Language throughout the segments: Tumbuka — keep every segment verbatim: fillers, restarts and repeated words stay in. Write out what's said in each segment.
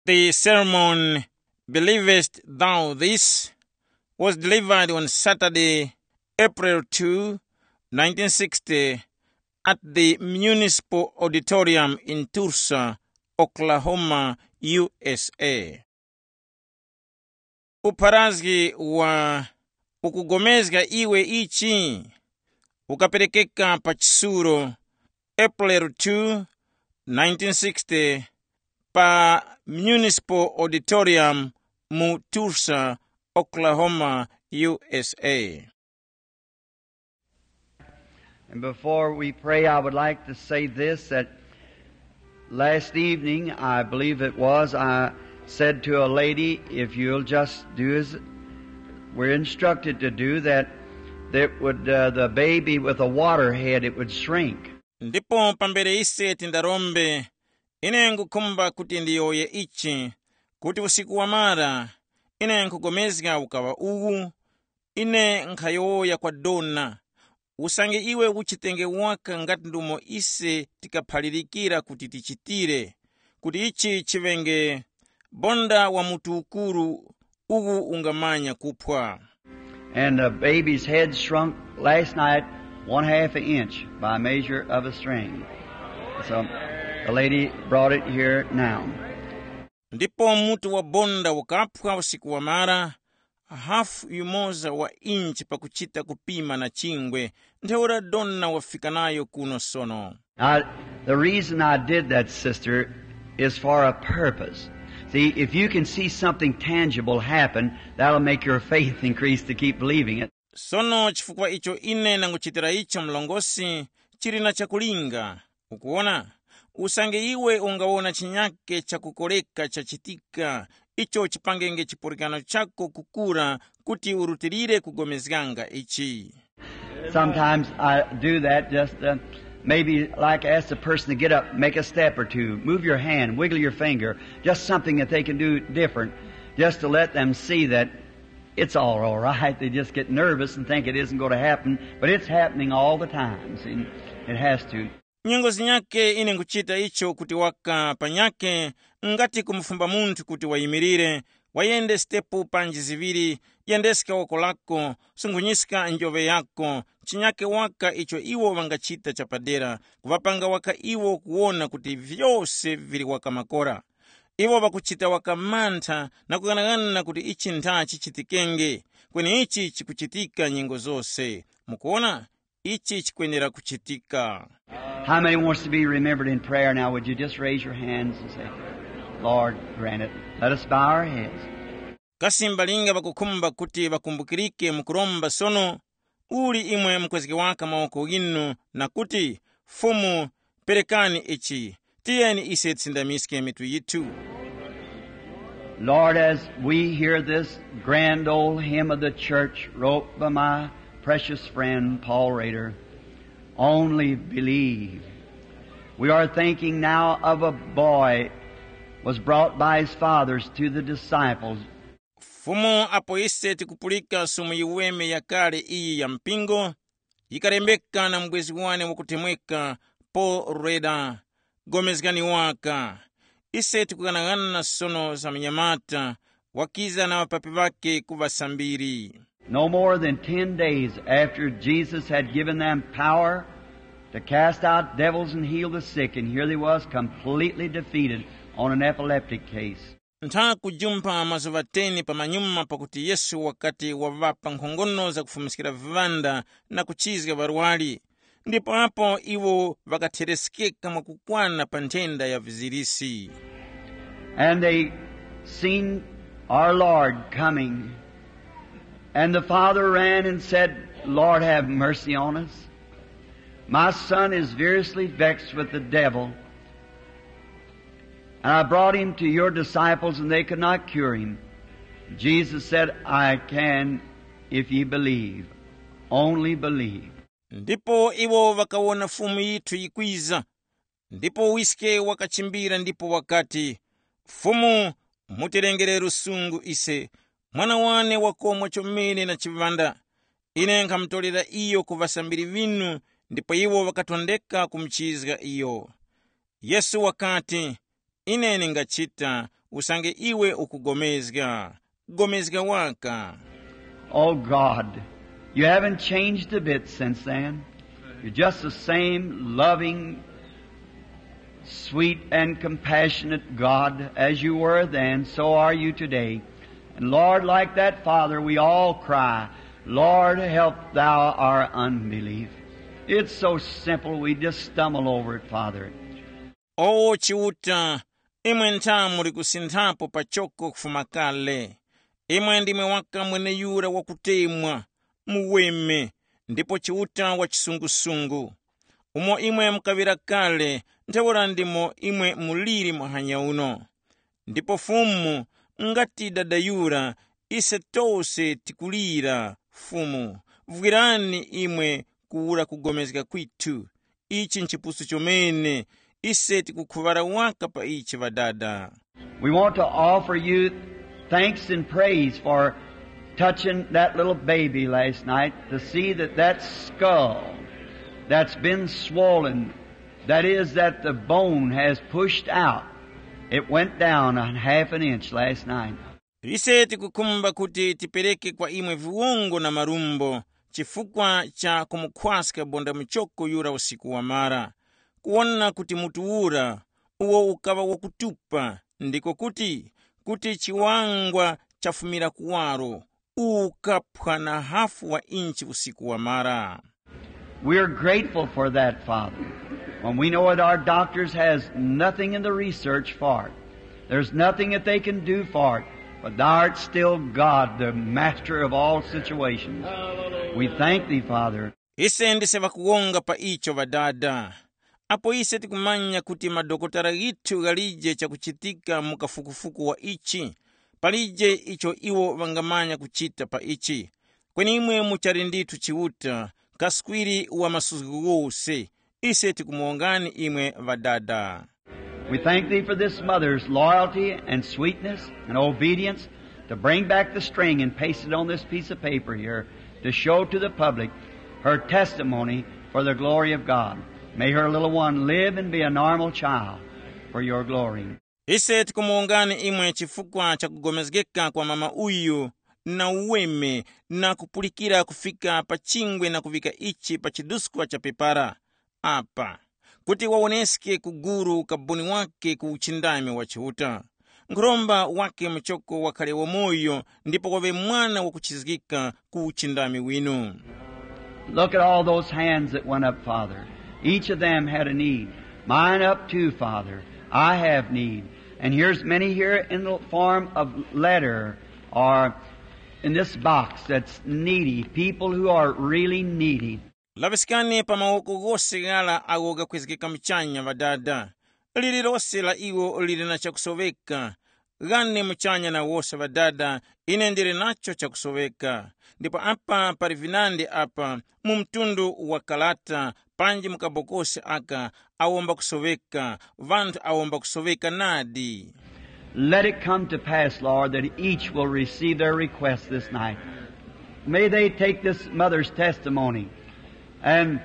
The sermon, Believest Thou This?, was delivered on Saturday, April two, nineteen sixty, at the Municipal Auditorium in Tulsa, Oklahoma, U S A. Upharazgi wa Ukugomezga Iwe Ichi? Ukaperekeka pa chisulo, April two, nineteen sixty, pa Municipal Auditorium mu Tulsa, Oklahoma, U S A. And before we pray, I would like to say this, that last evening, I believe it was, I said to a lady, "If you'll just do as we're instructed to do, that, that would, uh, the baby with a water head, it would shrink." Ndipo pambere ise tindarombe, ine ngukhumba kuti ndiyowoye ichi, kuti usiku wamara, ine nkhugomezga ukaŵa uwu, ine nkhayowoya kwa dona, usange iwe uchitenge waka ngati ndumo ise tikaphalirikira kuti tichitire, kuti ichi chiŵenge bonda wa mutu ukuru uwu ungamanya kuphwa. And the baby's head shrunk last night one half an inch by measure of a string. So the lady brought it here now. Ndipo mutu wa bonda ukaphwa usiku wamara, hafu yumoza wa inchi pakuchita kupima na chingwe, ntheura dona wafika nayo kuno sono. Now, the reason I did that, sister, is for a purpose. See, if you can see something tangible happen, that'll make your faith increase to keep believing it. Sono chifukwa icho ine nanguchitira icho mlongosi, chili na chakulinga. Ukuwona, usange iwe ungawona chinyake chakukoreka chachitika, icho chipangenge chipulikano chako kukura kuti urutilire kugomezganga ichi. Sometimes I do that just, uh, maybe like ask the person to get up, make a step or two, move your hand, wiggle your finger, just something that they can do different, just to let them see that it's all, all right. They just get nervous and think it isn't going to happen, but it's happening all the time. See, it has to. Nyengo zinyake ine nkuchita icho kuti waka panyake, ngati kumufumba munthu kuti wayimirire, wayende sitepu panji ziŵiri, yendeska woko lako, sungunyiska njoŵe yako, chinyake waka icho iwo ŵangachita chapadera, kuŵapanga waka iwo kuwona kuti vyose vili waka makora. Iwo ŵakuchita waka mantha na kughanaghana kuti ichi ntha chichitikenge, kweni ichi chikuchitika nyengo zose. Mukuwona? Ichi chikwenera kuchitika. How many wants to be remembered in prayer now? Would you just raise your hands and say, "Lord, grant it." Let us bow our heads. Kasi mbalinga ŵakukhumba kuti ŵakumbukirike mu kuromba sono? Uli imwe mukwezge waka mawoko ghinu na kuti, "Fumu, perekani ichi." Tiyeni ise tisindamiske mitu yithu. Lord, as we hear this grand old hymn of the church wrote by my precious friend Paul Rader, "Only believe." We are thinking now of a boy was brought by his fathers to the disciples. Fumu, apo ise tikupulika sumu yiweme yakale iyi ya mpingo, yikalembeka na mubwezi wane wakutemweka Paul Rader, gomezgani waka. Ise tikughanaghananga sono za munyamata wakiza na ŵapapi ŵakhe ku ŵasambiri. No more than ten days after Jesus had given them power to cast out devils and heal the sick, and here they was completely defeated on an epileptic case. Ntha kujumpha mazuŵa ten pamanyuma pakuti Yesu wakati waŵapa nkhongono zakufumiskira viŵanda na kuchizga ŵarwari, ndipo apo iwo ŵakathereskeka mwakukwana pa nthenda ya vizirisi. And they seen our Lord coming. And the father ran and said, "Lord, have mercy on us. My son is variously vexed with the devil. And I brought him to your disciples, and they could not cure him." Jesus said, "I can if ye believe. Only believe." Ndipo iwo ŵakawona Fumu yithu yikwiza, ndipo wiske wakachimbira ndipo wakati, "Fumu, mutilengere lusungu ise, mwana wane wakomwa chomene na chiŵanda. Ine nkhamutolera iyo ku ŵasambiri ŵinu, ndipo iwo ŵakatondeka kumuchizga iyo." Yesu wakati, "Ine ndingachita, usange iwe ukugomezga. Gomezga waka. Oh God, you haven't changed a bit since then. You're just the same loving, sweet, and compassionate God as you were then, so are you today. And Lord, like that Father, we all cry, "Lord, help thou our unbelief." It's so simple, we just stumble over it, Father. O Chiuta, imwe ntha muli kusinthapo pachoko kufuma kale. Imwe ndimwe waka mweneyura wakutemwa, muweme, ndipo Chiuta wa chisungusungu. Umo imwe mukaŵira kale, ntheura ndimo imwe muliri muhanya uno. Ndipo Fumu, ngati dada yura, ise tose tikulira, Fumu, vwirani imwe kuwura kugomezga kwithu. Ichi nchipusu chomene, ise tikukhuŵara waka pa ichi, Ŵadada. We want to offer you thanks and praise for touching that little baby last night, to see that that skull that's been swollen, that is, that the bone has pushed out, it went down a half an inch last night. Ise tikukhumba kuti tipereke kwa imwe viwongo na marumbo chifukwa cha kumukhwaska bonda muchoko yura usiku wamara, kuwona kuti mutu ura uwo ukaŵa wakutupa, ndiko kuti, kuti chiwangwa chafumira kuwaro, ukaphwa na hafu wa inchi usiku wamara. We are grateful for that, Father. When we know that our doctors has nothing in the research for it, there's nothing that they can do for it, but thou art still God, the master of all situations. We thank thee, Father. Ise ndise ŵakuwonga pa icho, Ŵadada. Apo ise tikumanya kuti madokotala ghithu ghalije chakuchitika mu kafukufuku wa ichi, palije icho iwo ŵangamanya kuchita pa ichi. Kweni imwe muchali ndithu Chiuta, kaswiri wa masuzgo ghose, ise tikumuwongani imwe Ŵadada. We thank thee for this mother's loyalty and sweetness and obedience to bring back the string and paste it on this piece of paper here to show to the public her testimony for the glory of God. May her little one live and be a normal child for your glory. Ise tikumuwongani imwe chifukwa cha kugomezgeka kwa mama uyu na uweme na kupulikira kufika pa chingwe na kuvika ichi pa chiduskwa cha pepara apa, kuti wawoneske ku guru ukaboni wake ku uchindami wa Chiuta. Nkhuromba wake muchoko wakhale wamoyo ndipo waŵe mwana wakuchizgika ku uchindami winu. Look at all those hands that went up, Father. Each of them had a need. Mine up too, Father. I have need. And here's many here in the form of letter or in this box that's needy, people who are really needy. Laŵiskani pa mawoko ghose ghara agho ghakwezgeka muchanya, Ŵadada. Lililose la iwo lili na chakusoweka. Ghane muchanya na wose, Ŵadada, ine ndili nacho chakusoweka. Ndipo apa pali vinandi apa, mu mtundu wa karata, panji mu kabokosi aka, awomba kusoweka, ŵanthu awomba kusoweka nadi. Let it come to pass, Lord, that each will receive their request this night. May they take this mother's testimony and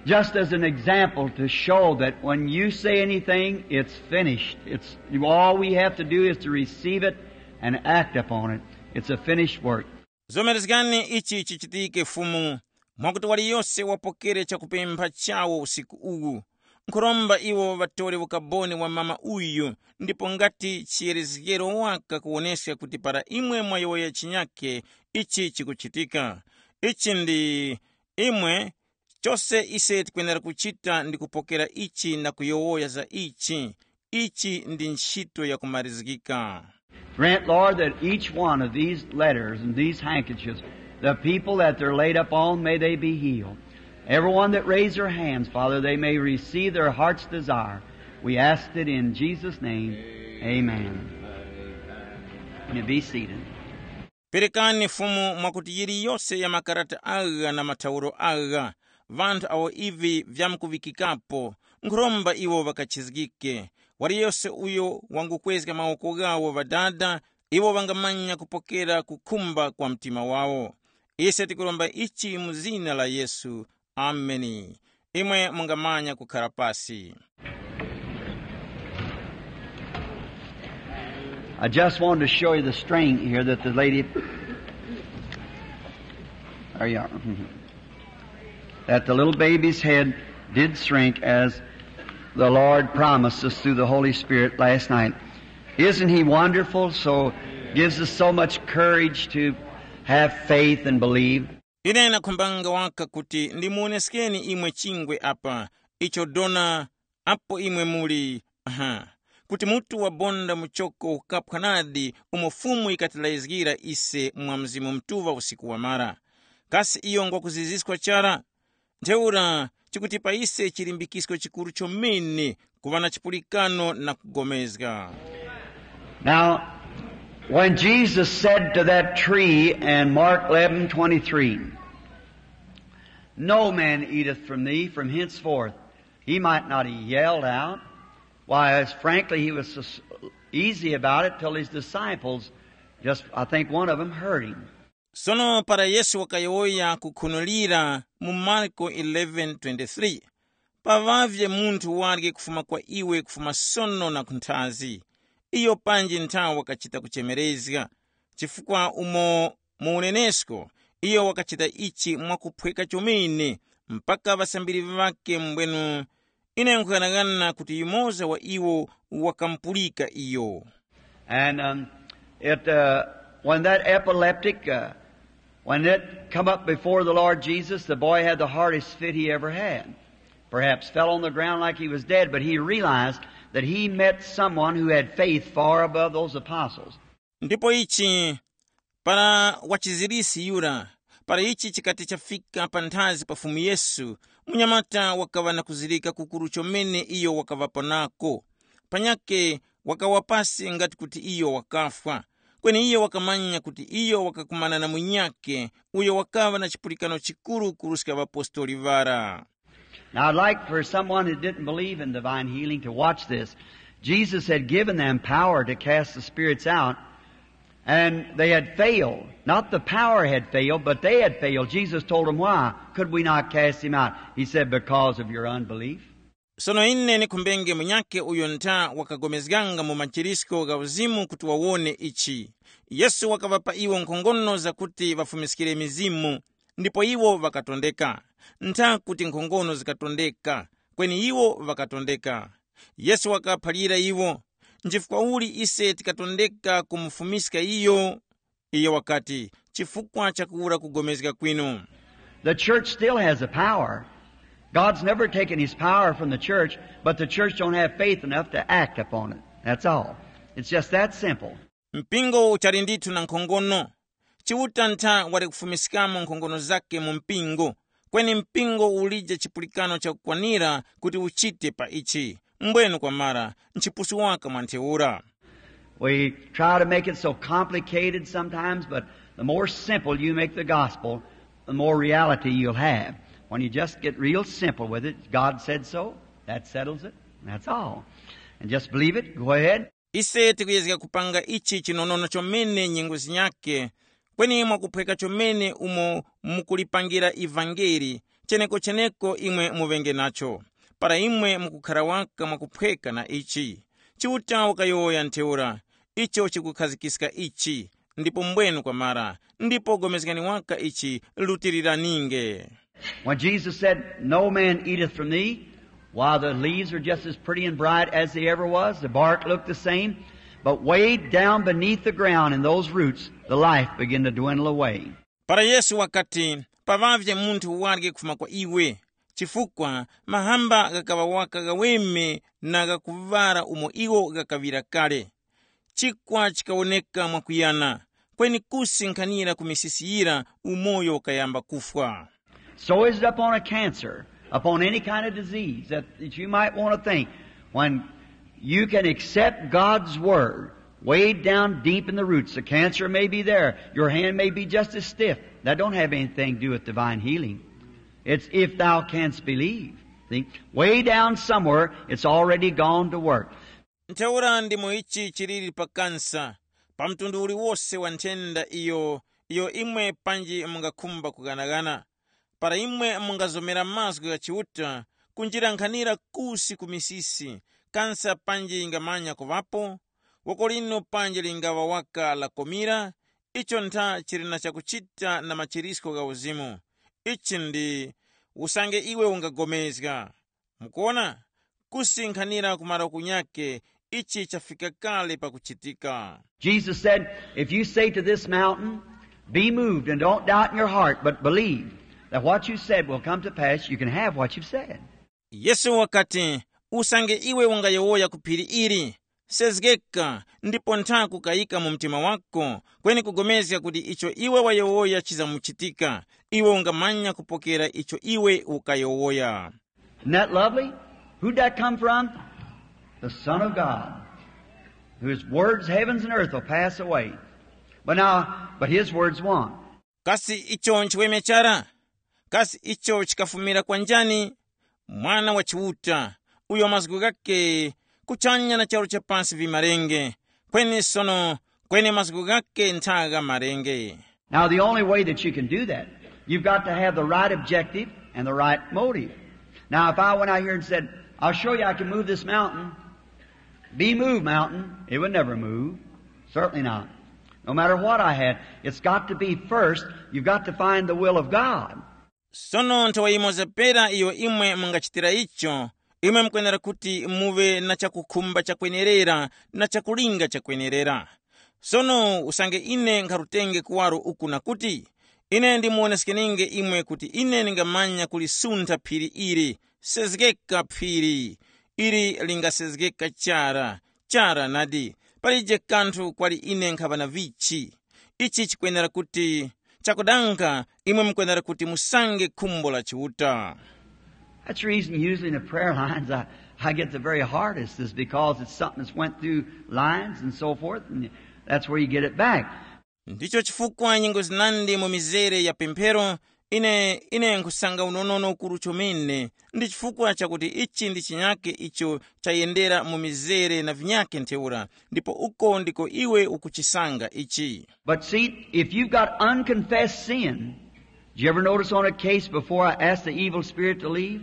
just as an example to show that when you say anything, it's finished. It's, all we have to do is to receive it and act upon it. It's a finished work. Zomerezgani ichi chichitike, Fumu, mwakuti waliyose wapokere chakupempha chawo usiku uwu. Nkhuromba iwo ŵatore ukaboni wa mama uyu, ndipo ngati chiyerezgero waka kuwoneska kuti para imwe mwayowoya chinyakhe, ichi chikuchitika. Ichi ndi imwe, chose ise tikwenera kuchita ndi kupokera ichi na kuyowoya za ichi. Ichi ndi ntchito yakumarizgika. Grant, Lord, that each one of these letters and these handkerchiefs, the people that they're laid up on, may they be healed. Everyone that raised their hands, Father, they may receive their heart's desire. We ask it in Jesus' name. Amen. You be seated. Perekani Fumu mwakuti yiliyose ya makarata agha na mathauro agha, ŵanthu awo ivi vyamkuŵikikapo, nkhuromba iwo ŵakachizgike. Waliyose uyo wangukwezga mawoko ghawo Ŵadada, iwo ŵangamanya kupokera kukhumba kwa mtima wawo. Ise tikuromba ichi mu zina la Yesu. Ameni. Imwe mungamanya kukhara pasi. I just wanted to show you the strength here that the lady, there you are. That the little baby's head did shrink as the Lord promised us through the Holy Spirit last night. Isn't he wonderful? So gives us so much courage to have faith and believe. Ine nakhumbanga waka kuti ndimuwoneskeni imwe chingwe apa, icho dona apo imwe muli, aha, kuti mutu wabonda muchoko ukapwa nadi umo Fumu ikatilayizgira ise mwa Mzimu Mutuŵa usiku wamara. Kasi iyo ngwakuziziskwa chara? Ntheura chikutipa ise chilimbikisko chikuru chomene kuŵa na chipulikano na kugomezga. Now, when Jesus said to that tree in Mark eleven twenty-three, "No man eateth from thee from henceforth," he might not have yelled out. Why, as frankly, he was so s- easy about it till his disciples, just, I think one of them heard him. Sono para Yesu wakayowoya kukhunulira mu Marko eleven twenty-three, paŵavye munthu warye kufuma kwa iwe kufuma sono na kunthazi. Iyo panji nthawe wakachita kuchemerezga, chifukwa umo mu unenesko iyo wakachita ichi mwakuphweka chomene, mpaka ŵasambiri ŵakhe mbwenu ine nkughanagana kuti yumoza wa iwo wakamupulika iyo. And um, it, uh, when that epileptic, uh, when it come up before the Lord Jesus, the boy had the hardest fit he ever had. Perhaps fell on the ground like he was dead, but he realized that he met someone who had faith far above those apostles. Ndipo ichi, para wachizirisi yura, para ichi chikati chafika panthazi pa Fumu Yesu, munyamata wakaŵa na kuzirika kukuru chomene iyo wakaŵapo nako. Panyakhe wakawa pasi ngati kuti iyo wakafwa. Kweni iyo wakamanya kuti iyo wakakumana na munyakhe uyo wakaŵa na chipulikano chikuru kuruska ŵapostoli ŵara. Now, I'd like for someone who didn't believe in divine healing to watch this. Jesus had given them power to cast the spirits out, and they had failed. Not the power had failed, but they had failed. Jesus told them why. "Could we not cast him out?" He said, "Because of your unbelief." Sono ine nikhumbenge munyakhe uyo ntha wakagomezganga mu machirisko gha uzimu kuti wawone ichi. Yesu wakaŵapa iwo nkhongono zakuti ŵafumiskire mizimu, ndipo iwo ŵakatondeka. Ntha kuti nkhongono zikatondeka, kweni iwo ŵakatondeka. Yesu wakaphalira iwo, nchifukwa uli ise tikatondeka kumufumiska iyo? Iyo wakati, chifukwa chakuwura kugomezga kwinu. The church still has a power. God's never taken his power from the church, but the church don't have faith enough to act upon it. That's all. It's just that simple. Mpingo uchali ndithu na nkhongono. Chiuta ntha wali kufumiskamo nkhongono zake mu mpingo, kweni mpingo ulije chipulikano chakukwanira kuti uchite pa ichi. Mbwenu kwamara, nchipusu waka mwa ntheura. We try to make it so complicated sometimes, but the more simple you make the gospel, the more reality you'll have. When you just get real simple with it, God said so, that settles it, that's all. And just believe it, go ahead. Ise tikuyezga kupanga ichi chinonono chomene nyengo zinyakhe, kweni mwakuphweka chomene umo mukulipangira ivangeli, cheneko-cheneko imwe muŵenge nacho. Para imwe mukukhara waka mwakuphweka na ichi, Chiuta wakayowoya ntheura, icho chikukhazikiska ichi, ndipo mbwenu kwamara, ndipo gomezgani waka ichi, lutiriraninge. When Jesus said, "No man eateth from thee," why, the leaves are just as pretty and bright as they ever was. The bark looked the same. But way down beneath the ground in those roots, the life began to dwindle away. Para Yesu wakati, paŵavye munthu warye kufuma kwa iwe, chifukwa mahamba ghakaŵa waka ghaweme na ghakuŵara umo iwo ghakaŵira kale. Chikwa chikawoneka mwakuyana, kweni kusi nkhanira ku misisi yira umoyo ukayamba kufwa. So is it upon a cancer, upon any kind of disease that, that you might want to think. When you can accept God's word, way down deep in the roots, the cancer may be there. Your hand may be just as stiff. That don't have anything to do with divine healing. It's if thou canst believe. See? Way down somewhere, it's already gone to work. Ntheura ndimo ichi chiliri pa kansa, pa mtundu uliwose wa nthenda iyo, iyo imwe panji mungakhumba kughanaghana. Para imwe mungazomera mazgu gha Chiuta, kunjira nkhanira kusi ku misisi, kansa panji yingamanya kuŵapo? Woko lino panji lingaŵa waka lakomira, icho ntha chili na chakuchita na machirisko gha uzimu. Ichi ndi usange iwe ungapulikana. Mukuona, kusinkhanira ku maroku nyakhe, ichi chafika kale pakuchitika. Jesus said, "If you say to this mountain, 'Be moved,' and don't doubt in your heart, but believe that what you said will come to pass, you can have what you've said." Yesu wakati, usange iwe ungayowoya ku phiri ili, sezgeka, ndipo ntha kukayika mu mtima wako, kweni kugomezga kuti icho iwe wayowoya chizamuchitika, iwe ungamanya kupokera icho iwe ukayowoya. Isn't that lovely? Who'd that come from? The Son of God, whose words heavens and earth will pass away, but now, but his words won't. Kasi icho nchiweme chara? Kasi icho chikafumira kwa njani? Mwana wa Chiuta, uyo mazgu ghake kuchanya na charu cha pasi vimarenge, kweni sono, kweni mazgu ghake ntha gha marenge. Now, the only way that you can do that, you've got to have the right objective and the right motive. Now, if I went out here and said, "I'll show you I can move this mountain," "Be moved, mountain," it would never move. Certainly not. No matter what I had, it's got to be first, you've got to find the will of God. Sono nthawe yimoza pera iyo imwe mungachitira icho, imwe mukwenera kuti muve na chakukhumba chakwenerera na chakulinga chakwenerera. Sono usange ine nkharutenge kuwaro uku na kuti, ine ndimuwoneskeninge imwe kuti ine ndingamanya kulisuntha phiri ili, sezgeka phiri, ili lingasezgeka chara, chara nadi, palije kanthu kwali ine nkhaŵa na vichi. Ichi chikwenera kuti chakudanga, imwe mukwenera kuti musange khumbo la Chiuta. That's the reason usually in the prayer lines I, I get the very hardest is because it's something that's went through lines and so forth, and that's where you get it back. Ndicho chifukwa nyengo zinandi mu mizere ya pemphero, ine ine nkhusanga unonono ukuru chomene, ndi chifukwa chakuti ichi ndi chinyake icho chayendera mu mizere na vinyake ntheura, ndipo uko ndiko iwe ukuchisanga ichi. But see, if you've got unconfessed sin, did you ever notice on a case before I asked the evil spirit to leave?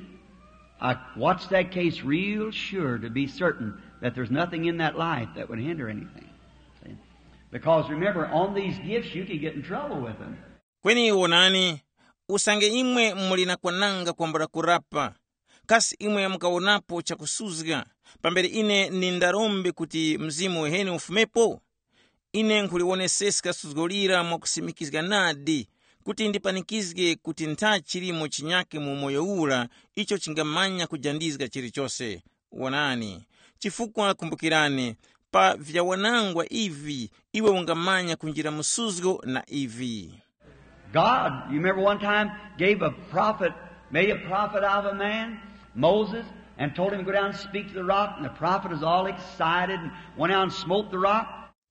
I watched that case real sure to be certain that there's nothing in that life that would hinder anything. See? Because remember, on these gifts, you can get in trouble with them. Kweni wonani, usange imwe muli na kwananga kwambula kurapa, kasi imwe mukawonapo chakusuzga, pambere ine nindarombe kuti mzimu uheni ufumepo? Ine nkhuliwoneseska suzgo lira mwakusimikizga nadi, kuti ndipanikizge kuti ntha chilimo chinyake mu umoyo ura icho chingamanya kujandizga chilichose. Wonani, chifukwa kumbukirani, pa vyawanangwa ivi iwe ungamanya kunjira mu suzgo na ivi. God, you remember one time, gave a prophet, made a prophet out of a man, Moses, and told him to go down and speak to the rock, and the prophet was all excited and went out and smote the rock.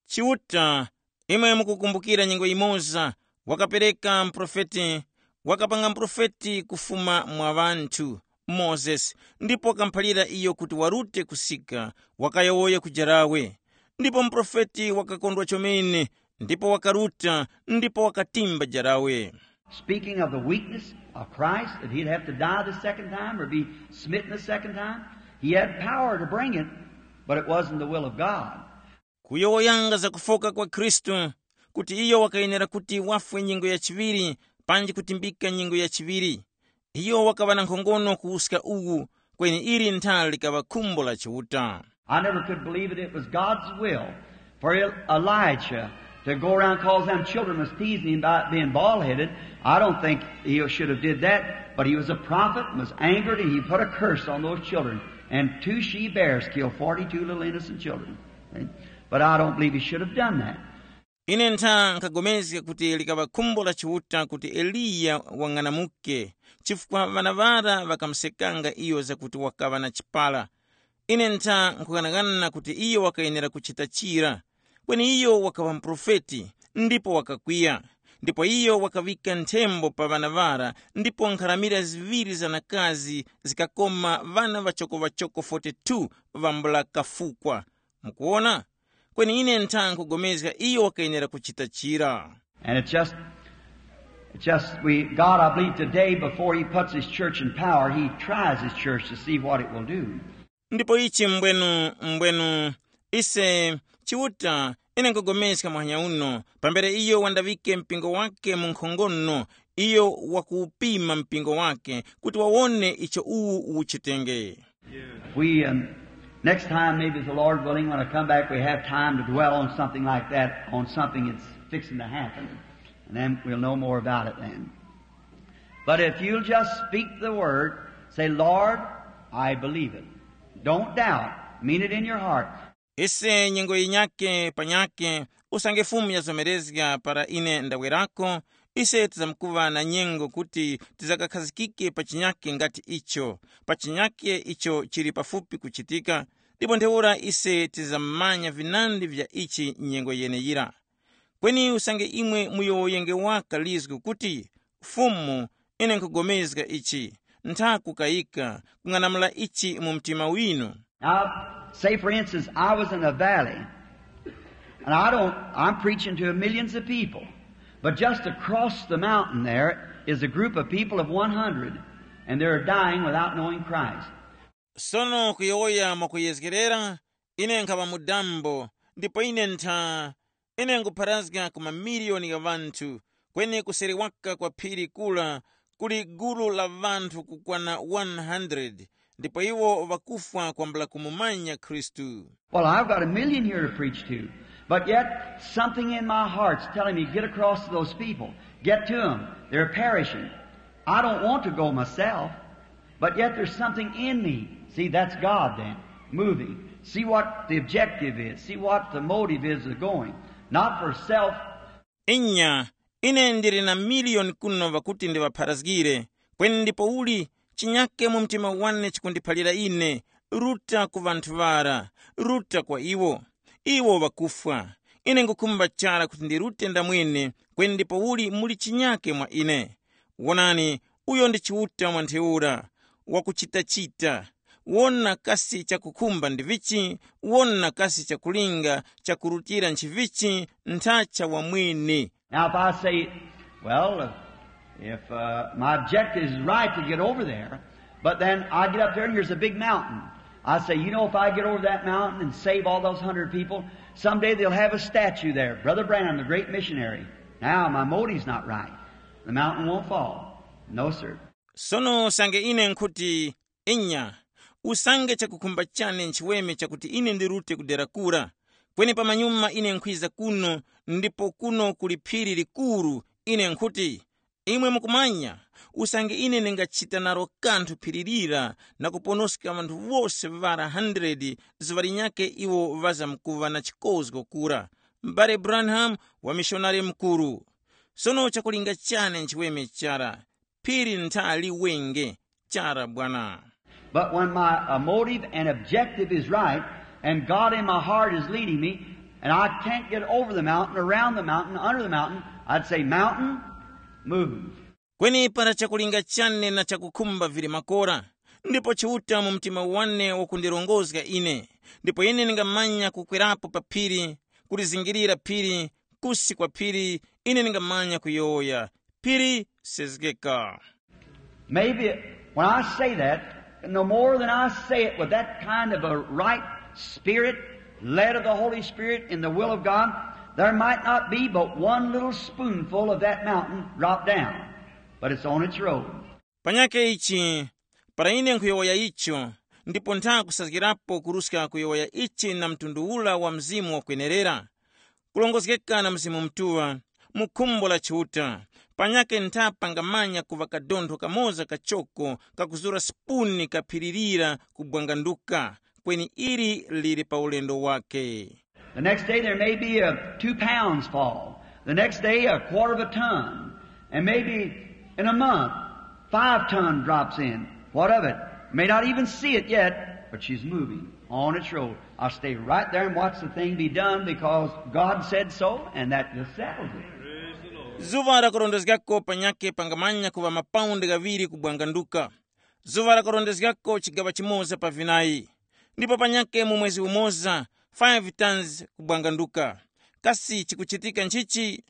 Chiuta, imwe mukukumbukira nyengo imoza, wakapereka mprofeti, wakapanga mprofeti kufuma mwa ŵanthu, Mozesi, ndipo wakamphalira iyo kuti warute kusika, wakayowoya ku jarawe. Ndipo mprofeti wakakondwa chomene, ndipo wakaruta, ndipo wakatimba jarawe. Speaking of the weakness of Christ, that he'd have to die the second time or be smitten the second time, he had power to bring it, but it wasn't the will of God. Kuyowoyanga za kufoka kwa Khristu, kuti iyo wakayenera kuti wafwe nyengo ya chiŵiri, panji kutimbika nyengo ya chiŵiri. Iyo wakaŵa na nkhongono kuwuska uwu, kweni ili nthali likaŵa khumbo la Chiuta. I never could believe that it was God's will for El- Elijah to go around, cause them children was teasing him about being bald-headed. I don't think he should have did that, but he was a prophet and was angered, and he put a curse on those children. And two she-bears killed forty-two little innocent children. See? But I don't believe he should have done that. Ine ntha nkhapulikana kuti likaŵa khumbo la Chiuta kuti Eliya wang'anamuke, chifukwa ŵana ŵara ŵakamusekanga iyo zakuti wakaŵa na chipara. Ine ntha nkhughanaghana kuti iyo wakayenera kuchita chira. Kweni iyo wakaŵa muprofeti, ndipo wakakwiya. Ndipo iyo wakaŵika nthembo pa ŵana ŵara, ndipo nkharamira ziŵiri za nakazi zikakoma ŵana ŵachokoŵachoko forty-two ŵambula kafukwa. Mukuwona? Kweni ine ntha nkhupulikana iyo wakayenera kuchita chira. And it's just, it's just we, God, I believe today before he puts his church in power, he tries his church to see what it will do. Ndipo ichi mbwenu, mbwenu, ise, Chiuta, ine nkhupulikana muhanya uno, pambere iyo wandaŵike mpingo wake mu nkhongono, iyo wakuwupima mpingo wake kuti wawone icho uwu uchitenge. We, um, next time, maybe if the Lord willing, when I come back, we have time to dwell on something like that, on something that's fixing to happen. And then we'll know more about it then. But if you'll just speak the word, say, "Lord, I believe it." Don't doubt. Mean it in your heart. Ise nyengo yinyake panyake, usange Fumu yazomerezga para ine ndawerako, ise tizamkuŵa na nyengo kuti tizakakhazikike pa chinyake ngati icho, pa chinyake icho chili pafupi kuchitika, ndipo ntheura ise tizammanya vinandi vya ichi nyengo yeneyira. Kweni usange imwe muyowoyenge waka lizgu kuti, Fumu, ine nkhupulikana ichi, ntha kukayika, kung'anamula ichi mu mtima winu. Now, say for instance, I was in a valley, and I don't, I'm preaching to millions of people, but just across the mountain there is a group of people of one hundred, and they're dying without knowing Christ. Sono kuyowoya mwakuyezgerera, ine nkhaŵa mu dambo, ndipo ine ntha, ine nkupharazga ku mamiliyoni gha ŵanthu, kweni kuseri waka kwa phiri kula kuli gulu la ŵanthu kukwana one hundred, ndipo iwo ŵakufwa kwambula kumumanya Khristu. Well, I've got a million here to preach to, but yet something in my heart's telling me, "Get across to those people. Get to them. They're perishing." I don't want to go myself, but yet there's something in me. See, that's God then, moving. See what the objective is. See what the motive is of going. Not for self. Inya, ine ndili na miliyoni kuno ŵakuti ndiŵapharazgire, kweni ndipo uli chinyake mu mtima wane chikundiphalira ine, ruta ku ŵanthu ŵara, ruta kwa iwo. Iwo ŵakufwa. Ine nkhukhumba chara kuti ndirute ndamwene, kweni ndipo uli muli chinyake mwa ine. Wonani, uyo ndi Chiuta mwa ntheura, wakuchitachita. Wona kasi chakukhumba ndi vichi, wona kasi chakulinga chakurutira nchivichi, ntha cha wamwene. Now, if I say, well, if uh, my objective is right to get over there, but then I get up there and here's a big mountain. I say, you know, if I get over that mountain and save all those hundred people, someday they'll have a statue there, Brother Branham, the great missionary. Now, my motive's not right. The mountain won't fall. No, sir. Sono sange ine nkhuti, inya, usange chakukhumba chane nchiweme chakuti ine ndirute ku dera kura, kweni pamanyuma ine nkhwiza kuno, ndipo kuno kuli phiri likuru, ine nkhuti, imwe mukumanya, usange ine ndingachita nalo kanthu phiri lira na kuponoska ŵanthu wose ŵara hundred, zuŵa linyakhe iwo ŵazamkuŵa na chikozgo kura. M'bale Branham, wamishonari mukuru. Sono chakulinga chane nchiweme chara, phiri ntha liwenge, chara bwana. But when my uh, motive and objective is right, and God in my heart is leading me, and I can't get over the mountain, around the mountain, under the mountain, I'd say, "Mountain, move." Kweni para chakulinga chane na chakukhumba vili makora, ndipo Chiuta mu mtima wane wakundilongozga ine, ndipo ine ndingamanya kukwerapo pa phiri, kulizingirira phiri, kusi kwa phiri, ine ndingamanya kuyowoya, phiri, sezgeka. Maybe when I say that, no more than I say it with that kind of a right spirit, led of the Holy Spirit in the will of God, there might not be but one little spoonful of that mountain drop down, but it's on its road. Panyake ichi, para ine nkhuyowoya icho, ndipo ntha kusazgirapo kuruska kuyowoya ichi na mtundu ula wa mzimu wakwenerera, kulongozgeka na Mzimu Mutuŵa, mu khumbo la Chiuta, panyake ntha pangamanya kuŵa kadontho kamoza kachoko kakuzura sipuni kaphiririra kubwanganduka, kweni ili lili pa ulendo wake. The next day there may be a two pounds fall. The next day a quarter of a ton. And maybe in a month, five ton drops in. What of it? May not even see it yet, but she's moving on its road. I'll stay right there and watch the thing be done because God said so, and that just settles it. Zuŵa lakurondezgako panyake pangamanya kuŵa mapaundi ghaŵiri kubwanganduka. Zuŵa lakurondezgako chigaŵa chimoza pa vinayi, ndipo panyake mu mwezi umoza, five tons kubwanganduka. Kasi chikuchitika nchichi?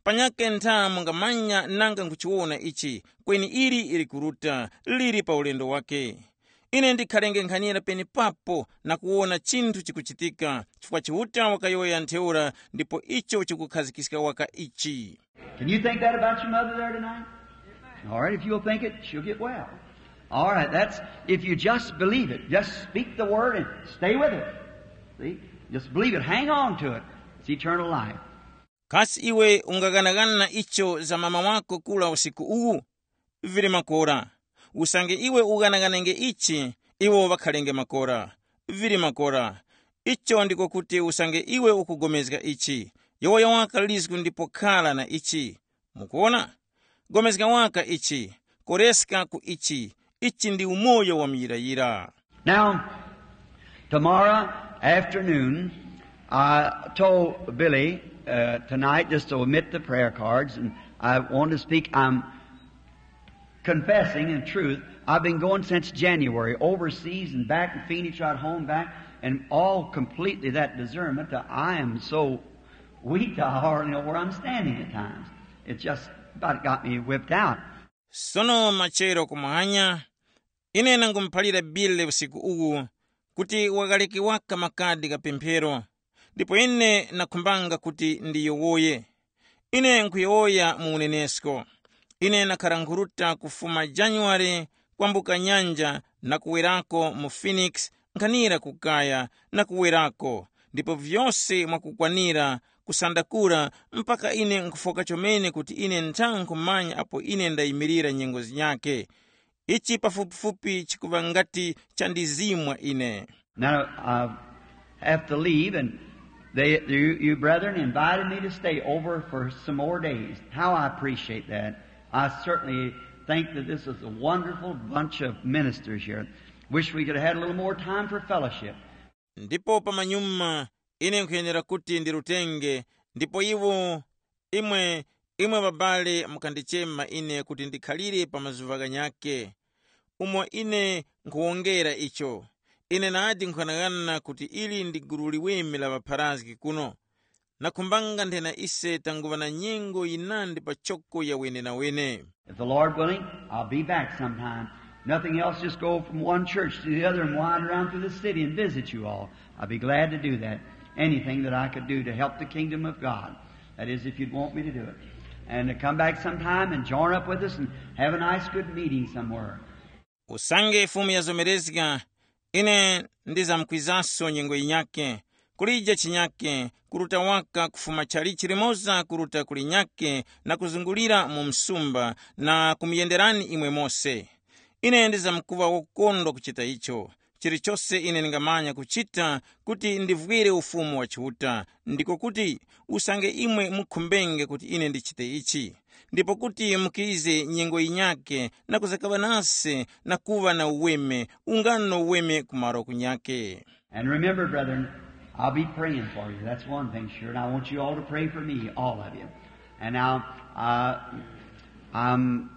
Panyake ntha mungamanya nanga nkhuchiwona ichi, kweni ili likuruta, lili pa ulendo wake. Ine ndikhalenge nkhanira penepapo na kuwona chinthu chikuchitika, chifukwa Chiuta wakayowoya ntheura, ndipo icho chikukhazikiska waka ichi. Can you think that about your mother there tonight? All right, if you'll think it, she'll get well. All right, that's if you just believe it. Just speak the word and stay with it. See? Just believe it. Hang on to it. It's eternal life. Kasi iwe ungaghanagana icho za mama wako kula usiku uwu? Vili makora. Usange iwe ughanaghanenge ichi, iwo ŵakhalenge makora. Vili makora. Icho ndiko kuti usange iwe ukugomezga ichi, yowoya waka lizgu ndipo khala na ichi. Mukuona? Gomezga waka ichi, koreska ku ichi. Ichi ndi umoyo wa muyirayira. Now, tomorrow afternoon, I told Billy uh, tonight just to omit the prayer cards, and I want to speak. I'm confessing in truth, I've been going since January, overseas and back in Phoenix, right home back, and all completely that discernment that I am so weak, I hardly know where I'm standing at times. It's just about got me whipped out. Sono machero kumwanya, ine nangumuphalira Bile usiku uwu kuti wakaleke waka makadi ka pemphero, ndipo ine nakhumbanga kuti ndiyowoye. Ine nkhuyowoya mu unenesko. Ine nakhara nkhuruta kufuma Januware kwambuka nyanja na kuwerako mu Phoenix nkhanira ku kaya na kuwerako, ndipo vyose mwakukwanira kusandakura mpaka ine nkhufoka chomene kuti ine ntha nkhumanya apo ine ndayimirira nyengo zinyakhe. Ichi pafupifupi chikuŵa ngati chandizimwa ine. Now I have to leave, and they, you, you brethren invited me to stay over for some more days. How I appreciate that. I certainly think that this is a wonderful bunch of ministers here. Wish we could have had a little more time for fellowship. Ndipo pamanyuma ine nkhuyenera kuti ndirutenge, ndipo iwo imwe imwe ŵabale mukandichema ine kuti ndikhalire pa mazuŵa ghanyakhe, umo ine nkhuwongera icho. Ine nadi nkhughanaghana kuti ili ndi gulu liweme la ŵapharazgi kuno. Nakhumbanga nthena ise tanguŵa na nyengo yinandi pachoko ya wenenawene. If the Lord willing, I'll be back sometime. Nothing else, just go from one church to the other and wander around through the city and visit you all. I'll be glad to do that. Anything that I could do to help the kingdom of God. That is, if you'd want me to do it. And to come back sometime and join up with us and have a nice good meeting somewhere. Usange Fumu yazomerezga, ine ndizamkwizanso nyengo yinyakhe, kulija chinyakhe, kuruta waka kufuma chalichi limoza kuruta kulinyakhe na kuzungulira mu msumba na kumuyenderani imwe mose. Ine ndizamkuŵa wokondwa kuchita icho. Chilichose ine ndingamanya kuchita kuti ndivwire Ufumu wa Chiuta, ndiko kuti usange imwe mukhumbenge kuti ine ndichite ichi, ndipo kuti mukize nyengo yinyakhe na kuzakaŵa nase na kuŵa na uweme, ungano uweme ku malo kunyakhe. And remember, brethren, I'll be praying for you. That's one thing sure. And I want you all to pray for me, all of you. And now, uh, um,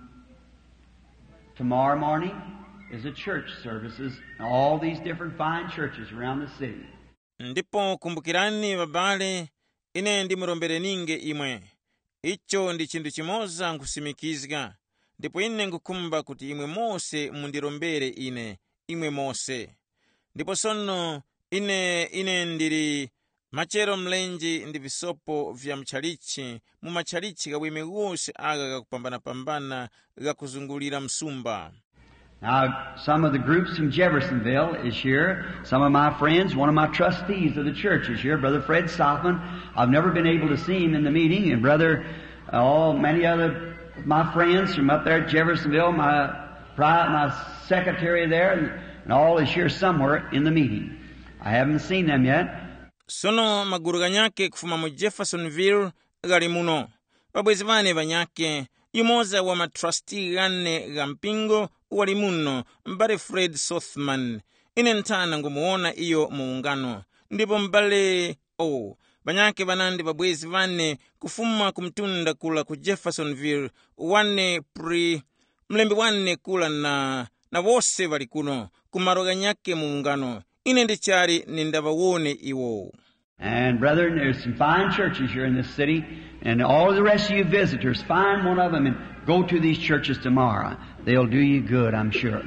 tomorrow morning is a church services in all these different fine churches around the city. Ndipo kumbukirani, babale, ine ndimurombereninge imwe. Icho ndi chinthu chimoza nkhusimikizga, ndipo ine nkhukhumba kuti imwe mose mundirombere ine, imwe mose. Ndipo sono ine ine ndili machero mlenje ndi visopo vya mutchalichi mu matchalichi ghaweme ghose agha ghakupambanapambana ghakuzungulira msumba. Now, some of the groups from Jeffersonville is here. Some of my friends, one of my trustees of the church is here, Brother Fred Sothmann. I've never been able to see him in the meeting, and Brother, uh, all many other of my friends from up there at Jeffersonville, my pri- my secretary there, and, and all is here somewhere in the meeting. I haven't seen them yet. Sono magulu ghanyakhe kufuma mu Jeffersonville ghali muno. Ŵabwezi ŵane ŵanyakhe, yumoza wa matrasti ghane gha mpingo wali muno, m'bale Fred Sothmann. Ine nthana ngumuwona iyo mu ungano. Ndipo m'bale o ŵanyakhe ŵanandi ŵabwezi ŵane kufuma ku mtunda kula ku Jeffersonville, wane pri mlembi wane kula na na wose ŵali kuno ku malo ghanyakhe mu ungano. Ine ndichali nindaŵawone iwo. And brethren, there's some fine churches here in this city, and all the rest of you visitors, find one of them and go to these churches tomorrow. They'll do you good, I'm sure.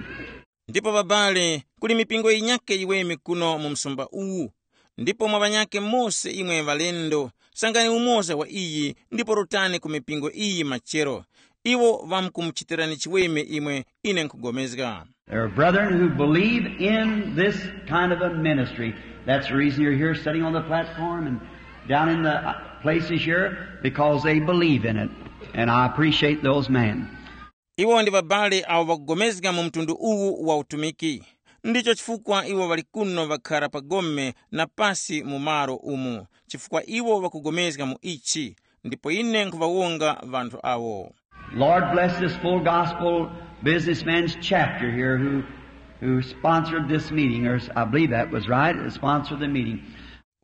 Ndipo babale, kuli mipingo yinyakhe yiweme kuno mu msumba uwu, ndipo mwa ŵanyakhe mose imwe ŵalendo, sangani umoza wa iyi ndipo rutani ku mipingo iyi machero. Iwo ŵamkumuchitirani chiweme imwe ine nkhugomezga. There are brethren who believe in this kind of a ministry. That's the reason you're here sitting on the platform and down in the uh, places here, because they believe in it. And I appreciate those men. Iwo ndi babale awo ŵakugomezga mu mtundu uwu wa utumiki. Ndicho chifukwa iwo ŵali kuno ŵakhara pa gome na pasi mu malo umu, chifukwa iwo ŵakugomezga mu ichi. Ndipo ine nkhuŵawonga ŵanthu awo. Lord bless this full gospel businessman's chapter here who, who sponsored this meeting, or I believe that was right, sponsored the meeting.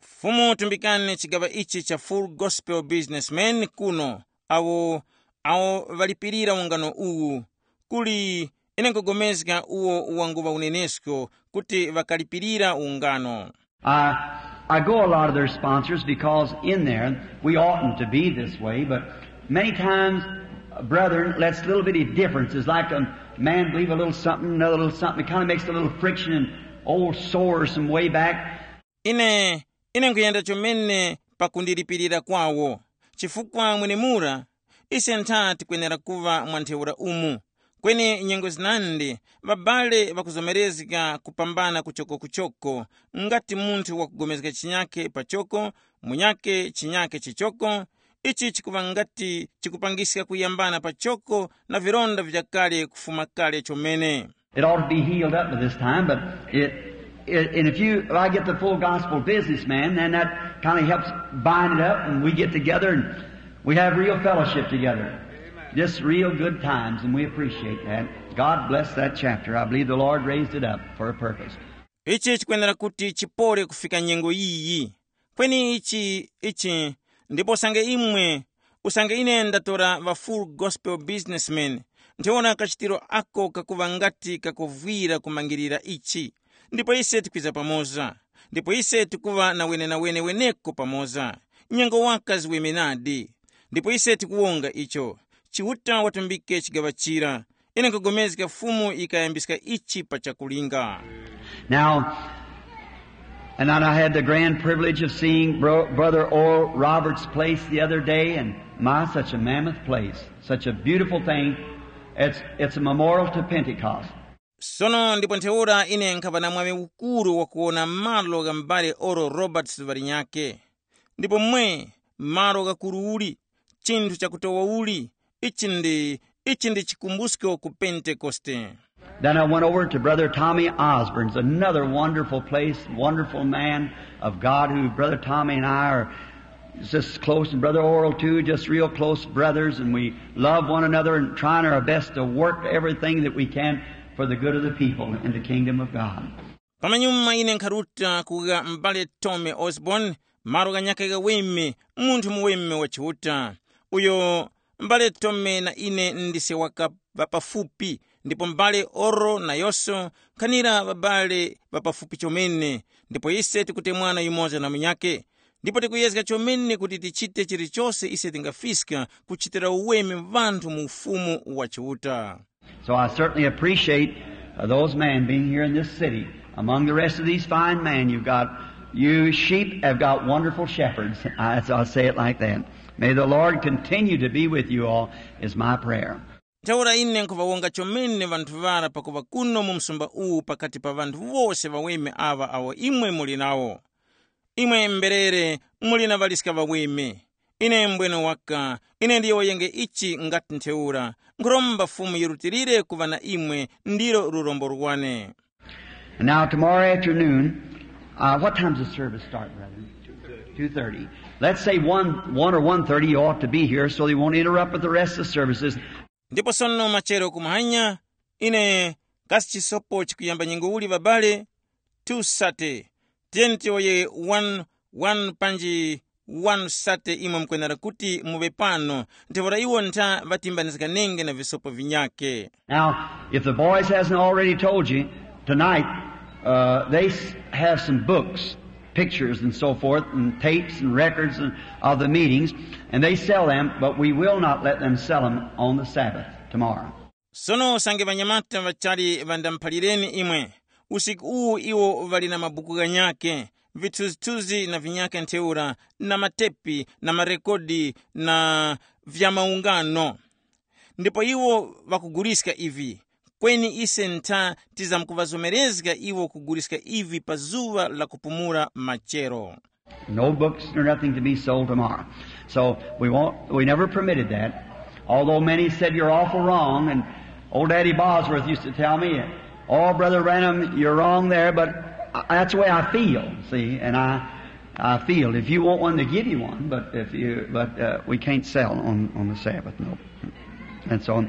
Fumu tumbikani chigaŵa ichi cha Full Gospel Businessman kuno, awo awo ŵalipirira ungano uwu. Kuli ine nkugomezga uwo wanguŵa unenesko kuti ŵakalipirira ungano. I, I go a lot of their sponsors because in there we oughtn't to be this way, but many times, brethren, that's little bitty differences, like a man believe a little something, another little something. It kind of makes a little friction and old sores from way back. Ine ine nkuyenda chomene pakundilipirira kwawo, chifukwa mwenemura ise ntha tikwenera kuŵa mwa ntheura umu. Kweni nyengo zinandi ŵabale ŵakuzomerezga kupambana kuchoko-kuchoko, ngati munthu wakugomezga chinyakhe pachoko, munyakhe chinyakhe chichoko. Ichi chikuŵa ngati chikupangiska kuyambana pachoko na vilonda vyakale kufuma kale chomene. It ought to be healed up by this time, but it, it and if you, if I get the full gospel businessman, then that kind of helps bind it up, and we get together and we have real fellowship together. Just real good times, and we appreciate that. God bless that chapter. I believe the Lord raised it up for a purpose. Ichi chikwenera kuti chipole kufika nyengo yiyi. Kweni ichi ichi ndipo usange imwe usange ine ndatora ŵa Full Gospel Businessman, ntheura kachitiro ako kakuŵa ngati kakuvwira kumangirira ichi. Ndipo ise tikwiza pamoza, ndipo ise tikuŵa na wenewene weneko pamoza. Nyengo waka ziweme nadi. Ndipo ise tikuwonga icho. Chiuta watumbike chigaŵa chira. Ine nkugomezga Fumu yikayambiska ichi pa chakulinga. Now, and then I had the grand privilege of seeing Bro- Brother Oral Roberts' place the other day, and my, such a mammoth place, such a beautiful thing. It's, it's a memorial to Pentecost. Sono ndipo ntheura ine nkhaŵa na mwaŵi ukuru wakuwona malo gha m'bale Oral Roberts ŵalinyakhe. Ndipo mwe, malo ghakuru uli, chinthu chakutowa uli, ichi ndi ichi ndi chikumbusko ku Pentekoste. Then I went over to Brother Tommy Osborne's, another wonderful place, wonderful man of God, who Brother Tommy and I are just close, and Brother Oral too, just real close brothers, and we love one another and trying our best to work everything that we can for the good of the people in the kingdom of God. Pamanyuma ine nkharuta kuga m'bale Tommy Osborne, malo ghanyakhe ghaweme, munthu muweme wa Chiuta. Uyo m'bale Tommy na ine ndise waka ŵapafupi, ndipo m'bale Oral nayose nkhanira ŵabale ŵapafupi chomene. Ndipo ise tikutemwana yumoza na munyakhe. Ndipo tikuyezga chomene kuti tichite chilichose ise tingafiska kuchitira uweme ŵanthu mu Ufumu wa Chiuta. So I certainly appreciate uh, those men being here in this city. Among the rest of these fine men you've got, you sheep have got wonderful shepherds. I, so I'll say it like that. May the Lord continue to be with you all, is my prayer. Ntheura ine nkhuŵawonga chomene ŵanthu ŵara pakuŵa kuno mu msumba uwu pakati pa ŵanthu wose ŵaweme aŵa awo imwe muli nawo. Imwe mberere muli na ŵaliska ŵaweme. Ine mbwene waka, ine ndiyowoyenge ichi ngati ntheura. Nkhuromba Fumu yirutilire kuŵa na imwe, ndilo lurombo lwane. And now tomorrow afternoon, uh, what time's the service start, brethren? Two thirty. Let's say one, one or one thirty. You ought to be here so they won't interrupt with the rest of the services. Ndipo sono machero kumahanya, ine kasi chisopo chikuyamba nyengo uli ŵabale? Two thirty. Tiyeni tiyowoye one, one panji one thirty imwe mukwenera kuti muŵe pano, ntheura iwo ntha ŵatimbanizganenge na visopo vinyakhe. Now, if the boys hasn't already told you, tonight uh, they s- have some books, pictures, and so forth, and tapes and records and, of the meetings, and they sell them, but we will not let them sell them on the Sabbath tomorrow. Sono usange ŵanyamata ŵachali ŵandamuphalireni imwe, usiku uwu iwo ŵali na mabuku ghanyakhe, vithunzithunzi na vinyakhe ntheura, na matepi na marekodi na vya maungano. Ndipo iwo ŵakuguliska ivi, kweni ise ntha tizamkuŵazomerezga iwo kuguliska ivi pa zuŵa la kupumula machero. No books or nothing to be sold tomorrow. So we won't, we never permitted that. Although many said, "You're awful wrong," and old Daddy Bosworth used to tell me, "Oh, Brother Branham, you're wrong there, but I, that's the way I feel, see, and I, I feel. If you want one, to give you one, but if you, but uh, we can't sell on, on the Sabbath, no." And so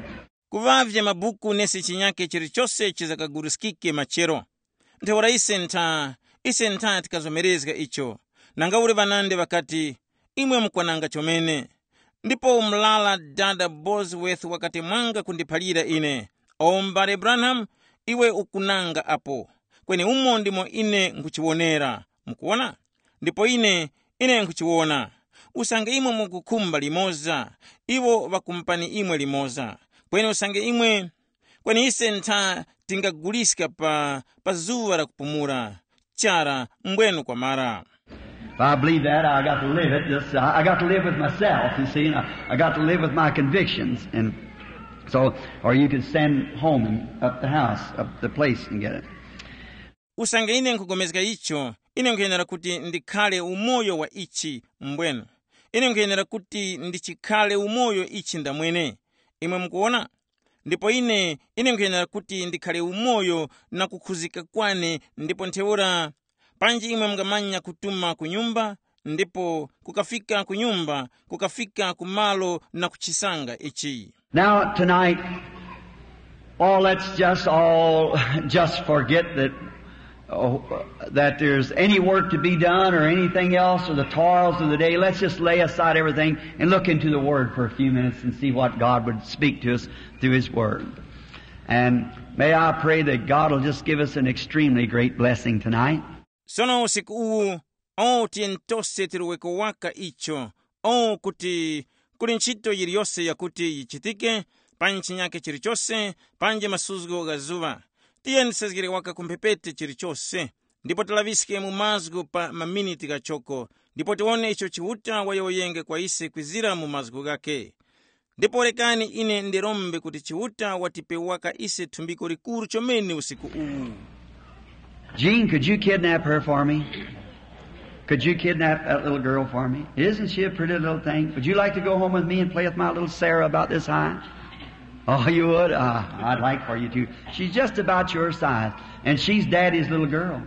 Kuŵavye mabuku nesi chinyake chilichose chizakaguliskike machero. Ntheura ise ntha, ise ntha tikazomerezga icho. Nanga uli ŵanandi ŵakati, imwe mukwananga chomene. Ndipo umulala dada Bosworth wakati mwanga kundiphalira ine, o m'bale Branham, iwe ukunanga apo. Kweni umo ndimo ine nkhuchiwonera. Mukuwona? Ndipo ine, ine nkhuchiwona. Usange imwe mukukhumba limoza, iwo ŵakumupani imwe limoza. Kweni usange imwe, kweni ise ntha tingaguliska pa, pa zuŵa la kupumula. Chara, mbwenu kwamara. If I believe that, I got to live it. Just, I I got to live with myself, you see, and I, I got to live with my convictions. And so, or you can send home and up the house, up the place and get it. Usange ine nkugomezga icho, ine nkhuyenera kuti ndikhale umoyo wa ichi mbwenu. Ine nkhuyenera kuti ndichikhale umoyo ichi ndamwene. Imwe mukuwona? Ndipo ine, ine nkhuyenera kuti ndikhale umoyo na kukhuzika kwane, ndipo ntheura, panji imwe mungamanya kutuma ku nyumba, ndipo kukafika ku nyumba, kukafika ku malo na kuchisanga ichi. Now, tonight, all let's just all just forget that, oh, that there's any work to be done or anything else or the toils of the day. Let's just lay aside everything and look into the Word for a few minutes and see what God would speak to us through His Word. And may I pray that God will just give us an extremely great blessing tonight. Sono usiku uwu, o tiyeni tose tiluweko waka icho, o kuti kuli ntchito yiliyose yakuti yichitike, pa chinyake chilichose, panji masuzgo gha zuŵa. Tiyeni tisezgere waka ku mphepete chilichose, ndipo tilaŵiske mu mazgu pa maminiti ghachoko, ndipo tiwone icho Chiuta wayowoyenge kwa ise kwizira mu mazgu ghakhe. Ndipo rekani ine ndirombe kuti Chiuta watipe waka ise thumbiko likuru chomene usiku uwu. Gene, could you kidnap her for me? Could you kidnap that little girl for me? Isn't she a pretty little thing? Would you like to go home with me and play with my little Sarah about this high? Oh, you would? Uh, I'd like for you to. She's just about your size, and she's Daddy's little girl.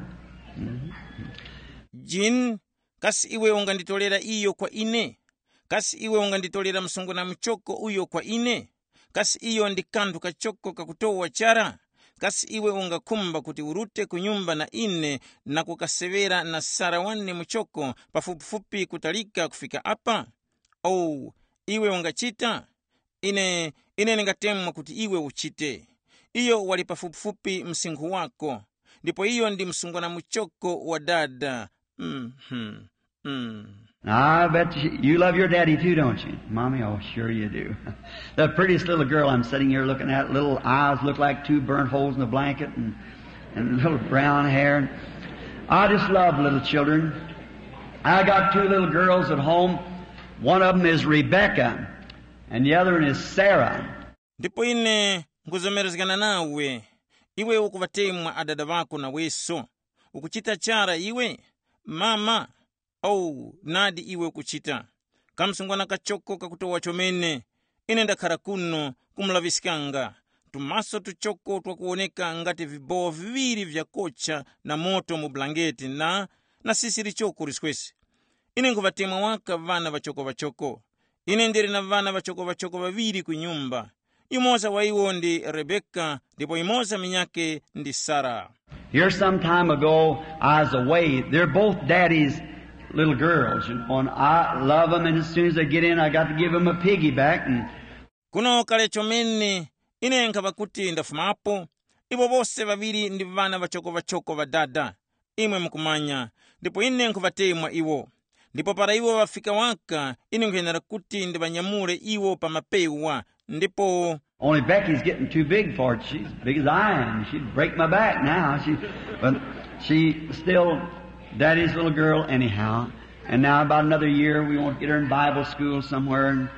Jean, kasi iwe unganditolera iyo kwa ine? Kasi iwe unganditolera msungwana muchoko uyo kwa ine? Kasi iyo ndi kanthu kachoko kakutowa chara? Kasi iwe ungakhumba kuti urute ku nyumba na ine na kukaseŵera na Sara wane muchoko pafupifupi kutalika kufika apa? Oh, iwe ungachita? Ine, ine ndingatemwa kuti iwe uchite. Iyo wali pafupifupi msinkhu wako, ndipo iyo ndi msungwana muchoko wa dada. Mhm. Mm. Now, I bet you, you love your daddy too, don't you? Mommy, oh, sure you do. The prettiest little girl I'm sitting here looking at, little eyes look like two burnt holes in a blanket and, and little brown hair. I just love little children. I got two little girls at home. One of them is Rebecca, and the other one is Sarah. Ndipo ine nkuzomerezgana nawe, iwe ukuŵatemwa adada ŵako naweso. Ukuchita chara iwe? Mama, oh, nadi iwe ukuchita. Kamsungwana kachoko kakutowa chomene. Ine ndakhara kuno kumulaŵiskanga. Tumaso tuchoko twakuwoneka ngati vibowo viŵiri vyakocha na moto mu bulangeti na, na sisi lichoko liswesi. Ine nkhuŵatemwa waka ŵana ŵachoko-ŵachoko. Ine ndili na ŵana ŵachoko-ŵachoko ŵaŵiri ku nyumba. Yumoza wa iwo ndi Rebeka, ndipo yumoza minyake ndi Sara. Here, some time ago, I was away. They're both daddy's little girls, you know, and I love them, and as soon as they get in, I got to give them a piggyback. And Kuno kale chomene, ine nkhaŵa kuti ndafumapo. Iwo wose ŵaŵiri ndi ŵana ŵachoko-ŵachoko ŵa dada. Imwe mukumanya, ndipo ine nkhuŵatemwa iwo. Ndipo para iwo ŵafika waka, ine nkhuyenera kuti ndiŵanyamule iwo pa mapewa, Ndipo Only Becky's getting too big for it. She's as big as I am. She'd break my back now. She, but she's still Daddy's little girl anyhow. And now about another year, we want to get her in Bible school somewhere and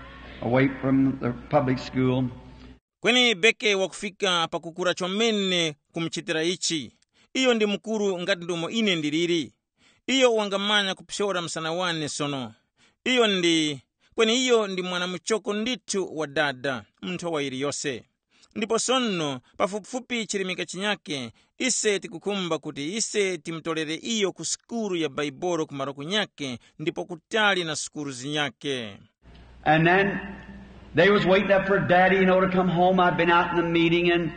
away from the public school. Kweni Beke wakufika pakukura chomene kumuchitira ichi. Iyo ndi mukuru ngati ndomwe ine ndiliri. Iyo wangamanya kuphyora msana wane sono. Iyo ndi, kweni iyo ndi mwana muchoko ndithu wa dada mu nthowa yiliyose. Ndipo sono pafupifupi chirimika chinyake, ise tikukhumba kuti ise timutolere iyo ku sukulu ya Baibolo ku maroko nyake ndipo kutali na sukulu zinyake. And then they was waiting up for Daddy, you know, to come home. I've been out in the meeting, and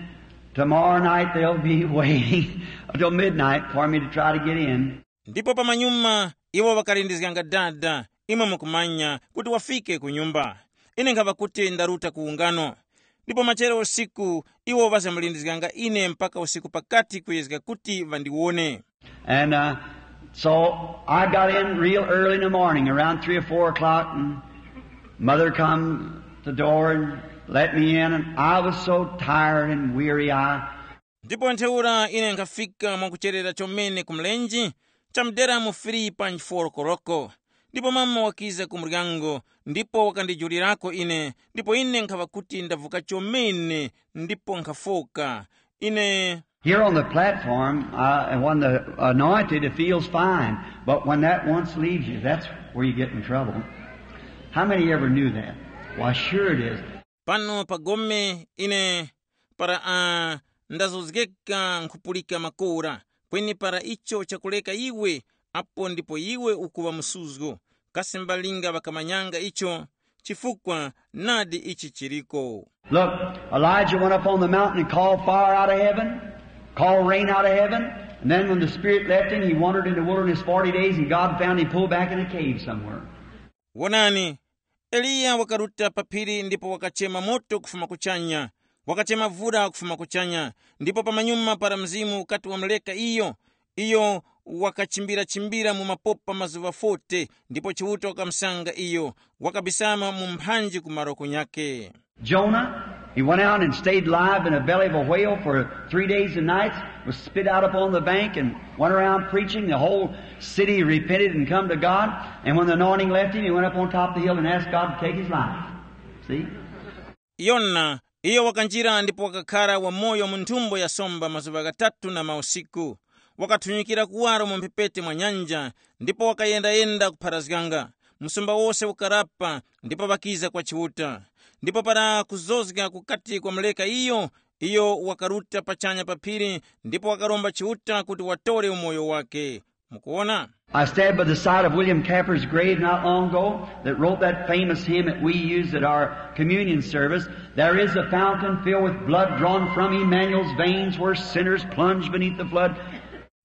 tomorrow night they'll be waiting until midnight for me to try to get in. Ndipo pamanyuma iwo ŵakalindizganga dada, imwe mukumanya, kuti wafike ku nyumba. Ine nkhava kuti ndaruta ku ungano. Ndipo machero usiku iwo ŵazamulindizganga ine mpaka usiku pakati kuyezga kuti ŵandiwone. And uh, so I got in real early in the morning, around three or four o'clock, and mother come to the door and let me in, and I was so tired and weary, I Ndipo ntheura ine nkhafika mwakucherera chomene ku mlenje, chamdera mu filipa nchiforokoroko. Ndipo mama wakiza ku muryango, ndipo wakandijulirako ine, ndipo ine nkhaŵa kuti ndavuka chomene, ndipo nkhafoka. Ine Here on the platform, uh, and when the anointed, it feels fine. But when that once leaves you, that's where you get in trouble. How many ever knew that? Why, sure it is. Pano pa gome ine para uh, ndazozgeka nkhupulika makora, kweni para icho chakuleka iwe, apo ndipo iwe ukuŵa msuzgo. Kasi mbalinga ŵakamanyanga icho? Chifukwa nadi ichi chiriko. Look, Elijah went up on the mountain and called fire out of heaven, called rain out of heaven, and then when the Spirit left him, he wandered in the wilderness forty days, and God found him pulled back in a cave somewhere. Wonani, Eliya wakaruta pa phiri ndipo wakachema moto kufuma kuchanya, wakachema vura kufuma kuchanya, ndipo pamanyuma para mzimu ukati wamuleka iyo, iyo wakachimbira-chimbira mu mapopa mazuŵa forte, ndipo Chiuta wakamusanga iyo, wakabisama mu mphanji ku maroko nyakhe. Jonah, he went out and stayed alive in the belly of a whale for three days and nights, was spit out upon the bank, and went around preaching. The whole city repented and come to God. And when the anointing left him, he went up on top of the hill and asked God to take his life. See? Yona, iyo wakanjira ndipo wakakhara wamoyo mu nthumbo ya somba mazuŵa ghatatu na mausiku. Wakathunyikira kuwaro mu mphepete mwa nyanja, ndipo wakayendayenda kupharazganga. Msumba wose ukarapa, ndipo ŵakiza kwa Chiuta. Ndipo para kuzozga kukati kwamuleka iyo, iyo wakaruta pachanya pa phiri, ndipo wakaromba Chiuta kuti watore umoyo wake. Mukuwona? I stand by the side of William Camper's grave not long ago that wrote that famous hymn that we use at our communion service. There is a fountain filled with blood drawn from Emmanuel's veins where sinners plunge beneath the flood.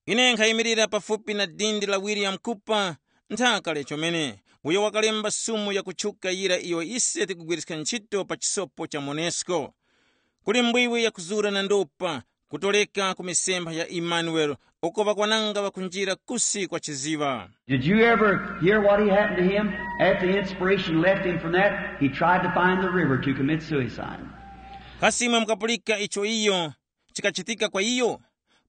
Ine nkhayimirira pafupi na dindi la William Cooper, nthaka lechomene, uyo wakalemba sumu yakutchuka yira iyo ise tikugwiriska ntchito pa chisopo cha monesco. Kuli mbwiwi yakuzura na ndopa, kutoleka ku misempha ya Emmanuel, uko ŵakwananga ŵakunjira kusi kwa chiziŵa. Did you ever hear what he happened to him? After the inspiration left him from that, he tried to find the river to commit suicide. Kasi imwe mukapulika icho iyo chikachitika kwa iyo?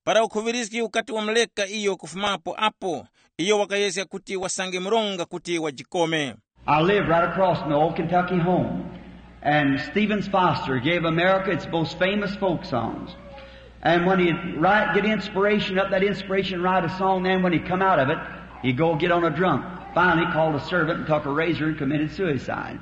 Para ukhuŵirizgi ukati wamuleka iyo kufumapo apo, iyo wakayezga kuti wasange mronga kuti wajikome. I live right across from the old Kentucky home. And Stevens Foster gave America its most famous folk songs. And when he'd write, get inspiration up, that inspiration write a song, then when he come out of it, he'd go get on a drunk. Finally called a servant and took a razor and committed suicide.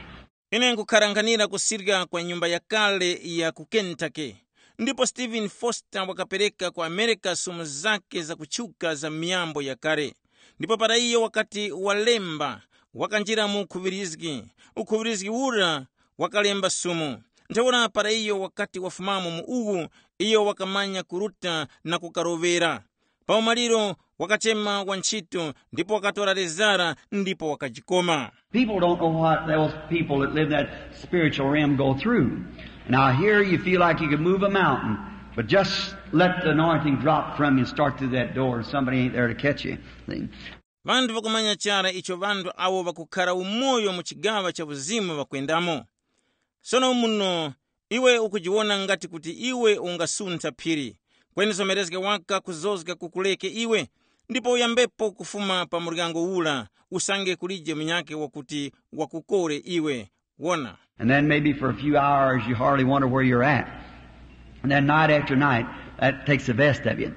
Ine nkukharanganira kusirya kwa nyumba yakale ya ku Kentucky. Ndipo Stephen Foster wakapereka ku America sumu zake zakutchuka za miyambo yakale. Ndipo para iyo wakati walemba, wakanjira mu ukhuŵirizgi. Ukhuŵirizgi ura wakalemba sumu. Ntheura para iyo wakati wafumamo mu uwu, iyo wakamanya kuruta na kukaroŵera. Pa umaliro wakachema wantchito ndipo wakatora lezara ndipo wakajikoma. People don't know what those people that live in that spiritual realm go through. Now, here you feel like you can move a mountain, but just let the anointing drop from you and start through that door, and somebody ain't there to catch you. See? Vanthu vakumanya chara icho vanthu awo vakukhara umoyo mu chigaŵa cha uzimu vakwendamo. Sono muno iwe ukujiwona ngati kuti iwe ungasuntha phiri, kweni zomerezga waka kuzozga kukureke iwe, ndipo uyambepo kufuma pa muryango ura, usange kulije munyakhe wakuti wakukore iwe. Wona. And then maybe for a few hours you hardly wonder where you're at. And then night after night, that takes the best of you.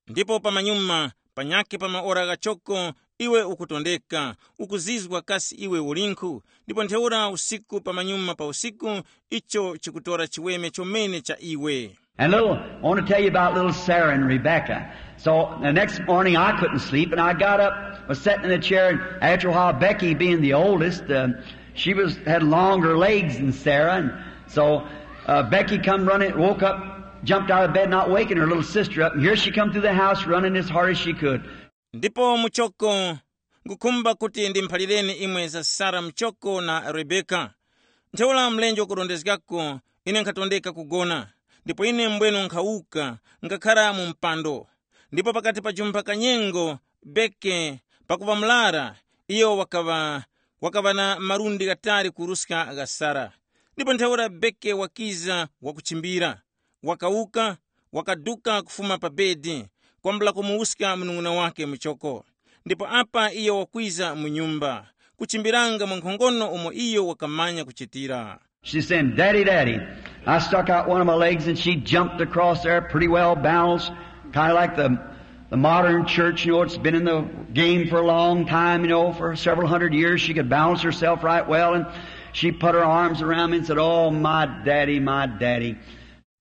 Ndipo pamanyuma panyakhe pa maora ghachoko, iwe ukutondeka, ukuzizwa kasi iwe ulinkhu, ndipo ntheura usiku pamanyuma pa usiku, icho chikutora chiweme chomene cha iwe. And little, I want to tell you about little Sarah and Rebecca. So the next morning I couldn't sleep, and I got up, was sitting in a chair, and after a while, Becky, being the oldest, uh, she was had longer legs than Sarah, and so uh, Becky come running, woke up, jumped out of bed, not waking her little sister up, and here she come through the house running as hard as she could. Ndipo muchoko, ngukhumba kuti ndimphalireni imwe za Sara muchoko na Rebeka. Ntheura mlenje wakurondezgako, ine nkhatondeka kugona, ndipo ine mbwenu nkhawuka, ngakhara mu mpando. Ndipo pakati pa jumpha kanyengo, Beke, pakuŵa mlara, iyo wakaŵa, wakaŵa na malundi ghatali kuruska gha Sara. Ndipo ntheura Beke wakiza wakuchimbira, wakawuka, wakaduka kufuma pa bedi, kwambula kumuwuska munung'una wake muchoko. Ndipo apa iyo wakwiza mu nyumba, kuchimbiranga mwankhongono umo iyo wakamanya kuchitira. She said, "Daddy, Daddy." I stuck out one of my legs and she jumped across there pretty well balanced, kind of like the, the modern church. You know, it's been in the game for a long time, you know, for several hundred years. She could balance herself right well. And she put her arms around me and said, "Oh, my daddy, my daddy."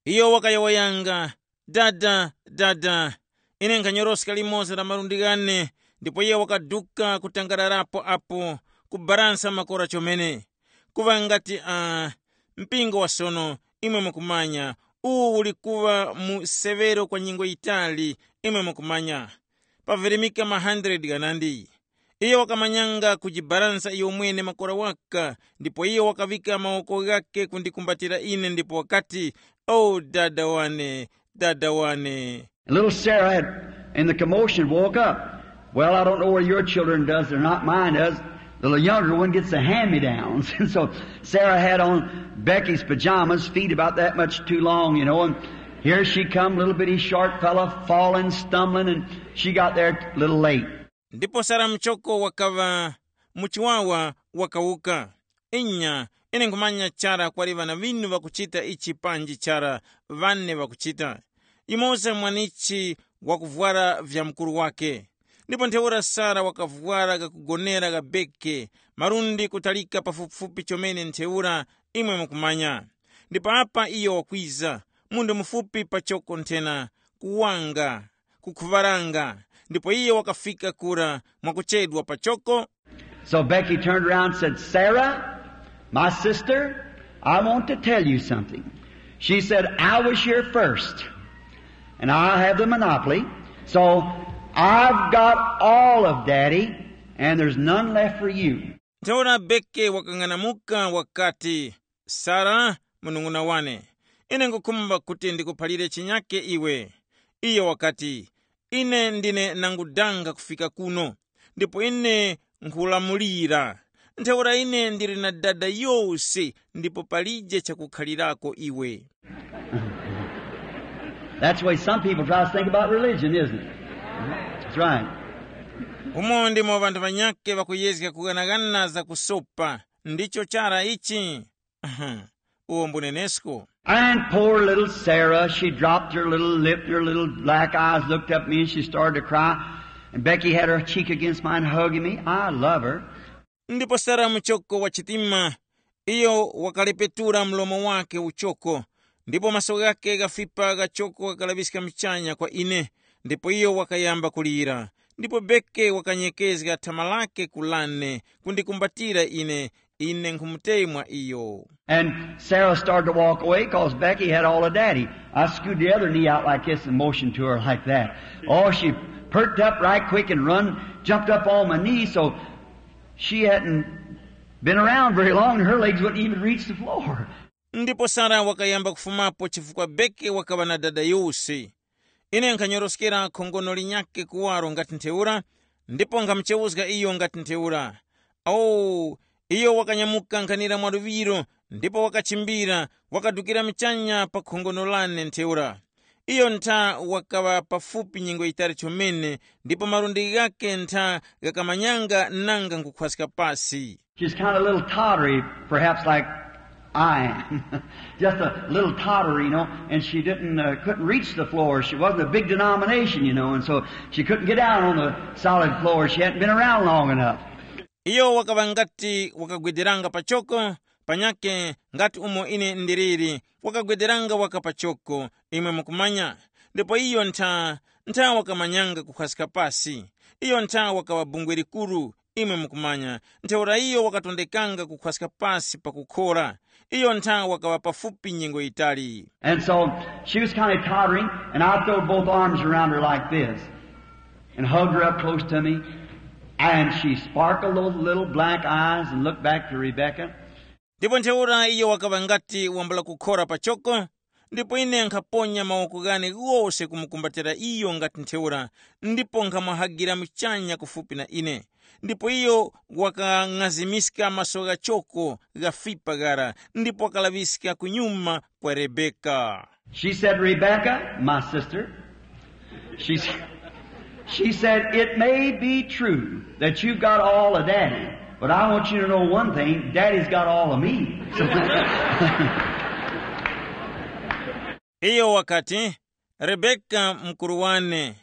Iyo wakayowoyanga, "Dada, dada." Ine nkhanyoroska limoza la malundi ghane, ndipo iye wakaduka kutangararapo apo, kubaransa makora chomene. Kuŵa ngati uh, mpingo wa sono, imwe mukumanya, uwu uli kuŵa mu severo kwa nyengo yitali, imwe mukumanya, pavirimika ma hundred ghanandi. Iyo wakamanyanga kujibaransa iyo mwene makora waka, ndipo iyo wakaŵika mawoko ghake kundikumbatira ine ndipo wakati, "O dada wane, dada wane." And little Sarah had, in the commotion, woke up. Well, I don't know whether your children does or not, mine does. The little younger one gets the hand-me-downs. And so Sarah had on Becky's pajamas, feet about that much too long, you know, and here she come, little bitty short fella, falling, stumbling, and she got there a little late. Ndipo Sara muchoko wakaŵa muchiwawa, wakawuka. Inya, ine nkhumanya chara kwali ŵana ŵinu ŵakuchita ichi panji chara, ŵane ŵakuchita. Yumoza mwanichi wakuvwara vya mukuru wake. Ndipo ntheura Sara wakavwara gakugonera gabeke, malundi kutalika pafupifupi chomene ntheura, imwe mukumanya. Ndipo apa iyo wakwiza, munthu mufupi pachoko nthena, kuwanga, kukhuŵaranga, ndipo iyo wakafika kura mwakuchedwa pachoko. So Becky turned around and said, "Sarah, my sister, I want to tell you something." She said, "I was here first, and I have the monopoly, so I've got all of Daddy, and there's none left for you." Ntheura Beke wakang'anamuka wakati, "Sara, munung'una wane, ine ngukhumba kuti ndikuphalire chinyake iwe." Iyo wakati, "Ine ndine nangudanga kufika kuno, ndipo ine nkhulamulira. Ntheura ine ndili na dada yose, ndipo palije chakukhalirako iwe." That's the way some people try to think about religion, isn't it? That's right. Umo ndimo ŵanthu ŵanyakhe ŵakuyezga kughanaghana za kusopa. Ndicho chara ichi. Uwo mbunenesko. And poor little Sarah, she dropped her little lip, her little black eyes looked up at me, and she started to cry. And Becky had her cheek against mine, hugging me. I love her. Ndipo Sara muchoko wa chitima, iyo wakalepetura mlomo wake uchoko, ndipo maso ghake ghafipa ghachoko ghakalaŵiska mchanya kwa ine, ndipo iyo wakayamba kulira. Ndipo Beke wakanyekezga thama lake kulane kundikumbatira ine, ine nkhumutemwa iyo. And Sarah started to walk away 'cause Becky had all of Daddy. I screwed the other knee out like this and motioned to her like that. Oh, she perked up right quick and run, jumped up on my knee, so she hadn't been around very long and her legs wouldn't even reach the floor. Ndipo Sara wakayamba kufumapo chifukwa Beke wakaŵa na dada yose. Ine nkhanyoroskera khongono linyakhe kuwaro ngati ntheura, ndipo nkhamuchewuzga iyo ngati ntheura. Awo, Iyo wakanyamuka nkhanira mwaluŵiro, ndipo wakachimbira, wakadukira muchanya pa khongono lane ntheura. Iyo ntha wakaŵa pafupi nyengo yitali chomene, ndipo malundi ghakhe ntha ghakamanyanga nanga nkhukhwaska pasi. She's kind of a little tottery, perhaps like I am. Just a little tottery, you know, and she didn't, uh, couldn't reach the floor. She wasn't a big denomination, you know, and so she couldn't get down on the solid floor. She hadn't been around long enough. Iyo wakaŵa ngati wakagwederanga pachoko, panyakhe ngati umo ine ndiliri, wakagwederanga waka pachoko, imwe mukumanya. Ndipo iyo ntha, ntha wakamanyanga kukhwaska pasi. Iyo ntha wakaŵa bungwe likuru, imwe mukumanya. Ntheura iyo wakatondekanga kukhwaska pasi pakukhora. Iyo ntha wakaŵa pafupi nyengo yitali. And so she was kind of tottering, and I throwed both arms around her like this and hugged her up close to me. And she sparkled those little black eyes and looked back to Rebecca. Ndipo ntheura iyo wakaŵa ngati wambula kukhora pachoko, ndipo ine nkhaponya mawoko ghane ghose kumukumbatira iyo ngati ntheura, ndipo nkhamwahagira muchanya kufupi na ine. Ndipo iyo wakang'azimiska maso ghachoko ghafipa ghara, ndipo wakalaŵiska kunyuma kwa Rebeka. She said, "Rebecca, my sister," she, s- she said, "It may be true that you've got all of daddy, but I want you to know one thing, daddy's got all of me." So, iyo wakati, "Rebeka mkuru wane,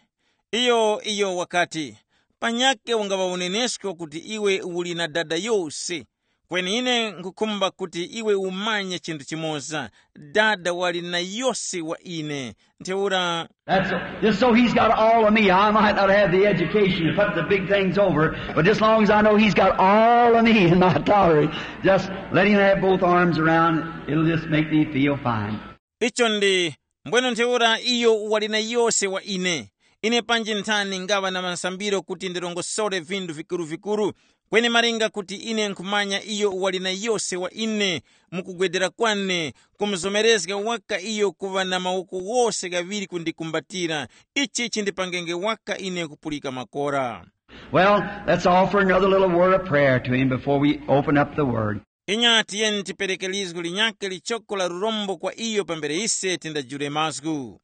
iyo, iyo wakati, panyakhe ungaŵa unenesko kuti iwe uli na dada yose. Kweni ine nkhukhumba kuti iwe umanye chinthu chimoza, dada wali na yose wa ine. Ntheura." That's just so he's got all of me. I might not have the education to put the big things over, but just long as I know he's got all of me in my tolerance, just let him have both arms around. It'll just make me feel fine. Icho ndi, mbweno ntheura iyo wali na yose wa ine. Ine panji nthani ngaŵa na masambiro kuti ndirongosore vinthu vikuru-vikuru, kweni malinga kuti ine nkhumanya iyo wali na yose wa ine, mukugwedera kwane, kumuzomerezga waka iyo kuŵa na mawoko wose ghaŵiri kundikumbatira, ichi chindipangenge waka ine kupulika makora. Well, let's offer another little word of prayer to him before we open up the word. Inya tiyeni tipereke lizgu linyakhe lichoko la lurombo kwa iyo pambere ise tindajule mazgu.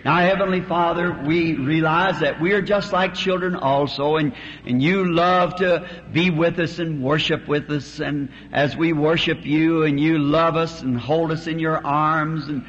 Now, Heavenly Father, we realize that we are just like children also, and, and you love to be with us and worship with us, and as we worship you, and you love us and hold us in your arms and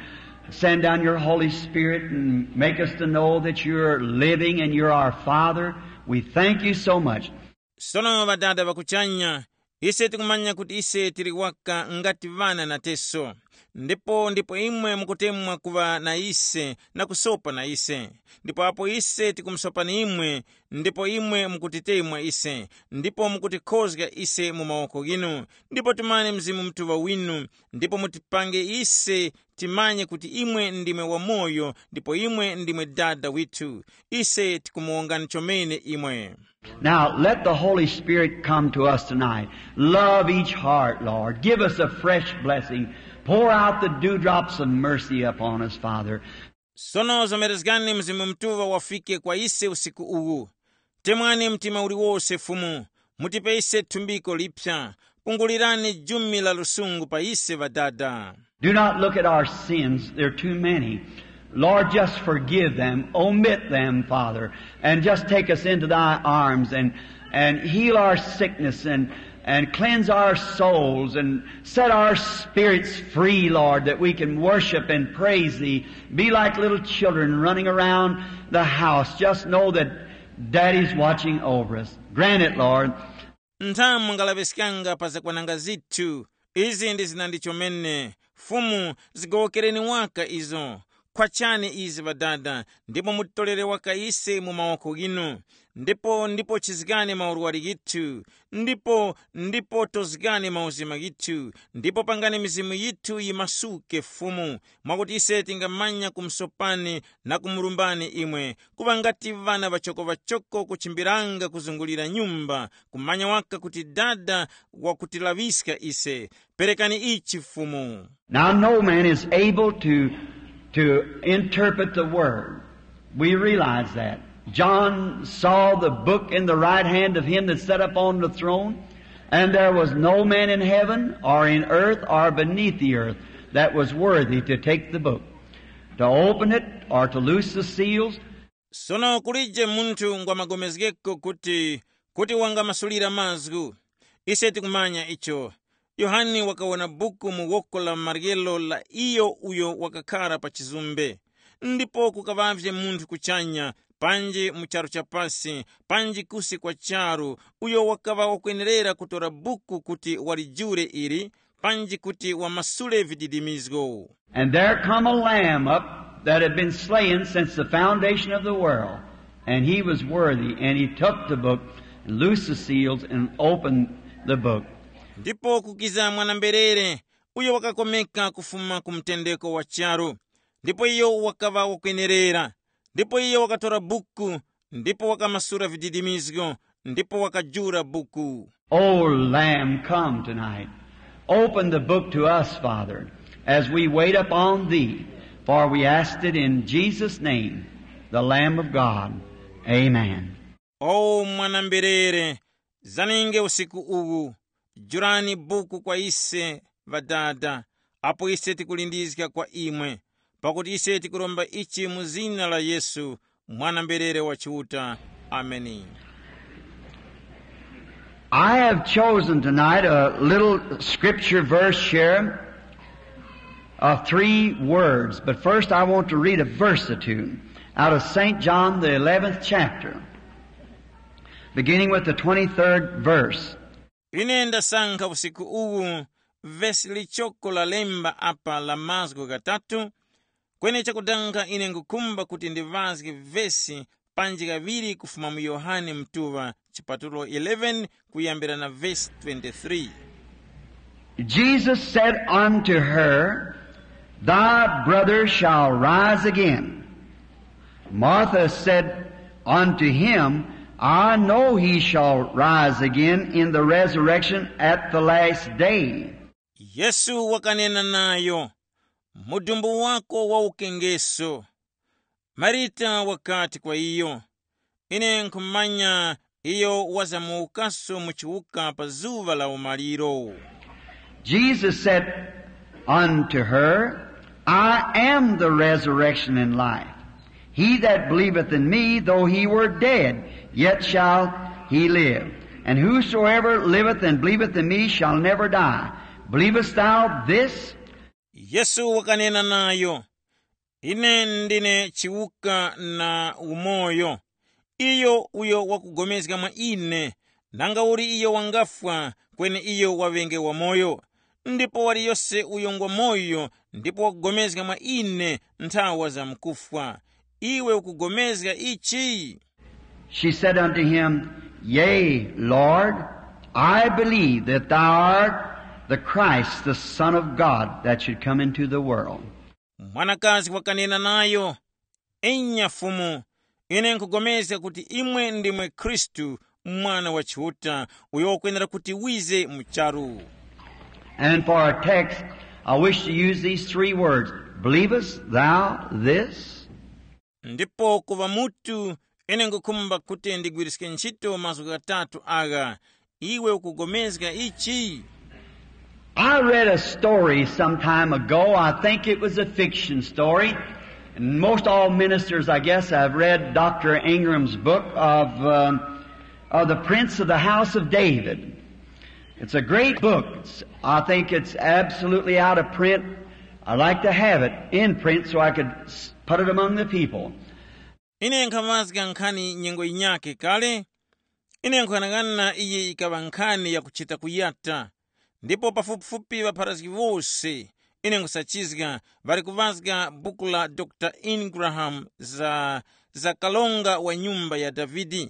send down your Holy Spirit and make us to know that you're living and you're our Father. We thank you so much. Sono Ŵadada ŵa kuchanya, ise tikumanya kuti ise tili waka ngati ŵana na teso, ndipo ndipo imwe mukutemwa kuŵa na ise na kusopa na ise. Ndipo apo ise tikumusopani imwe, ndipo imwe mukutitemwa ise, ndipo mukutikhozga ise mu mawoko ghinu, ndipo timane Mzimu Mutuŵa winu, ndipo mutipange ise timanye kuti imwe ndimwe wamoyo, ndipo imwe ndimwe Dada withu. Ise tikumuwongani chomene imwe. Now, let the Holy Spirit come to us tonight. Love each heart, Lord. Give us a fresh blessing. Pour out the dewdrops of mercy upon us, Father. Sono zomerezgani Mzimu Mutuŵa wafike kwa ise usiku uwu. Temwani mtima uliwose Fumu, mutipe ise thumbiko liphya, pungulirani jumi la lusungu pa ise Ŵadada. Do not look at our sins, they're too many. Lord, just forgive them, omit them, Father, and just take us into thy arms and, and heal our sickness and, and cleanse our souls and set our spirits free, Lord, that we can worship and praise thee. Be like little children running around the house. Just know that Daddy's watching over us. Grant it, Lord. Ntha mungalaŵiskanga pa zakwananga zithu. Izi ndi zinandi chomene. Fumu, zigowokereni waka izo. Khwachani izi Ŵadada, ndipo mutitolere waka ise mu mawoko ghinu. Ndipo ndipo chizgani maurwari ghithu, ndipo ndipo tozgani mauzima ghithu, ndipo pangani mizimu yithu yimasuke Fumu, mwakuti ise tingamanya kumusopani na kumurumbani imwe, kuŵa ngati ŵana ŵachoko-ŵachoko kuchimbiranga kuzungulira nyumba, kumanya waka kuti Dada wakutilaŵiska ise. Perekani ichi Fumu. Now, no man is able to, to interpret the word. We realize that. John saw the book in the right hand of him that sat upon the throne. And there was no man in heaven or in earth or beneath the earth that was worthy to take the book, to open it or to loose the seals. Sono kulije munthu ngwamagomezgeko kuti kuti wangamasulira mazgu. Ise tikumanya icho. Yohane wakawona buku mu woko la maryelo la iyo uyo wakakhara pa chizumbe. Ndipo kukaŵavye munthu kuchanya, panji mu charu cha pasi, panji kusi kwa charu, uyo wakaŵa wakwenerera kutora buku kuti walijure ili, panji kuti wamasule vididimizgo. And there come a lamb up that had been slain since the foundation of the world, and he was worthy, and he took the book and loosed the seals and opened the book. Ndipo kukiza mwanamberere, uyo wakakomeka kufuma ku mtendeko wa charu, ndipo iyo wakaŵa wakwenerera. Ndipo iyo wakatora buku, ndipo wakamasura vididimizgo, ndipo wakajura buku. O Lamb, come tonight. Open the book to us, Father, as we wait upon thee, for we asked it in Jesus' name, the Lamb of God. Amen. O mwanamberere, zaninge usiku uwu, jurani buku kwa ise, Ŵadada, apo ise tikulindizga kwa imwe, pakuti ise tikuromba ichi mu zina la Yesu, mwanamberere wa Chiuta. Ameni. I have chosen tonight a little scripture verse here of three words, but first I want to read a verse or two out of Saint John, the eleventh chapter, beginning with the twenty-third verse. Ine ndasankha usiku uwu vesi lichoko lalemba apa la mazgu ghatatu. Kweni chakudanga ine ngukhumba kuti ndiŵazge vesi panji kaŵiri kufuma mu Yohane Mtuŵa chipatulo eleven kuyambira na vesi twenty-three. Jesus said unto her, "Thy brother shall rise again." Martha said unto him, "I know he shall rise again in the resurrection at the last day." Yesu wakanena nayo, "Mudumbu wako waukengeso." Marita wakati kwa iyo, "Ine nkhumanya iyo wazamuwukaso mu chiwuka pa zuŵa la umaliro." Jesus said unto her, "I am the resurrection and life. He that believeth in me, though he were dead, yet shall he live. And whosoever liveth and believeth in me shall never die. Believest thou this?" Yesu wakanena nayo, "Ine ndine chiwuka na umoyo. Iyo uyo wakugomezga mwa ine, nanga uli iyo wangafwa, kweni iyo waŵenge wamoyo. Ndipo waliyose uyo ngwa moyo ndipo wakugomezga mwa ine nthawa za mkufwa. Iwe ukugomezga ichi?" She said unto him, "Yea, Lord, I believe that thou art the Christ, the Son of God, that should come into the world." Mwanakazi wakanena nayo, "Enya Fumu, ine nkugomezga kuti imwe ndimwe Khristu, Mwana wa Chiuta, uyo wakwenera kuti wize mu charu." And for our text, I wish to use these three words. Believest thou this? Ndipo kuva mutu, ine ngukhumba kuti ndigwiriske ntchito mazgu ghatatu agha. Iwe ukugomezga ichi? I read a story some time ago. I think it was a fiction story. And most all ministers, I guess, have read Doctor Ingram's book of, uh, of the Prince of the House of David. It's a great book. It's, I think it's absolutely out of print. I'd like to have it in print so I could s- put it among the people. Ine nkhaŵazga nkhani nyengo yinyakhe kale. Ine nkhuyang'ana iyi yikaŵa nkhani yakuchita kuyata. Ndipo pafupifupi ŵapharazgi wose, ine nkhusachizga, ŵali kuŵazga buku la Dr Ingram za, za kalonga wa nyumba ya Davide.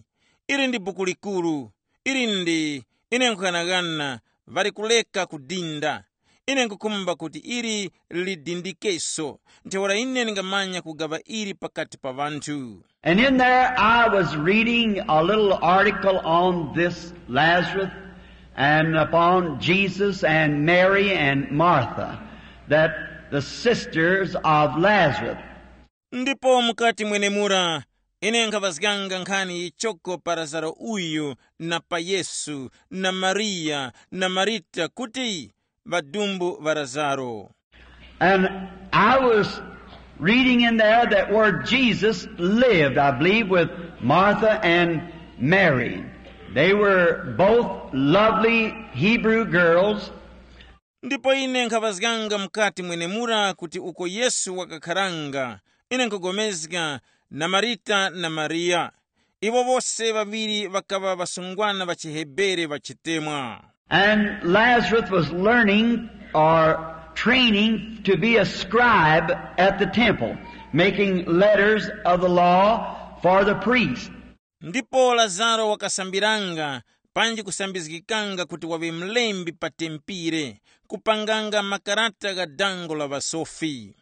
Ili ndi buku likuru. Ili ndi, ine nkhuyang'ana, ŵali kuleka kudinda. Ine nkukhumba kuti ili lidindikeso, ntheura ine ndingamanya kugaŵa ili pakati pa ŵanthu. And in there I was reading a little article on this Lazarus and upon Jesus and Mary and Martha, that the sisters of Lazarus. Ndipo mukati mwenemura Ine nkhaŵazganga nkhani yichoko pa Lazaro uyu, na pa Yesu, na Mariya, na Marita kuti ŵadumbu ŵa Lazaro. And I was reading in there that where Jesus lived, I believe, with Martha and Mary. They were both lovely Hebrew girls. Ndipo ine nkhaŵazganga mukati mwenemura kuti uko Yesu wakakharanga, ine nkhupulikana na Marita na Mariya. Iwo wose ŵaŵiri ŵakaŵa ŵasungwana ŵa chiHebere ŵachitemwa. And Lazarus was learning or training to be a scribe at the temple, making letters of the law for the priest. Ndipo Lazaro wakasambiranga panji kusambizgikanga kuti waŵe mlembi pa tempire, kupanganga makarata gha dango la ŵasofi.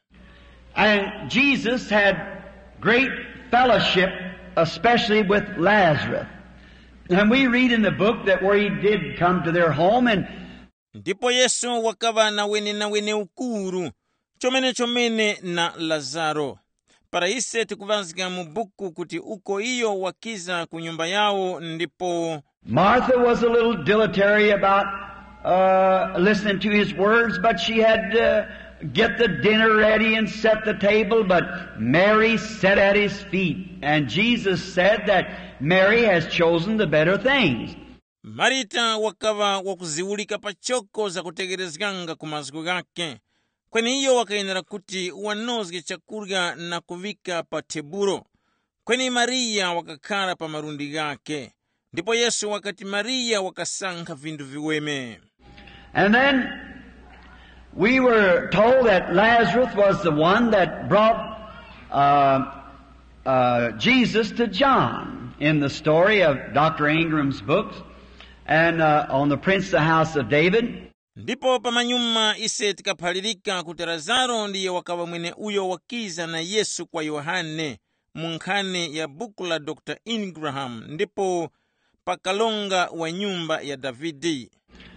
And Jesus had great fellowship, especially with Lazarus. And we read in the book that where he did come to their home and Ndipo Yesu wakaŵa na wenenawene ukuru, chomenechomene na Lazaro. Para ise tikuŵazga mu buku kuti uko iyo wakiza ku nyumba yawo ndipo Martha was a little dilatory about uh, listening to his words, but she had to get the dinner ready and set the table. But Mary sat at his feet, and Jesus said that Mary has chosen the better things. Marita wakaŵa wakuziwulika pachoko zakutegherezganga ku mazgu ghakhe, kweni iyo wakayenera kuti wanozge chakurya na kuŵika pa tebulo. Kweni Mariya wakakhara pa malundi ghakhe, ndipo Yesu wakati Mariya wakasankha vinthu viweme. And then we were told that Lazarus was the one that brought uh, uh, Jesus to John in the story of Doctor Ingram's books and uh, on the prince of the house of David. Ndipo pamanyuma ise tikaphalirika kuti Lazaro ndiye wakaŵa mwene uyo wakiza na Yesu kwa Yohane mu nkhani ya buku la Dr Ingram ndipo pa kalonga wa nyumba ya Davide.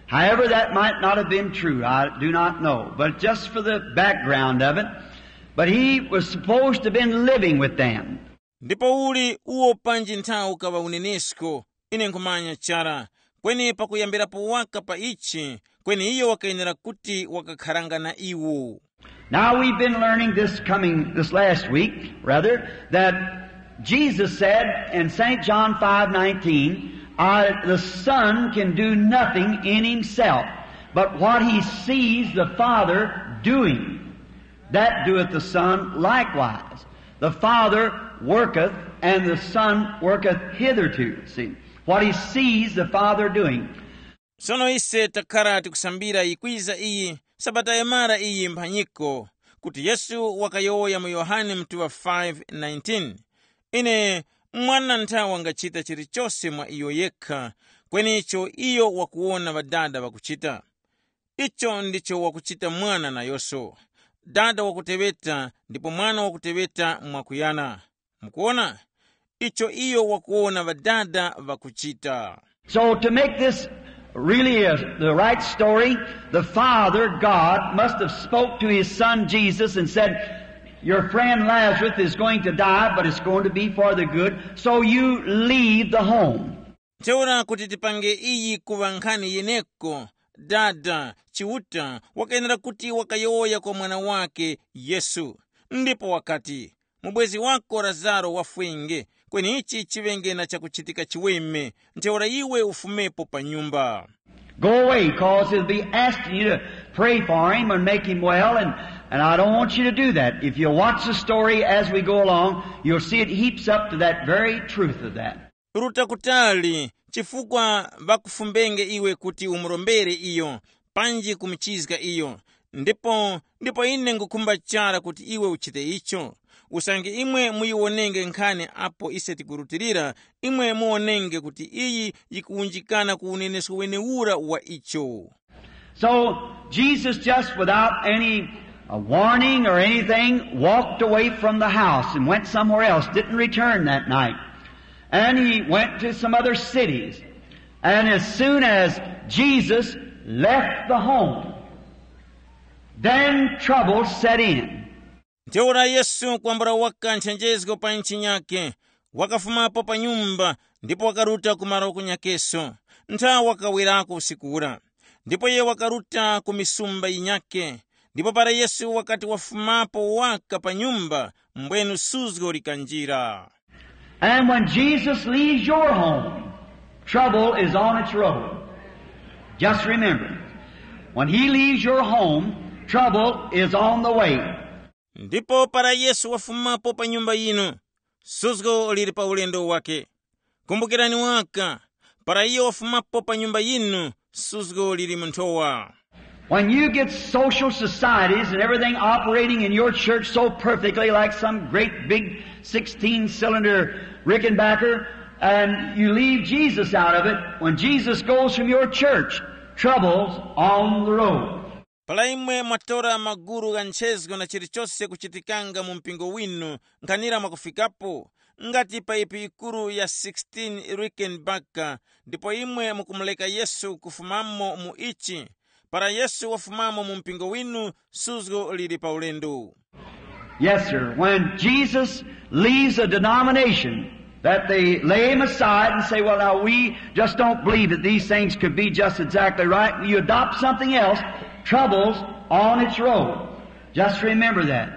However, that might not have been true. I do not know. But just for the background of it, but he was supposed to have been living with them. Ndipo uli uwo panji nthawi ukaŵa unenesko, ine nkhumanya chara, kweni pakuyambirapo waka pa ichi, kweni iyo wakayenera kuti wakakharanga na iwo. Now we've been learning this coming this last week, rather, that Jesus said in Saint John five nineteen, "I, the Son can do nothing in himself, but what he sees the Father doing, that doeth the Son likewise. The Father worketh, and the Son worketh hitherto." See, what he sees the Father doing. Sono ise takhala tikusambira yikwiza iyi sabata yamara iyi mphanyiko, kuti Yesu wakayowoya mu Yohane mtuŵa five nineteen, ine, mwana nthawe wangachita chilichose mwa iyo yekha, kweni icho iyo wakuwona ŵadada ŵakuchita, icho ndicho wakuchita mwana nayonso. Dada wakuteŵeta ndipo mwana wakuteŵeta mwakuyana. Mukuona, icho iyo wakuwona ŵadada ŵakuchita. So to make this really a, the right story, the Father God must have spoke to his son Jesus and said, "Your friend Lazarus is going to die, but it's going to be for the good, so you leave the home." Ntheura kuti tipange iyi kuŵa nkhani yeneko, Dada Chiuta wakayenera kuti wakayowoya kwa mwana wake Yesu, ndipo wakati, mubwezi wako Lazaro wafwenge, kweni ichi chiŵenge na chakuchitika chiweme, ntheura iwe ufumepo pa nyumba. Go away, cause he'll be asking you to pray for him and make him well, and, and I don't want you to do that. If you'll watch the story as we go along, you'll see it heaps up to that very truth of that. Ruta kutali, chifukwa ŵakufumbenge iwe kuti umurombere iyo, panji kumuchizga iyo. Ndipo ndipo ine ngukhumba chara kuti iwe uchite icho. Usange imwe muyiwonenge nkhani apo ise tikurutilira, imwe muwonenge kuti iyi yikuwunjikana ku unenesko wenewura wa icho. So Jesus, just without any uh, warning or anything, walked away from the house and went somewhere else, didn't return that night. And he went to some other cities. And as soon as Jesus left the home, then trouble set in. Ntheura Yesu kwambula waka nchenjezgo pa ntchi nyakhe, wakafumapo pa nyumba ndipo wakaruta ku malo kunyakeso. Nthawi wakawerako usiku ura, ndipo iye wakaruta ku misumba yinyakhe. Ndipo para Yesu wakati wafumapo waka pa nyumba, mbwenu suzgo likanjira. And when Jesus leaves your home, trouble is on its road. Just remember, when he leaves your home, trouble is on the way. Ndipo para Yesu wafumapo pa nyumba yinu, suzgo lili pa ulendo wake. Kumbukirani waka, para iyo wafumapo pa nyumba yinu, suzgo lili mu nthowa. When you get social societies and everything operating in your church so perfectly, like some great big sixteen cylinder Rickenbacker, and you leave Jesus out of it, when Jesus goes from your church, trouble's on the road. Para imwe mwatora maguru gha nchezgo na chilichose kuchitikanga mu mpingo winu, nkhanira mwakufikapo, ngati paipi yikuru ya sixteen Rickenbacker, ndipo imwe mukumuleka Yesu kufumamo mu ichi. Para Yesu wafumamo mu mpingo winu, suzgo lili pa ulendo. Yes, sir. When Jesus leaves a denomination that they lay him aside and say, "Well, now we just don't believe that these things could be just exactly right," and you adopt something else, trouble's on its road. Just remember that.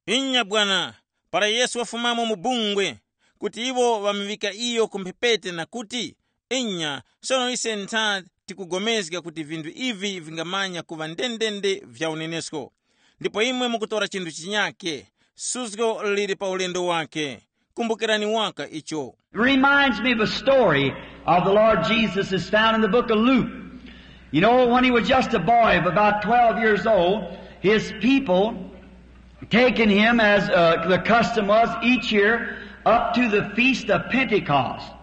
Inya bwana, para Yesu wafumamo mu bungwe, kuti iwo ŵamuŵika iyo ku mphepete na kuti, inya, sono ise ntha tikugomezga kuti vinthu ivi vingamanya kuŵa ndendende vya unenesko. Ndipo imwe mukutora chinthu chinyake, suzgo lili pa ulendo wake. Kumbukirani waka icho. It reminds me of a story of the Lord Jesus is found in the book of Luke. You know, when he was just a boy of about twelve years old, his people taking him, as uh, the custom was each year, up to the feast of Pentecost.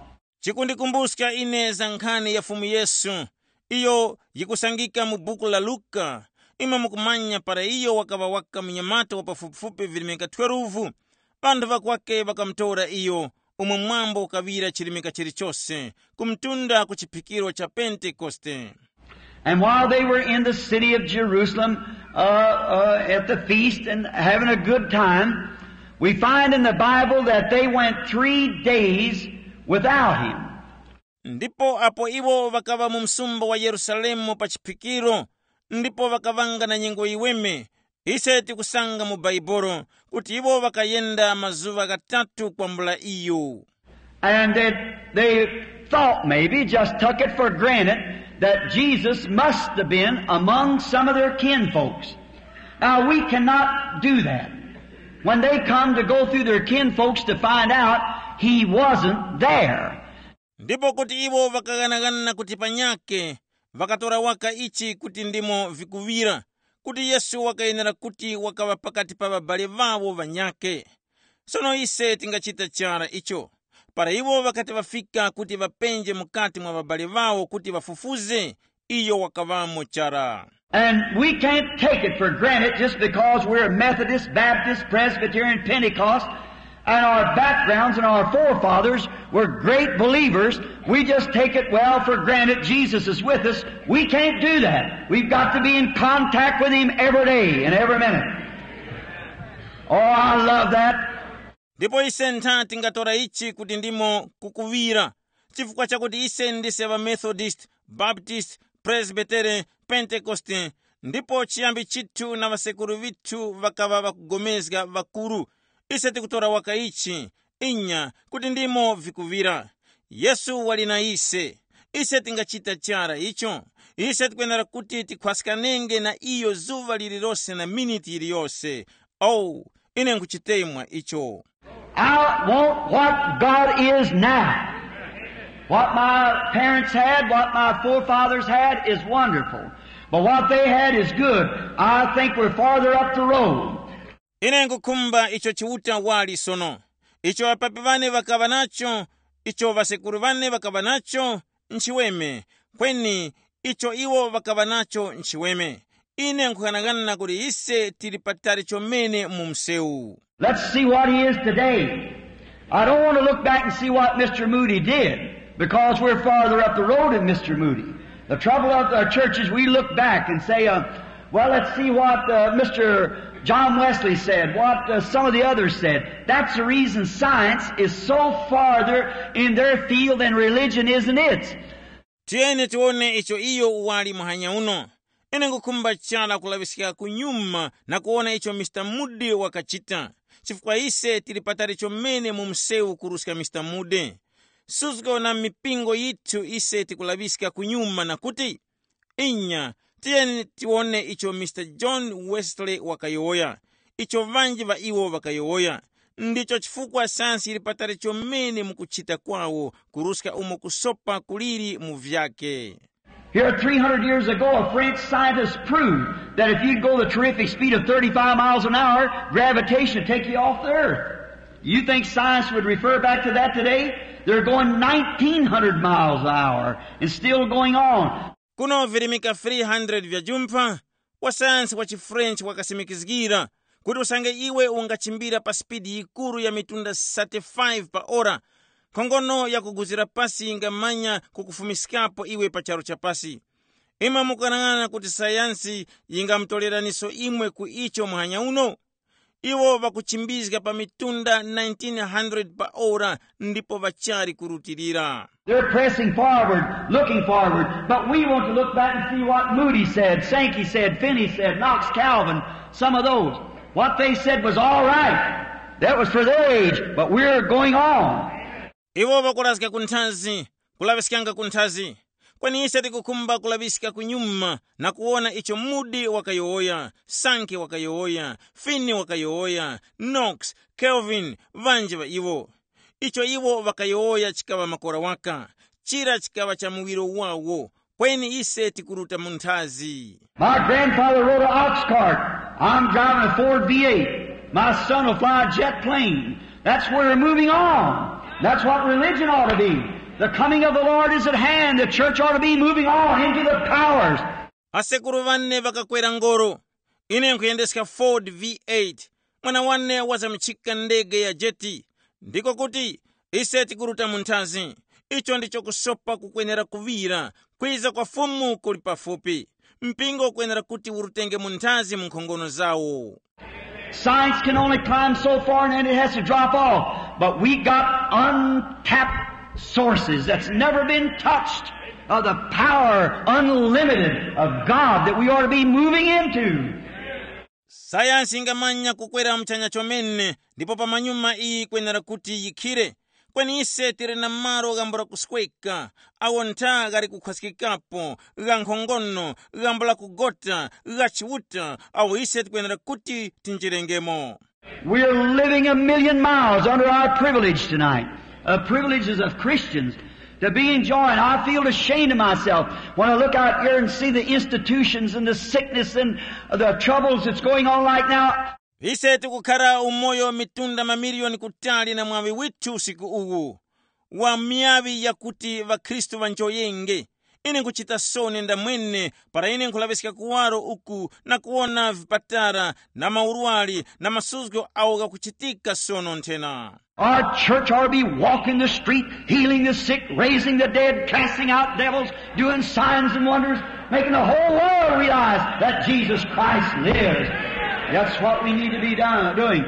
Chikundikumbuska ine za nkhani ya Fumu Yesu, iyo yikusangika mu buku la Luka. Imwe mukumanya para iyo wakaŵa waka munyamata wa pafupifupi virimika twelve, ŵanthu ŵakwake ŵakamutora iyo, umwe mwambo ukaŵira chirimika chilichose, kumutunda ku chiphikiro cha Pentekoste. And while they were in the city of Jerusalem, uh, uh, at the feast and having a good time, we find in the Bible that they went three days without him. Ndipo apo iwo ŵakaŵa mu msumba wa Yerusalemu pa chiphikiro, ndipo ŵakaŵanga na nyengo yiweme, ise tikusanga mu Baibolo kuti iwo ŵakayenda mazuŵa ghatatu kwambula iyo. And that they thought, maybe just took it for granted, that Jesus must have been among some of their kinfolks. Now, we cannot do that. When they come to go through their kinfolks to find out, he wasn't there. Ndipo kuti iwo ŵakaghanaghana kuti panyakhe, ŵakatora waka ichi kuti ndimo vikuŵira, kuti Yesu wakayenera kuti wakaŵa pakati pa ŵabale ŵawo ŵanyakhe. Sono ise tingachita chara icho? Para iwo ŵakati ŵafika kuti ŵapenje mukati mwa ŵabale ŵawo kuti ŵafufuze, iyo wakaŵamo chara. And we can't take it for granted just because we're Methodist, Baptist, Presbyterian, Pentecost, and our backgrounds and our forefathers were great believers. We just take it well for granted Jesus is with us. We can't do that. We've got to be in contact with him every day and every minute. Oh, I love that. Ndipo ise ntha tingatora ichi kuti ndimo kukuŵira, chifukwa chakuti ise ndise ŵa Methodist, Baptist, Presbytere, Pentekoste, ndipo chiyambi chithu na ŵasekuru ŵithu ŵakaŵa ŵakugomezga ŵakuru. Ise tikutora waka ichi, inya, kuti ndimo vikuŵira. Yesu wali na ise. Ise tingachita chara icho? Ise tikwenera kuti tikhwaskanenge na iyo zuŵa lililose na miniti yiliyose. Oh, ine nkhuchitemwa icho. I want what God is now. What my parents had, what my forefathers had is wonderful. But what they had is good. I think we're farther up the road. Ine nkukhumba icho Chiuta wali sono. Icho ŵapapi ŵane ŵakaŵa nacho, icho ŵasekuru ŵane ŵakaŵa nacho, nchiweme. Kweni icho iwo ŵakaŵa nacho nchiweme. Ine nkhughanaghana kuti ise tili patali chomene mu msewu. Let's see what he is today. I don't want to look back and see what Mister Moody did, because we're farther up the road than Mister Moody. The trouble of our churches, we look back and say, uh, Well, let's see what uh, Mister John Wesley said, what uh, some of the others said. That's the reason science is so farther in their field than religion is in its. Tiyeni tiwone icho iyo wali muhanya uno. Ine ngukhumba chara kulaŵiska kunyuma na kuwona icho Mr Moody wakachita, chifukwa ise tili patali chomene mu msewu kuruska Mr Moody. Suzgo na mipingo yithu ise tikulaŵiska kunyuma na kuti, inya, tiyeni tiwone icho Mr John Wesley wakayowoya, icho ŵanji ŵa iwo ŵakayowoya. Ndicho chifukwa sayansi yili patali chomene mu kuchita kwawo kuruska umo kusopa kuliri mu vyake. Here, three hundred years ago, a French scientist proved that if you go the terrific speed of thirty-five miles an hour, gravitation will take you off the earth. You think science would refer back to that today? They're going nineteen hundred miles an hour and still going on. Kuno virimika three hundred vya jumpha, wasayansi wa chiFrench wakasimikizgira kuti usange iwe ungachimbira pa sipidi yikuru ya mitunda thirty-five pa ora, nkhongono yakuguzira pasi yingamanya kukufumiskapo iwe pa charu cha pasi. Imwe mukanang'ana kuti sayansi yingamutoreraniso imwe ku icho muhanya uno? Iwo ŵakuchimbizga pa mitunda nineteen hundred pa ora ndipo ŵachali kurutilira. They're pressing forward, looking forward, but we want to look back and see what Moody said, Sankey said, Finney said, Knox Calvin, some of those. What they said was all right. That was for their age, but we're going on. Iwo ŵakurazga ku nthazi, kulaŵiskanga ku nthazi. Kweni ise tikukhumba kulaŵiska kunyuma na kuwona icho Moody wakayowoya, Sankey wakayowoya, Finney wakayowoya, Knox, Calvin, ŵanji ŵa iwo. Icho iwo ŵakayowoya chikaŵa makora waka, chira chikaŵa cha muwiro wawo, kweni ise tikuruta mu nthazi. My grandfather rode an ox cart. I'm driving a Ford V eight. My son will fly a jet plane. That's where we're moving on. That's what religion ought to be. The coming of the Lord is at hand. The church ought to be moving on into the powers. Asekuru ŵane ŵakakwera ngoro. Ine nkhuyendeska Ford V eight. Mwana wane wazamuchika ndege ya jeti. Ndiko kuti, ise tikuruta mu nthazi. Icho ndicho kusopa kukwenera kuŵira. Kwiza kwa Fumu kuli pafupi. Mpingo ukwenera kuti urutenge mu nthazi mu nkhongono zawo. Science can only climb so far and then it has to drop off. But we got untapped sources that's never been touched of the power unlimited of God that we ought to be moving into. Sayansi ingamanya kukwera muchanya chomene, ndipo pamanyuma iyi ikwenera kuti yikhire. Kweni ise tili na malo ghambula kusweka, awo ntha ghali kukhwaskikapo, gha nkhongono, ghambula kugota, gha Chiuta, awo ise tikwenera kuti tinjirengemo. We're living a million miles under our privilege tonight. Uh, privileges of Christians to be enjoying. I feel ashamed of myself when I look out here and see the institutions and the sickness and the troubles that's going on right now. Ise tikukhara umoyo mitunda mamiliyoni kutali na mwaŵi withu usiku uwu, wa miyaŵi yakuti ŵakhristu ŵanjoyenge. Ine nkuchita soni ndamwene para ine nkhulaŵiska kuwaro uku na kuwona vipatara na maurwari na masuzgo awo ghakuchitika sono nthena. Our church ought to be walking the street, healing the sick, raising the dead, casting out devils, doing signs and wonders, making the whole world realize that Jesus Christ lives. That's what we need to be done, doing.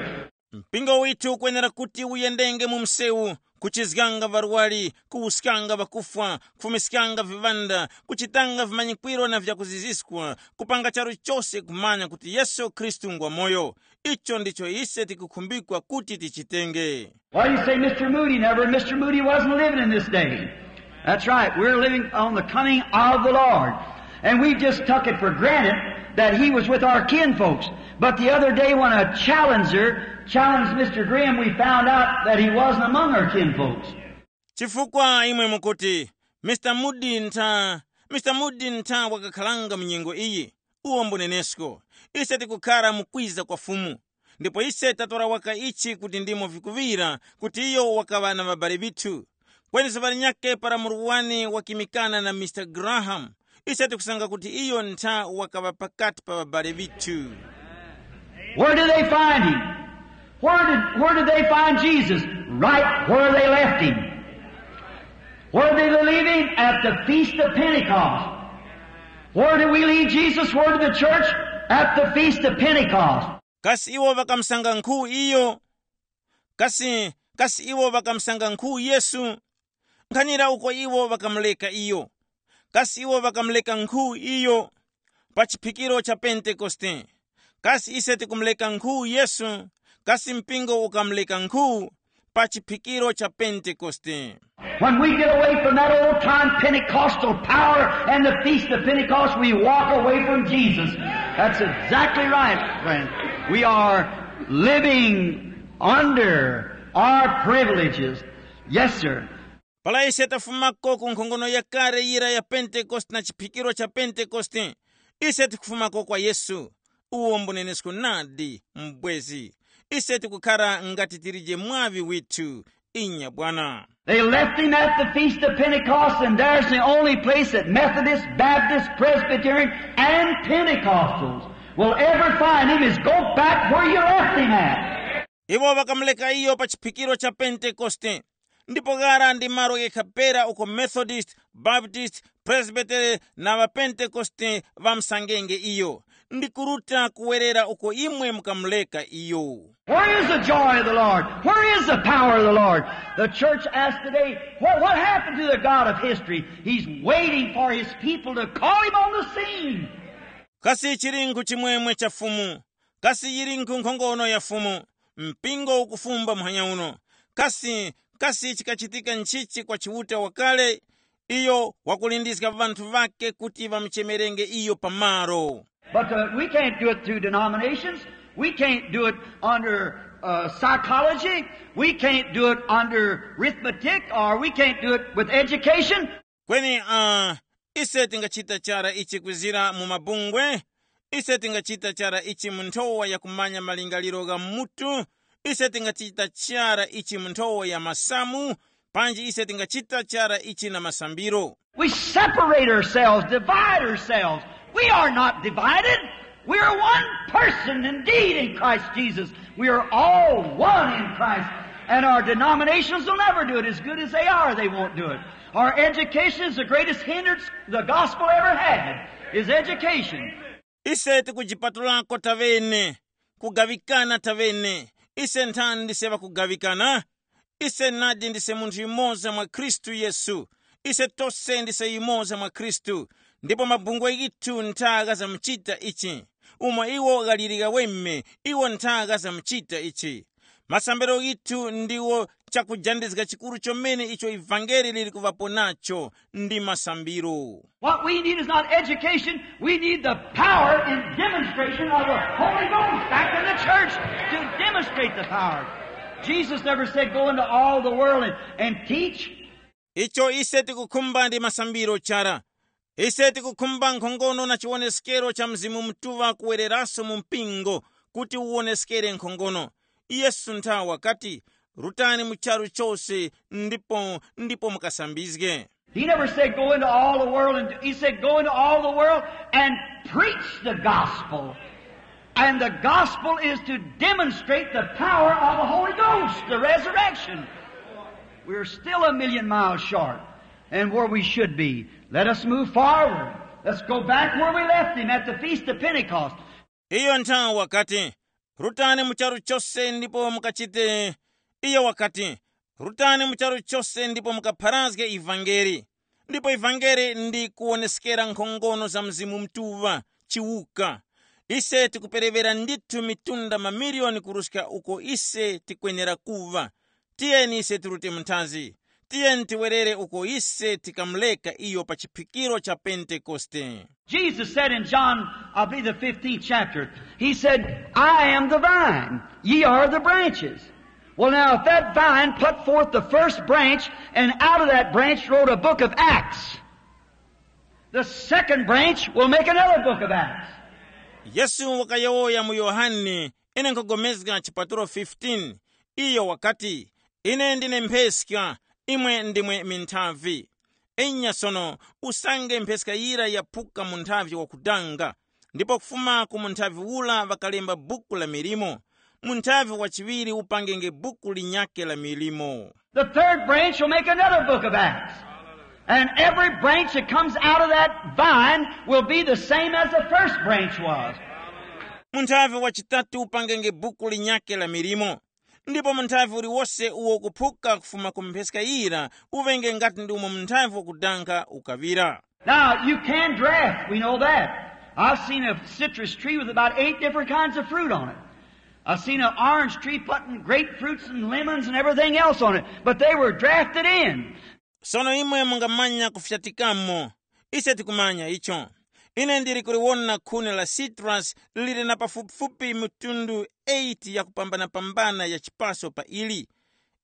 Mpingo withu ukwenera kuti uyendenge mu msewu, kuchizganga ŵarwari, kuwuskanga ŵakufwa, kufumiskanga viŵanda, kuchitanga vimanyikwiro na vyakuziziskwa, kupanga charu chose kumanya kuti Yesu Khristu ngwa moyo. Icho ndicho ise tikukhumbikwa kuti tichitenge. Why do you say Mister Moody never? Mister Moody wasn't living in this day. That's right. We're living on the coming of the Lord. And we just took it for granted that he was with our kinfolks. But the other day when a challenger challenged Mister Graham, we found out that he wasn't among our kinfolks. Chifukwa imwe mukuti, Mister Moody ntha, Mister Moody ntha wakakhalanga mu nyengo iyi, uwo mbunenesko. Ise tikukhara mu kwiza kwa Fumu. Ndipo ise tatora waka ichi kuti ndimo vikuŵira kuti iyo wakaŵa na ŵabale ŵithu. Kweni zuŵa linyakhe para murwani wakimikana na Mister Graham, ise tikusanga kuti iyo ntha wakaŵa pakati pa ŵabale ŵithu. Where did they find him? Where did, where did they find Jesus? Right where they left him. Where did they leave him? At the Feast of Pentecost. Where did we leave Jesus? Where did the church? At the Feast of Pentecost. Kasi iwo ŵakamusanga nkhu iyo? Kasi, kasi iwo ŵakamusanga nkhu Yesu? Nkhanira uko iwo ŵakamuleka iyo. Kasi iwo ŵakamuleka nkhu iyo? Pa chiphikiro cha Pentekoste. Kasi ise tikumuleka nkhu Yesu? Kasi mpingo ukamuleka nkhu? Pa chiphikiro cha Pentekoste. When we get away from that old time Pentecostal power and the feast of Pentecost, we walk away from Jesus. That's exactly right, friend. We are living under our privileges. Yes, sir. Para ise tafumako ku nkhongono yakale yira ya Pentekoste na chiphikiro cha Pentekoste, ise tikufumako kwa Yesu. Uwo mbunenesko nadi, mbwezi. Ise tikukhara ngati tilije mwaŵi withu. Inya bwana. They left him at the Feast of Pentecost, and there's the only place that Methodist, Baptist, Presbyterian, and Pentecostals will ever find him is go back where you left him at. Iwo ŵakamuleka iyo pa chiphikiro cha Pentekoste. Ndipo ghara ndi malo ghekha pera uko Methodist, Baptist, Presbytery na ŵaPentekoste ŵamusangenge iyo. Ndi kuruta kuwerera uko imwe mukamuleka iyo. Where is the joy of the Lord? Where is the power of the Lord? The church asked today, what, what happened to the God of history? He's waiting for his people to call him on the scene. Kasi chilinkhu chimwemwe cha Fumu? Kasi yilinkhu nkhongono ya Fumu? Mpingo ukufumba muhanya uno. Kasi, kasi chikachitika nchichi kwa Chiuta wakale? Iyo wakulindizga ŵanthu ŵake kuti ŵamuchemerenge iyo pamaro. But uh, we can't do it through denominations. We can't do it under uh, psychology. We can't do it under arithmetic, or we can't do it with education. Kweni uh, ise tingachita chara ichi kwizira mu mabungwe. Ise tingachita chara ichi mu nthowa ya kumanya malingaliro gha mutu. Ise tingachita chara ichi mu nthowa ya masamu. Panji ise tingachita chara ichi na masambiro. We separate ourselves, divide ourselves. We are not divided. We are one person indeed in Christ Jesus. We are all one in Christ. And our denominations will never do it. As good as they are, they won't do it. Our education is the greatest hindrance the gospel ever had, is education. Ise tikujipatulako tavene, kugaŵikana tavene. Ise nthani ndise ŵakugaŵikana? Ise nadi ndise munthu yumoza mwa Khristu Yesu. Ise tose ndise yumoza mwa Khristu. Ndipo mabungwe ghithu ntha ghazamuchita ichi. Umo iwo ghaliri ghaweme, iwo ntha ghazamuchita ichi. Masambiro ghithu ndiwo chakujandizga chikuru chomene icho ivangeli liri kuŵapo nacho, ndi masambiro. What we need is not education. We need the power and demonstration of the Holy Ghost back in the church to demonstrate the power. Jesus never said, go into all the world and, and teach. Icho ise tikukhumba ndi masambiro chara. Ise tikukhumba nkhongono na chiwoneskero cha Mzimu Mutuŵa kuwereraso mu mpingo kuti uwoneskere nkhongono. Yesu nthawe wakati, rutani mu charu chose ndipo, ndipo mukasambizge. He never said, go into all the world, and he said, go into all the world and preach the gospel. And the gospel is to demonstrate the power of the Holy Ghost, the resurrection. We're still a million miles short and where we should be. Let us move forward. Let's go back where we left him at the Feast of Pentecost. Iyo nthawe wakati, rutani mu charu chose ndipo mukachite. Iyo wakati, rutani mu charu chose ndipo mukapharazge ivangeli. Ndipo ivangeli ndi kuwoneskera nkhongono za Mzimu Mutuŵa, chiwuka. Ise tikuperewera ndithu mitunda mamiliyoni kuruska uko ise tikwenera kuŵa. Tiyeni ise tirute munthazi. Tiyeni tiwerere uko ise tikamuleka iyo pa chiphikiro cha Pentekoste. Jesus said in John, I believe the fifteenth chapter, he said, I am the vine, ye are the branches. Well, now, if that vine put forth the first branch, and out of that branch wrote a book of Acts, the second branch will make another book of Acts. Yesu wakayowoya mu Yohane, ine nkhogomezga chipatulo fifteen, iyo wakati, ine ndine mpheska, imwe ndimwe minthavi. Enya sono, usange mpheska yira yaphuka munthavi wakudanga, ndipo kufuma ku munthavi ura ŵakalemba buku la milimo, munthavi wachiŵiri upangenge buku linyakhe la milimo. The third branch will make another book of Acts. And every branch that comes out of that vine will be the same as the first branch was. Munthavi wachitatu upangenge buku linyakhe la milimo, ndipo munthavi uliwose uwo ukuphuka kufuma ku mpheska yira uŵenge ngati ndi umo munthavi wakudanga ukaŵira. Now, you can draft, we know that. I've seen a citrus tree with about eight different kinds of fruit on it. I've seen an orange tree putting grapefruits and lemons and everything else on it, but they were drafted in. Sono imwe mungamanya kufyatikamo. Ise tikumanya icho. Ine ndili kuliwona khuni la citrus lili na pafupifupi mitundu eight ya kupambanapambana ya chipaso pa ili.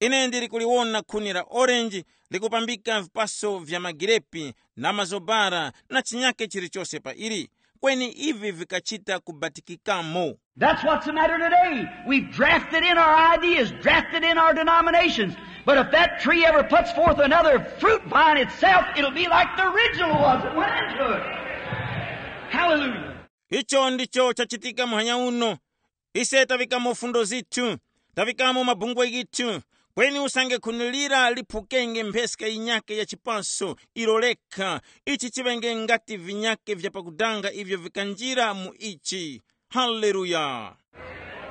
Ine ndili kuliwona khuni la orange likupambika vipaso vya magirepi na mazobara na chinyake chilichose pa ili. Kweni ivi vikachita kubatikikamo. That's what's the matter today. We've drafted in our ideas, drafted in our denominations. But if that tree ever puts forth another fruit vine itself, it'll be like the original was that went into it. Hallelujah. Icho ndicho chachitika muhanya uno. Ise tavikamo fundo zithu, tavikamo mabungwe yithu, kweni usange khuni lira liphukenge mpheska yinyake ya chipaso ilo lekha, ichi chiŵenge ngati vinyake vya pakudanga ivyo vikanjira mu ichi. Haleluya.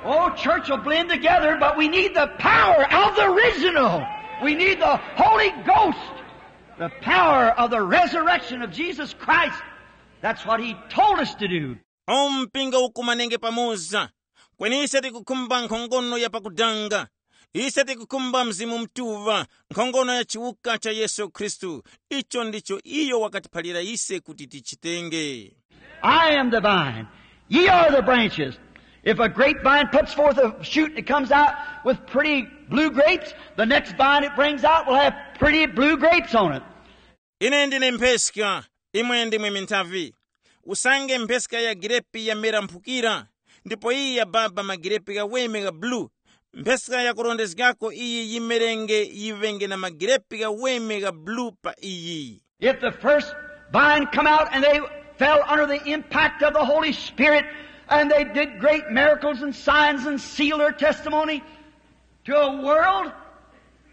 Oh, church will blend together, but we need the power of the original. We need the Holy Ghost, the power of the resurrection of Jesus Christ. That's what he told us to do. O mpingo ukumanenge pamoza, kweni ise tikukhumba nkhongono ya pakudanga. Ise tikukhumba Mzimu Mutuŵa, nkhongono ya chiwuka cha Yesu Khristu. Icho ndicho iyo wakatiphalira ise kuti tichitenge. I am the vine. Ye are the branches. If a grapevine puts forth a shoot and it comes out with pretty blue grapes, the next vine it brings out will have pretty blue grapes on it. Ine ndine mpheska, imwe ndimwe minthavi. Usange mpheska ya girepi yamera mphukira, ndipo iyi yababa magirepi ghaweme gha bulu, mpheska yakurondezgako iyi yimerenge yiŵenge na magirepi ghaweme gha bulu pa iyi. If the first vine come out and they fell under the impact of the Holy Spirit, and they did great miracles and signs and sealed their testimony to a world,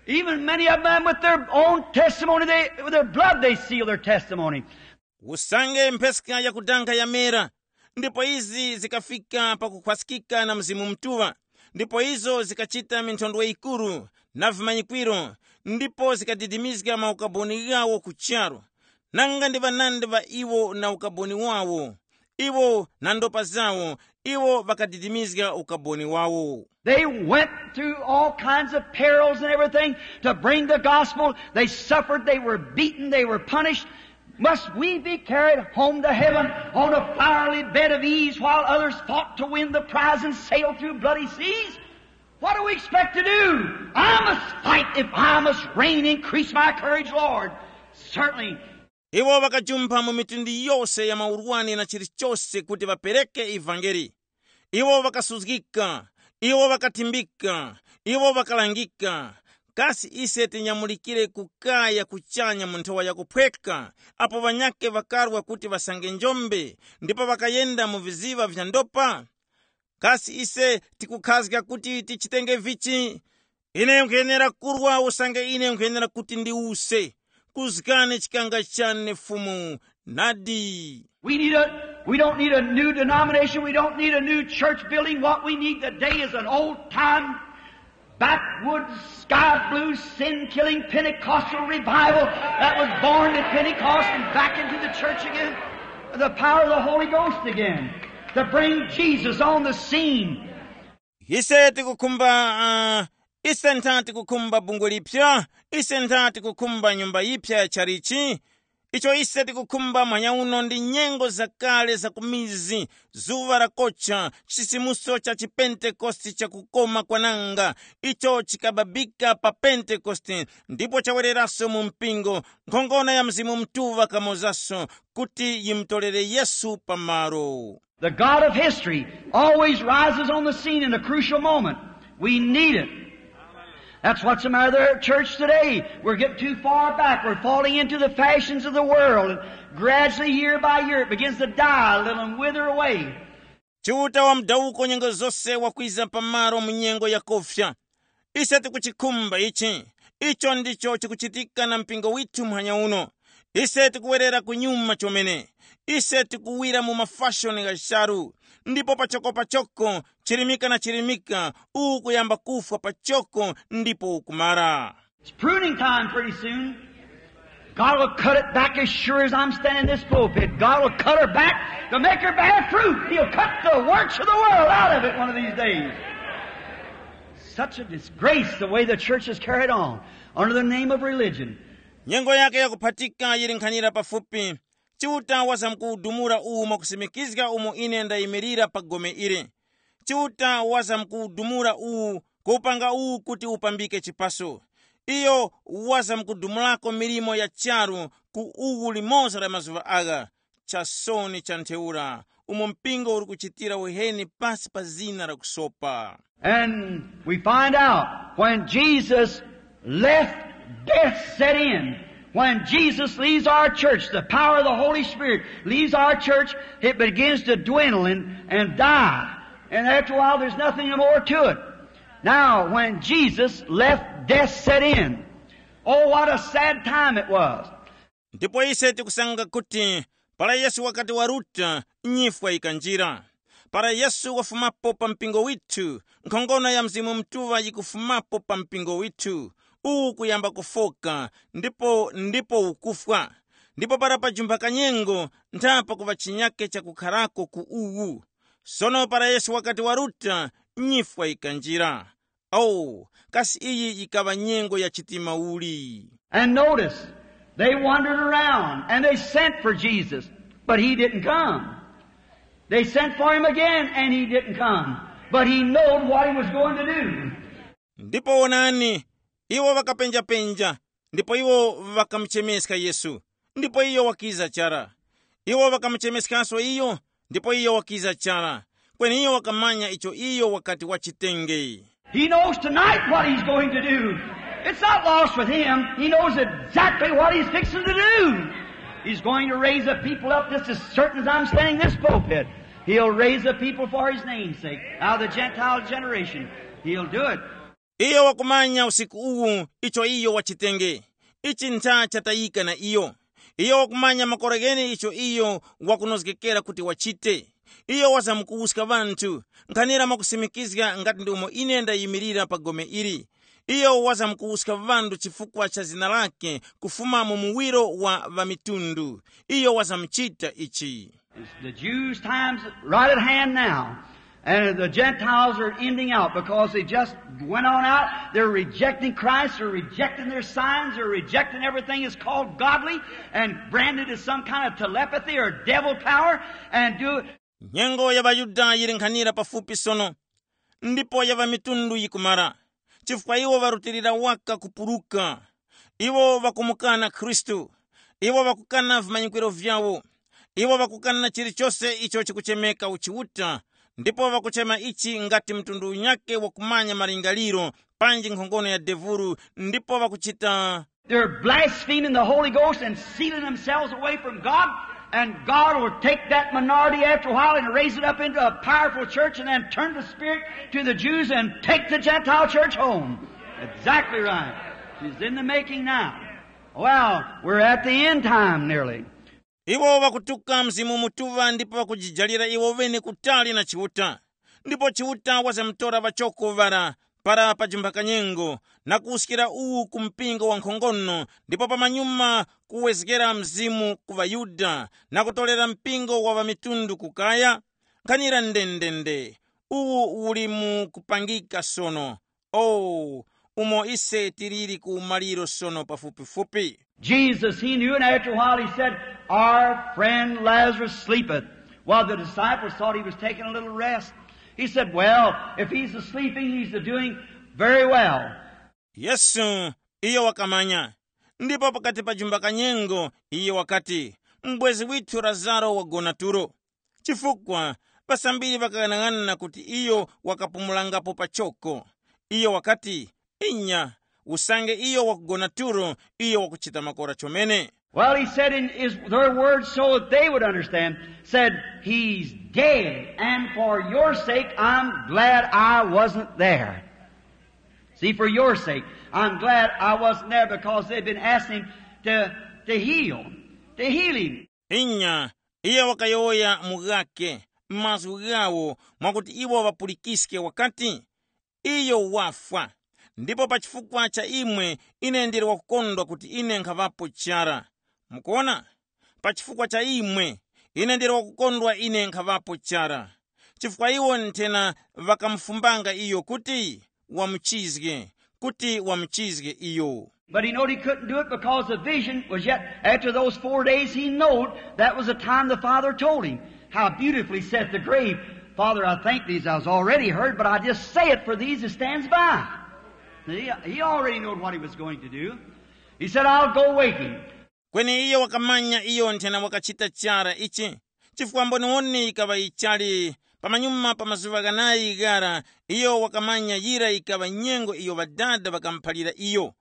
even many of them with their own testimony, they, with their blood they sealed their testimony. Usange mpheska yakudanga yamera, ndipo izi zikafika pakukhwaskika na Mzimu Mutuŵa, ndipo izo zikachita minthondwe yikuru na vimanyikwiro, ndipo zikadidimizga maukaboni ghawo ku charu. Nanga ndi ŵanandi ŵa iwo na ukaboni wawo? Iwo na ndopa zawo, iwo ŵakadidimizga ukaboni wawo. They went through all kinds of perils and everything to bring the gospel. They suffered, they were beaten, they were punished. Must we be carried home to heaven on a fiery bed of ease while others fought to win the prize and sailed through bloody seas? What do we expect to do? I must fight if I must reign. Increase my courage, Lord. Certainly. Iwo ŵakajumpha mu mitundu yose ya maurwani na chilichose kuti ŵapereke ivangeli. Iwo ŵakasuzgika, iwo ŵakathimbika, iwo ŵakalangika. Kasi ise tinyamulikire kukaya kuchanya mu nthowa yakuphweka, apo ŵanyakhe ŵakarwa kuti ŵasange njombe, ndipo ŵakayenda mu viziŵa vya ndopa? Kasi ise tikukhazga kuti tichitenge vichi? Ine nkhuyenera kurwa usange ine nkhuyenera kuti ndiwuse. Kuzgani chikanga chane Fumu, nadi. We need a, we don't need a new denomination. We don't need a new church building. What we need today is an old time, backwoods, sky blue, sin killing Pentecostal revival that was born at Pentecost and back into the church again. The power of the Holy Ghost again. To bring Jesus on the scene. Ise tikukhumba, uh, ise ntha tikukhumba bungwe lipya, ise ntha tikukhumba nyumba yipya ya chalichi. Icho ise tikukhumba mwanya uno ndi nyengo zakale za kumizi, zuŵa lakocha, chisimuso cha chipentekoste chakukoma kwananga, icho chikababika pa Pentekoste, ndipo chawereraso mu mpingo, nkhongono ya Mzimu Mutuŵa kamozaso, kuti yimutolere Yesu pamalo. The God of history always rises on the scene in a crucial moment. We need it. That's what's the matter with our church today. We're getting too far back. We're falling into the fashions of the world. And gradually, year by year, it begins to die a little and wither away. Chiuta wa mudawuko nyengo zose wakwiza pamalo mu nyengo yakofya. Ise tikuchikhumba ichi. Icho ndicho chikuchitika na mpingo withu muhanya uno. Ise tikuwerera kunyuma chomene. Ise tikuwira mu mafashoni gha charu, ndipo pachoko pachoko, chirimika na chirimika, uwu kuyamba kufwa pachoko ndipo ukumara. It's pruning time pretty soon. God will cut it back as sure as I'm standing in this pulpit. God will cut her back to make her bear fruit. He'll cut the works of the world out of it one of these days. Such a disgrace the way the church is carried on under the name of religion. Nyengo yake yakuphatika yili nkhanira pafupi. Chiuta wazamkuwudumula uwu mwakusimikizga umo ine ndayimirira pa gome ili. Chiuta wazamkuwudumula uwu, kuwupanga uwu kuti upambike chipaso. Iyo wazamkudumulako milimo ya charu ku uwu limoza la mazuŵa agha. Chasoni cha ntheura, umo mpingo uli kuchitira uheni pasi pa zina la kusopa. And we find out when Jesus left, death set in. When Jesus leaves our church, the power of the Holy Spirit leaves our church, it begins to dwindle and, and die. And after a while, there's nothing more to it. Now, when Jesus left, death set in. Oh, what a sad time it was. Ndipo ise tikusanga kuti para Yesu wakati waruta, nyifwa yikanjira. Para Yesu wafumapo pa mpingo withu, nkhongono ya Mzimu Mutuŵa yikufumapo pa mpingo withu. Uwu kuyamba kufoka, ndipo ndipo ukufwa. Ndipo para pajumba kanyengo, ntha pakuŵa chinyake chakukharako ku uwu. Sono para Yesu wakati waruta, nyifwa yikanjira. Oh, kasi iyi yikaŵa nyengo ya chitima uli? And notice, they wandered around and they sent for Jesus, but he didn't come. They sent for him again and he didn't come. But he knowed what he was going to do. Ndipo wonani, iwo ŵakapenjapenja, ndipo iwo ŵakamuchemeska Yesu, ndipo iyo wakiza chara. Iwo ŵakamuchemeskanso iyo, ndipo iyo wakiza chara. Kweni iyo wakamanya icho iyo wakati wachitenge. He knows tonight what he's going to do. It's not lost with him. He knows exactly what he's fixing to do. He's going to raise the people up just as certain as I'm standing in this pulpit. He'll raise the people for his name's sake. Out of the Gentile generation, he'll do it. Iyo wakumanya usiku uwu icho iyo wachitenge. Ichi ntha chatayika na iyo. Iyo wakumanya makora ghene icho iyo wakunozgekera kuti wachite. Iyo wazamkuwuska ŵanthu, nkhanira mwakusimikizga ngati ndi umo ine ndayimirira pa gome ili. Iyo wazamkuwuska ŵanthu chifukwa cha zina lake kufuma mu muwiro wa ŵamitundu. Iyo wazamuchita ichi. It's the Jews' time's right at hand now. And the Gentiles are ending out because they just went on out. They're rejecting Christ. They're rejecting their signs. They're rejecting everything that's called godly and branded as some kind of telepathy or devil power and do it. Nyengo ya ŵaYuda yili nkhanira pafupi sono, ndipo ya ŵamitundu yikumara, chifukwa iwo ŵarutilira waka kupuruka. Iwo ŵakumukana Khristu. Iwo ŵakukana vimanyikwiro vyawo. Iwo ŵakukana chilichose icho chikuchemeka uchiuta, ndipo ŵakuchema ichi ngati mtundu unyakhe wakumanya malingaliro, panji nkhongono ya devulu, ndipo ŵakuchita. They're blaspheming the Holy Ghost and sealing themselves away from God. And God will take that minority after a while and raise it up into a powerful church and then turn the Spirit to the Jews and take the Gentile church home. Exactly right. She's in the making now. Well, we're at the end time nearly. Iwo ŵakutuka Mzimu Mutuŵa ndipo ŵakujijalira iwo ŵene kutali na Chiuta. Ndipo Chiuta wazamutora ŵachoko ŵara para pajumba kanyengo, na kuwuskira uwu ku mpingo wankhongono, ndipo pamanyuma kuwezgera Mzimu ku ŵaYuda, na kutorera mpingo wa ŵamitundu kukaya. Nkhanira ndendende, uwu uli mu kupangika sono. Oh, umo ise tiliri ku maliro sono pafupifupi. Jesus, he knew, and after a while he said, "Our friend Lazarus sleepeth." Well, the disciples thought he was taking a little rest. He said, "Well, if he's sleeping, he's doing very well." Yesu iyo wakamanya. Ndipo pakati pa jumba kanyengo, iye wakati, "M'bwezi withu Lazaro wagona tulo." Chifukwa, ŵasambiri ŵakaghanaghanana kuti iyo wakapumulangapo pachoko. Iyo wakati, "Inya, usange iyo wakugona tulo, iyo wakuchita makora chomene." Well, he said in his, their words so that they would understand, said, "He's dead, and for your sake, I'm glad I wasn't there." See, for your sake, I'm glad I wasn't there because they'd been asking him to, to heal. to heal him. Inya, iye wakayowoya mu ghake, m'mazgu ghawo, mwakuti iwo ŵapulikiske wakati, iyo wafwa. Ndipo pa chifukwa cha imwe, ine ndili wakukondwa kuti ine nkhaŵapo chara. Mukuona? Pa chifukwa cha imwe, ine ndili wakukondwa ine nkhaŵapo chara, chifukwa iwo nthena ŵakamufumbanga iyo kuti wamuchizge, kuti wamuchizge iyo. But he knowed he couldn't do it because the vision was yet after those four days. He knowed that was the time the Father told him. How beautifully saith the grave, "Father, I thank thee as I was already heard, but I just say it for these that stands by." He, he already knowed what he was going to do. He said, "I'll go wake him." Kweni iyo wakamanya iyo nthena wakachita chara ichi, chifukwa mboniwoni yikaŵa yichali. Pamanyuma pa mazuŵa ghanayi ghara, iyo wakamanya yira yikaŵa nyengo iyo ŵadada ŵakamuphalira iyo.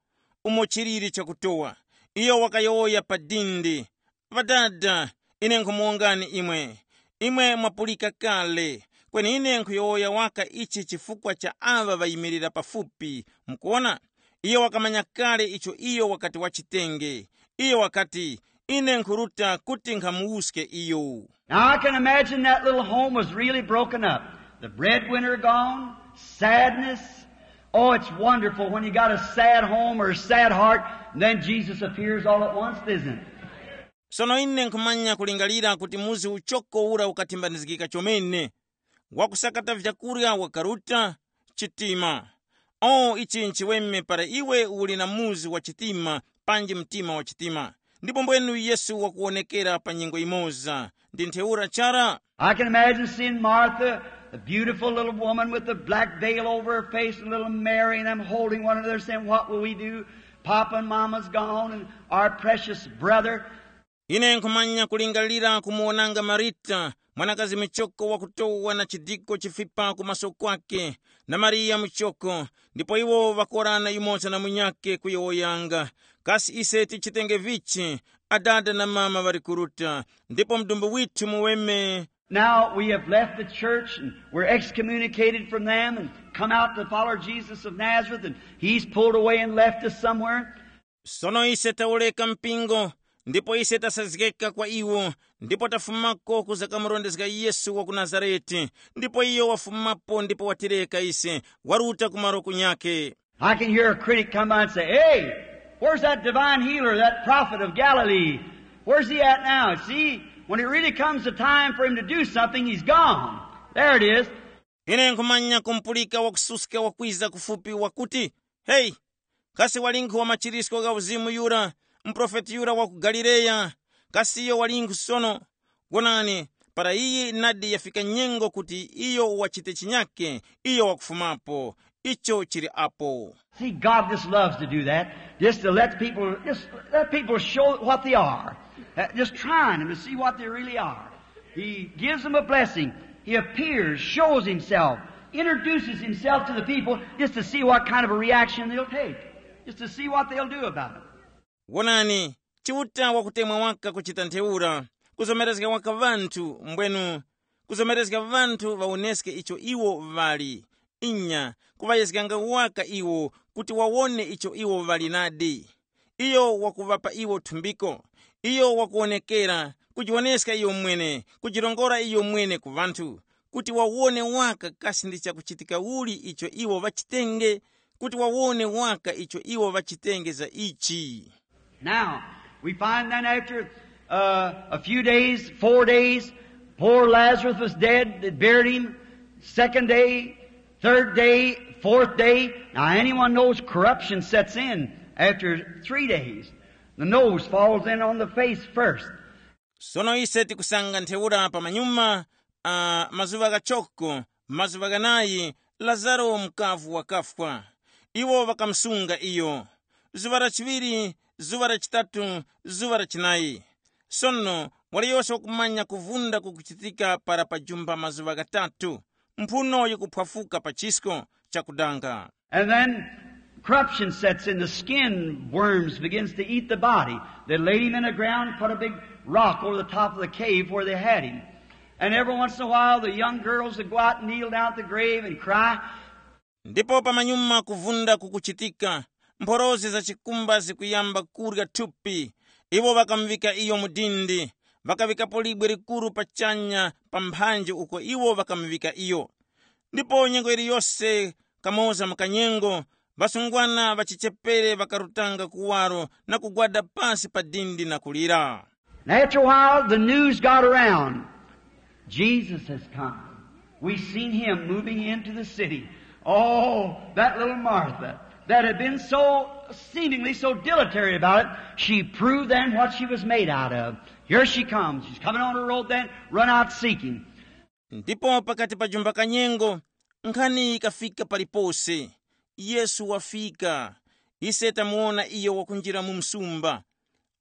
Umo chiliri chakutowa, iyo wakayowoya pa dindi, "Ŵadada, ine nkhumuwongani imwe. Imwe mwapulika kale, kweni ine nkhuyowoya waka ichi chifukwa cha aŵa ŵayimirira pafupi. Mukuwona?" Iyo wakamanya kale icho iyo wakati wachitenge. Iyo wakati, "Ine nkhuruta kuti nkhamuwuske iyo." Now I can imagine that little home was really broken up. The breadwinner gone, sadness. Oh, it's wonderful when you got a sad home or a sad heart, and then Jesus appears all at once, isn't it? Sono ine nkhumanya kulingalira kuti muzi uchoko ura ukathimbanizgika chomene. Wakusakata vyakurya wakaruta, chitima. O, ichi nchiweme para iwe uli na muzi wa chitima, panji mtima wa chitima. Ndipo mbwenu Yesu wakuwonekera pa nyengo imoza, ndi ntheura chara. I can imagine seeing Martha, the beautiful little woman with the black veil over her face, and little Mary and them holding one another, saying, "What will we do? Papa and Mama's gone, and our precious brother." Ine nkhumanya kulingalira kumuwonanga Marita, mwanakazi muchoko wakutowa na chidiko chifipa ku maso kwake, na Mariya muchoko, ndipo iwo ŵakorana yumoza na munyakhe kuyowoyanga. Kasi ise tichitenge vichi? Adada na mama ŵali kuruta, ndipo mdumbu withu muweme. Now we have left the church and we're excommunicated from them and come out to follow Jesus of Nazareth, and he's pulled away and left us somewhere. Sono ise tawureka mpingo, ndipo ise tasazgeka kwa iwo, ndipo tafumako kuza kamurondezga Yesu wa ku Nazarete, ndipo iyo wafumapo ndipo watireka ise, waruta ku malo kunyakhe. I can hear a critic come by and say, "Hey, where's that divine healer, that prophet of Galilee? Where's he at now?" See, when it really comes to time for him to do something, he's gone. There it is. Ine nkhumanya kumpulika wakususka wakwiza kufupi wakuti, "Heyi, kasi walinkhu wa machirisko gha uzimu yura, muprofeti yura wa ku Galileya? Kasi iyo walinkhu sono? Wonani, para iyi nadi yafika nyengo kuti iyo wachite chinyake, iyo wakufumapo. Icho chili apo." See, God just loves to do that, just to let people, just let people show what they are, uh, just trying them to see what they really are. He gives them a blessing. He appears, shows himself, introduces himself to the people just to see what kind of a reaction they'll take, just to see what they'll do about it. Wonani, Chiuta wakutemwa waka kuchita ntheura, kuzomerezga waka ŵanthu, mbwenu kuzomerezga ŵanthu ŵawoneske icho iwo ŵali. Inya, kuŵayezganga waka iwo kuti wawone icho iwo ŵali nadi. Iyo wakuŵapa iwo thumbiko. Iyo wakuwonekera, kujiwoneska iyo mwene, kujirongora iyo mwene ku ŵanthu, kuti wawone waka kasi ndi chakuchitika uli icho iwo ŵachitenge, kuti wawone waka icho iwo ŵachitenge za ichi. Now, we find then after uh, a few days, four days, poor Lazarus was dead, they buried him. Second day, third day, fourth day. Now, anyone knows corruption sets in after three days. The nose falls in on the face first. Sono ise tikusanga ntheura pamanyuma, uh, mazuŵa ghachoko, mazuŵa ghanayi, Lazaro mukavu wakafwa. Iwo ŵakamusunga iyo. Zuŵa la chiŵiri, zuŵa la chitatu, zuŵa la chinayi. Sono waliyose wakumanya kuvunda kukuchitika para pajumba mazuŵa ghatatu, mphuno yikuphwafuka pa chisko chakudanga. And then corruption sets in, the skin worms begins to eat the body. They laid him in the ground, put a big rock over the top of the cave where they had him. And every once in a while, the young girls would go out and kneel down at the grave and cry. Ndipo pamanyuma kuvunda kukuchitika, mphorozi za chikumba zikuyamba kurya thupi, Iwo ŵakamuŵika iyo mu dindi, ŵakaŵikapo libwe likuru pachanya pa mphanji uko iwo ŵakamuŵika iyo. Ndipo nyengo yiliyose kamoza mu kanyengo, ŵasungwana ŵa chichepere ŵakarutanga kuwaro na kugwada pasi pa dindi na kulira. And after a while, the news got around. Jesus has come. We seen him moving into the city. Oh, that little Martha that had been so seemingly so dilatory about it, she proved then what she was made out of. Here she comes. She's coming on the road then, run out seeking. Ndipo pakati pa jumba kanyengo, nkhani yikafika palipose. Yesu wafika. Ise tamuwona iyo wakunjira mu msumba.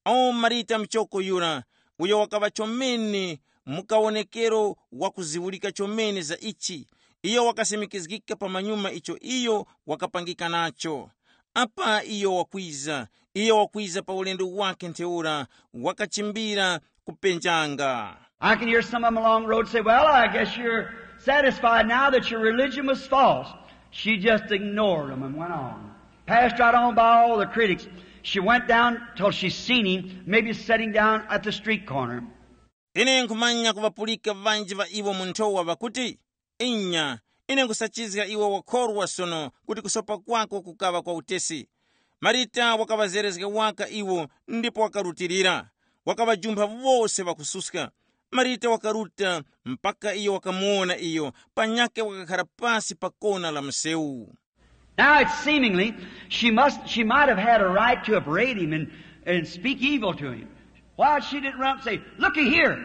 O Marita muchoko yura, uyo wakaŵa chomene mu kawonekero wakuziwulika chomene za ichi, iyo wakasimikizgika pa manyuma icho iyo wakapangika nacho. Apa iyo wakwiza, iyo wakwiza pa ulendo wake ntheura, wakachimbira kupenjanga. I can hear some of them along the road say, "Well, I guess you're satisfied now that your religion was false." She just ignored them and went on. Passed right on by all the critics. She went down till she seen him, maybe sitting down at the street corner. Ine nkhumanya kuŵapulika ŵanji ŵa iwo mu nthowa ŵakuti, "Inya, ine nkhusachizga iwe wakhorwa sono kuti kusopa kwako kukaŵa kwa utesi." Marita wakaŵazerezga waka iwo ndipo wakarutilira. Wakaŵajumpha wose ŵakususka. Marita wakaruta mpaka iyo wakamuwona iyo, panyakhe wakakhara pasi pa kona la msewu. Now it's seemingly she must she might have had a right to upbraid him and, and speak evil to him. Why she didn't run up and say, "Looky here,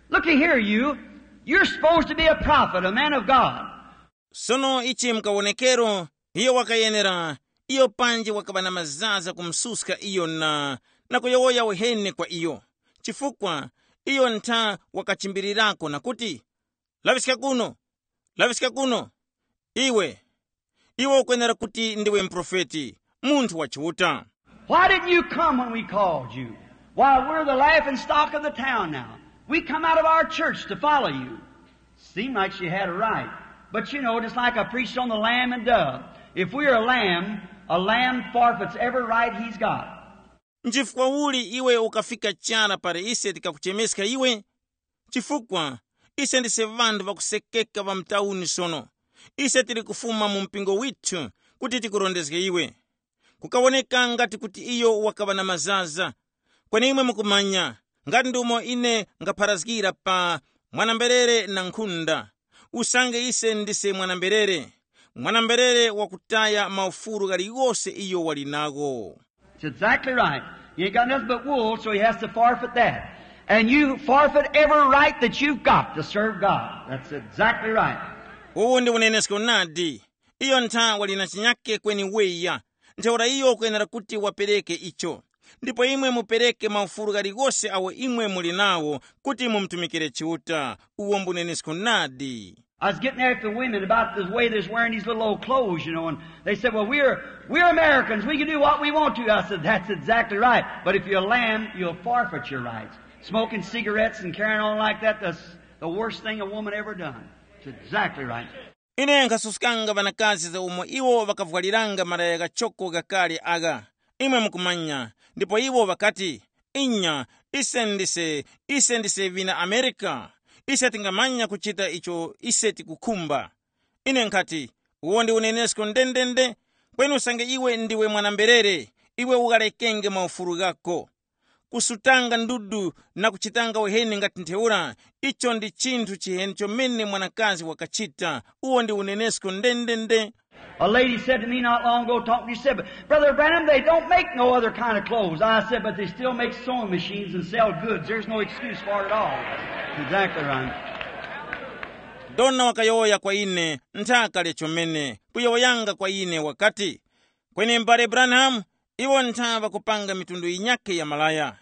looky here, you, you're supposed to be a prophet, a man of God." Sono ichi mkawonekero, iyo wakayenera, iyo panji wakaŵa na mazaza kumususka iyo na, na kuyowoya uheni kwa iyo, chifukwa iyo ntha wakachimbirirako na kuti, "Laŵiska kuno, laŵiska kuno, iwe, iwe ukwenera kuti ndiwe muprofeti, munthu wa Chiuta." Why didn't you come when we called you? Why, we're the laughing stock of the town now. We come out of our church to follow you. Seemed like she had a right. But you know, just like I preached on the lamb and dove, if we're a lamb, a lamb forfeits every right he's got. Nchifukwa uli iwe ukafika chara pali ise tikakuchemeska iwe? Chifukwa ise ndise ŵanthu ŵakusekeka ŵa mtauni sono. Ise tili kufuma mu mpingo withu kuti tikurondezge iwe. Kukawoneka ngati kuti iyo wakaŵa na mazaza. Kweni imwe mukumanya, ngati ndumo ine ngapharazgira pa mwanamberere na nkhunda, usange ise ndise mwanamberere, mwanamberere wakutaya maufulu ghaligose iyo wali nagho. It's exactly right. You ain't got nothing but wool, so he has to forfeit that. And you forfeit every right that you've got to serve God. That's exactly right. Uwu ndi unenesko nadi. Iyo ntha wali na chinyake kweni weya. Ntheura iyo ukwenera kuti wapereke icho. Ndipo imwe mupereke maufulu ghaligose awo imwe muli nawo kuti mumutumikire Chiuta. Uwo mbunenesko nadi. I was getting after the women about the way they're wearing these little old clothes, you know, and they said, "Well, we're, we're Americans. We can do what we want to." I said, "That's exactly right. But if you're a lamb, you'll forfeit your rights. Smoking cigarettes and carrying on like that, that's the worst thing a woman ever done." It's exactly right. Ine nkhasuskanga ŵanakazi za umo iwo ŵakavwaliranga malaya ghachoko ghakale agha. Imwe mukumanya, ndipo iwo ŵakati, "Inya, ise ndise, ise ndise ŵina Amerika. Ise tingamanya kuchita icho ise tikukhumba." Ine nkhati, "Uwo ndi unenesko ndendende, kweni usange iwe ndiwe mwanamberere, iwe ughalekenge maufulu ghako. Kusutanga ndudu na kuchitanga uheni ngati ntheura, icho ndi chinthu chiheni chomene mwanakazi wakachita. Uwo ndi unenesko ndendende." A lady said to me not long ago, talking to you, said, "But Brother Branham, they don't make no other kind of clothes." I said, "But they still make sewing machines and sell goods. There's no excuse for it at all." Exactly right. Dona wakayowoya kwa ine, nthaka lya chomene, kuyowoyanga kwa ine wakati, "Kweni m'bale Branham, iwo ntha ŵakupanga mitundu yinyakhe ya malaya."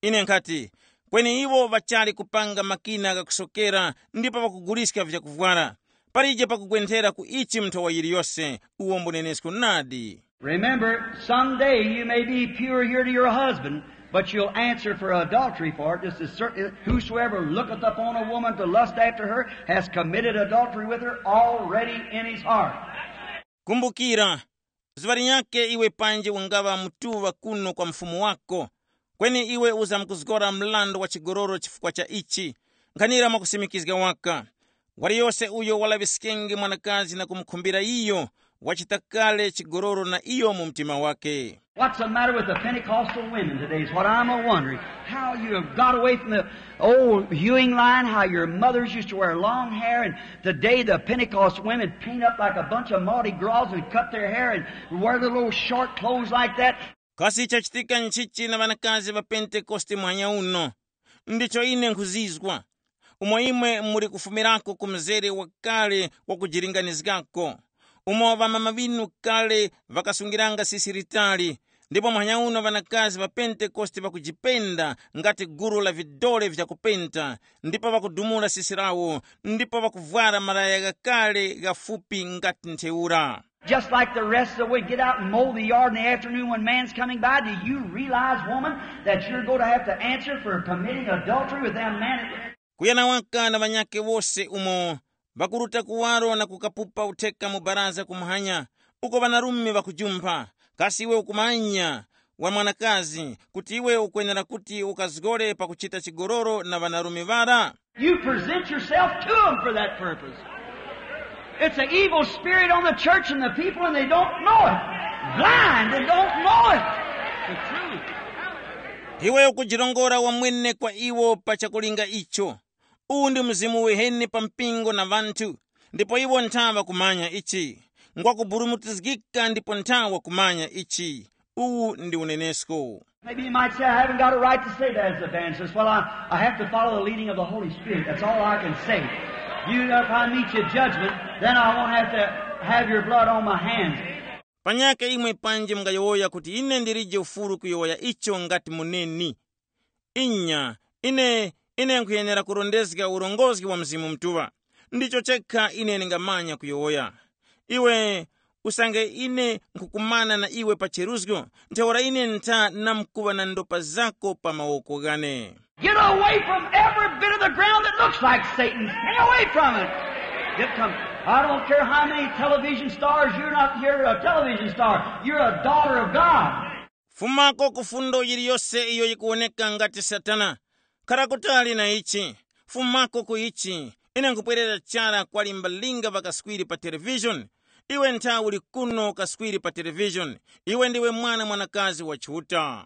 Ine nkhati, "Kweni iwo ŵachali kupanga makina ghakusokera ndipo ŵakuguliska vyakuvwara. Palije pakugwenthera ku ichi nthowa yiliyose." Uwo mbunenesko nadi. Remember, someday you may be pure here to your husband, but you'll answer for adultery for it just as certain. "Whosoever looketh upon a woman to lust after her has committed adultery with her already in his heart." Kumbukira, zuŵa linyakhe iwe panje ungaŵa mutuŵa kuno kwa mfumu wako, Kweni iwe uzamkuzgora mrandu wa chigololo chifukwa cha ichi. Nkhanira mwakusimikizga waka. Waliyose uyo walaŵiskenge mwanakazi na kumukhumbira iyo, wachita kale chigololo na iyo mu mtima wake. What's the matter with the Pentecostal women today is what I'm a wondering. How you have got away from the old hewing line, how your mothers used to wear long hair, and today the Pentecost women paint up like a bunch of Mardi Gras and cut their hair and wear the little short clothes like that. Kasi chachitika nchichi na ŵanakazi ŵa Pentekoste muhanya uno? Ndicho ine nkhuzizwa. Umo imwe muli kufumirako ku mzere wakale wakujilinganizgako, umo ŵamama ŵinu kale ŵakasungiranga sisi litali, ndipo muhanya uno ŵanakazi ŵa Pentekoste ŵakujipenda ngati gulu la vidole vyakupenta, ndipo ŵakudumula sisi lawo, ndipo ŵakuvwara malaya ghakale ghafupi ngati ntheura. Just like the rest of the week, get out and mow the yard in the afternoon when man's coming by. Do you realize, woman, that you're going to have to answer for committing adultery with them men? Kuyana waka na ŵanyakhe wose umo ŵakuruta kuwaro na kukapupa utheka mu baraza kumuhanya, uko ŵanarume ŵakujumpha. Kasi iwe ukumanya, wa mwanakazi, kuti iwe ukwenera kuti ukazgore pakuchita chigololo na ŵanarume ŵara? You present yourself to them for that purpose. It's an evil spirit on the church and the people, and they don't know it. Blind and don't know it. The truth. Iwe ukujirongora wamwene kwa iwo pa chakulinga icho. Uwu ndi mzimu wiheni pa mpingo na ŵanthu, ndipo iwo ntha ŵakumanya ichi. Ngwakuburumutizgika ndipo ntha wakumanya ichi. Uwu ndi unenesko. Maybe you might say, I haven't got a right to say that as evangelist. Well, I, I have to follow the leading of the Holy Spirit. That's all I can say. You, if I meet you at judgment, then I won't have to have your blood on my hands. Panyaka imwe panji mungayowoya kuti ine ndilije ufulu kuyowoya icho ngati muneni. Inya, ine, ine nkhuyenera kurondezga urongozgi wa Mzimu Mutuŵa. Ndicho chekha ine ndingamanya kuyowoya. Iwe, usange ine nkhukumana na iwe pa cheruzgo, ntheura ine ntha namkuŵa na ndopa zako pa mawoko ghane. Get away from every bit of the ground that looks like Satan. Stay away from it. Get some, I don't care how many television stars, you're not, you're a television star. You're a daughter of God. Fumako ku fundo yiliyose iyo yikuwoneka ngati Satana. Khara kutali na ichi. Fumako ku ichi. Ine nkupwerera chara kwa limbalinga ŵakaswiri pa televishoni. Iwe ntha uli kuno kaswiri pa televishoni. Iwe ndiwe mwana mwanakazi wa Chiuta.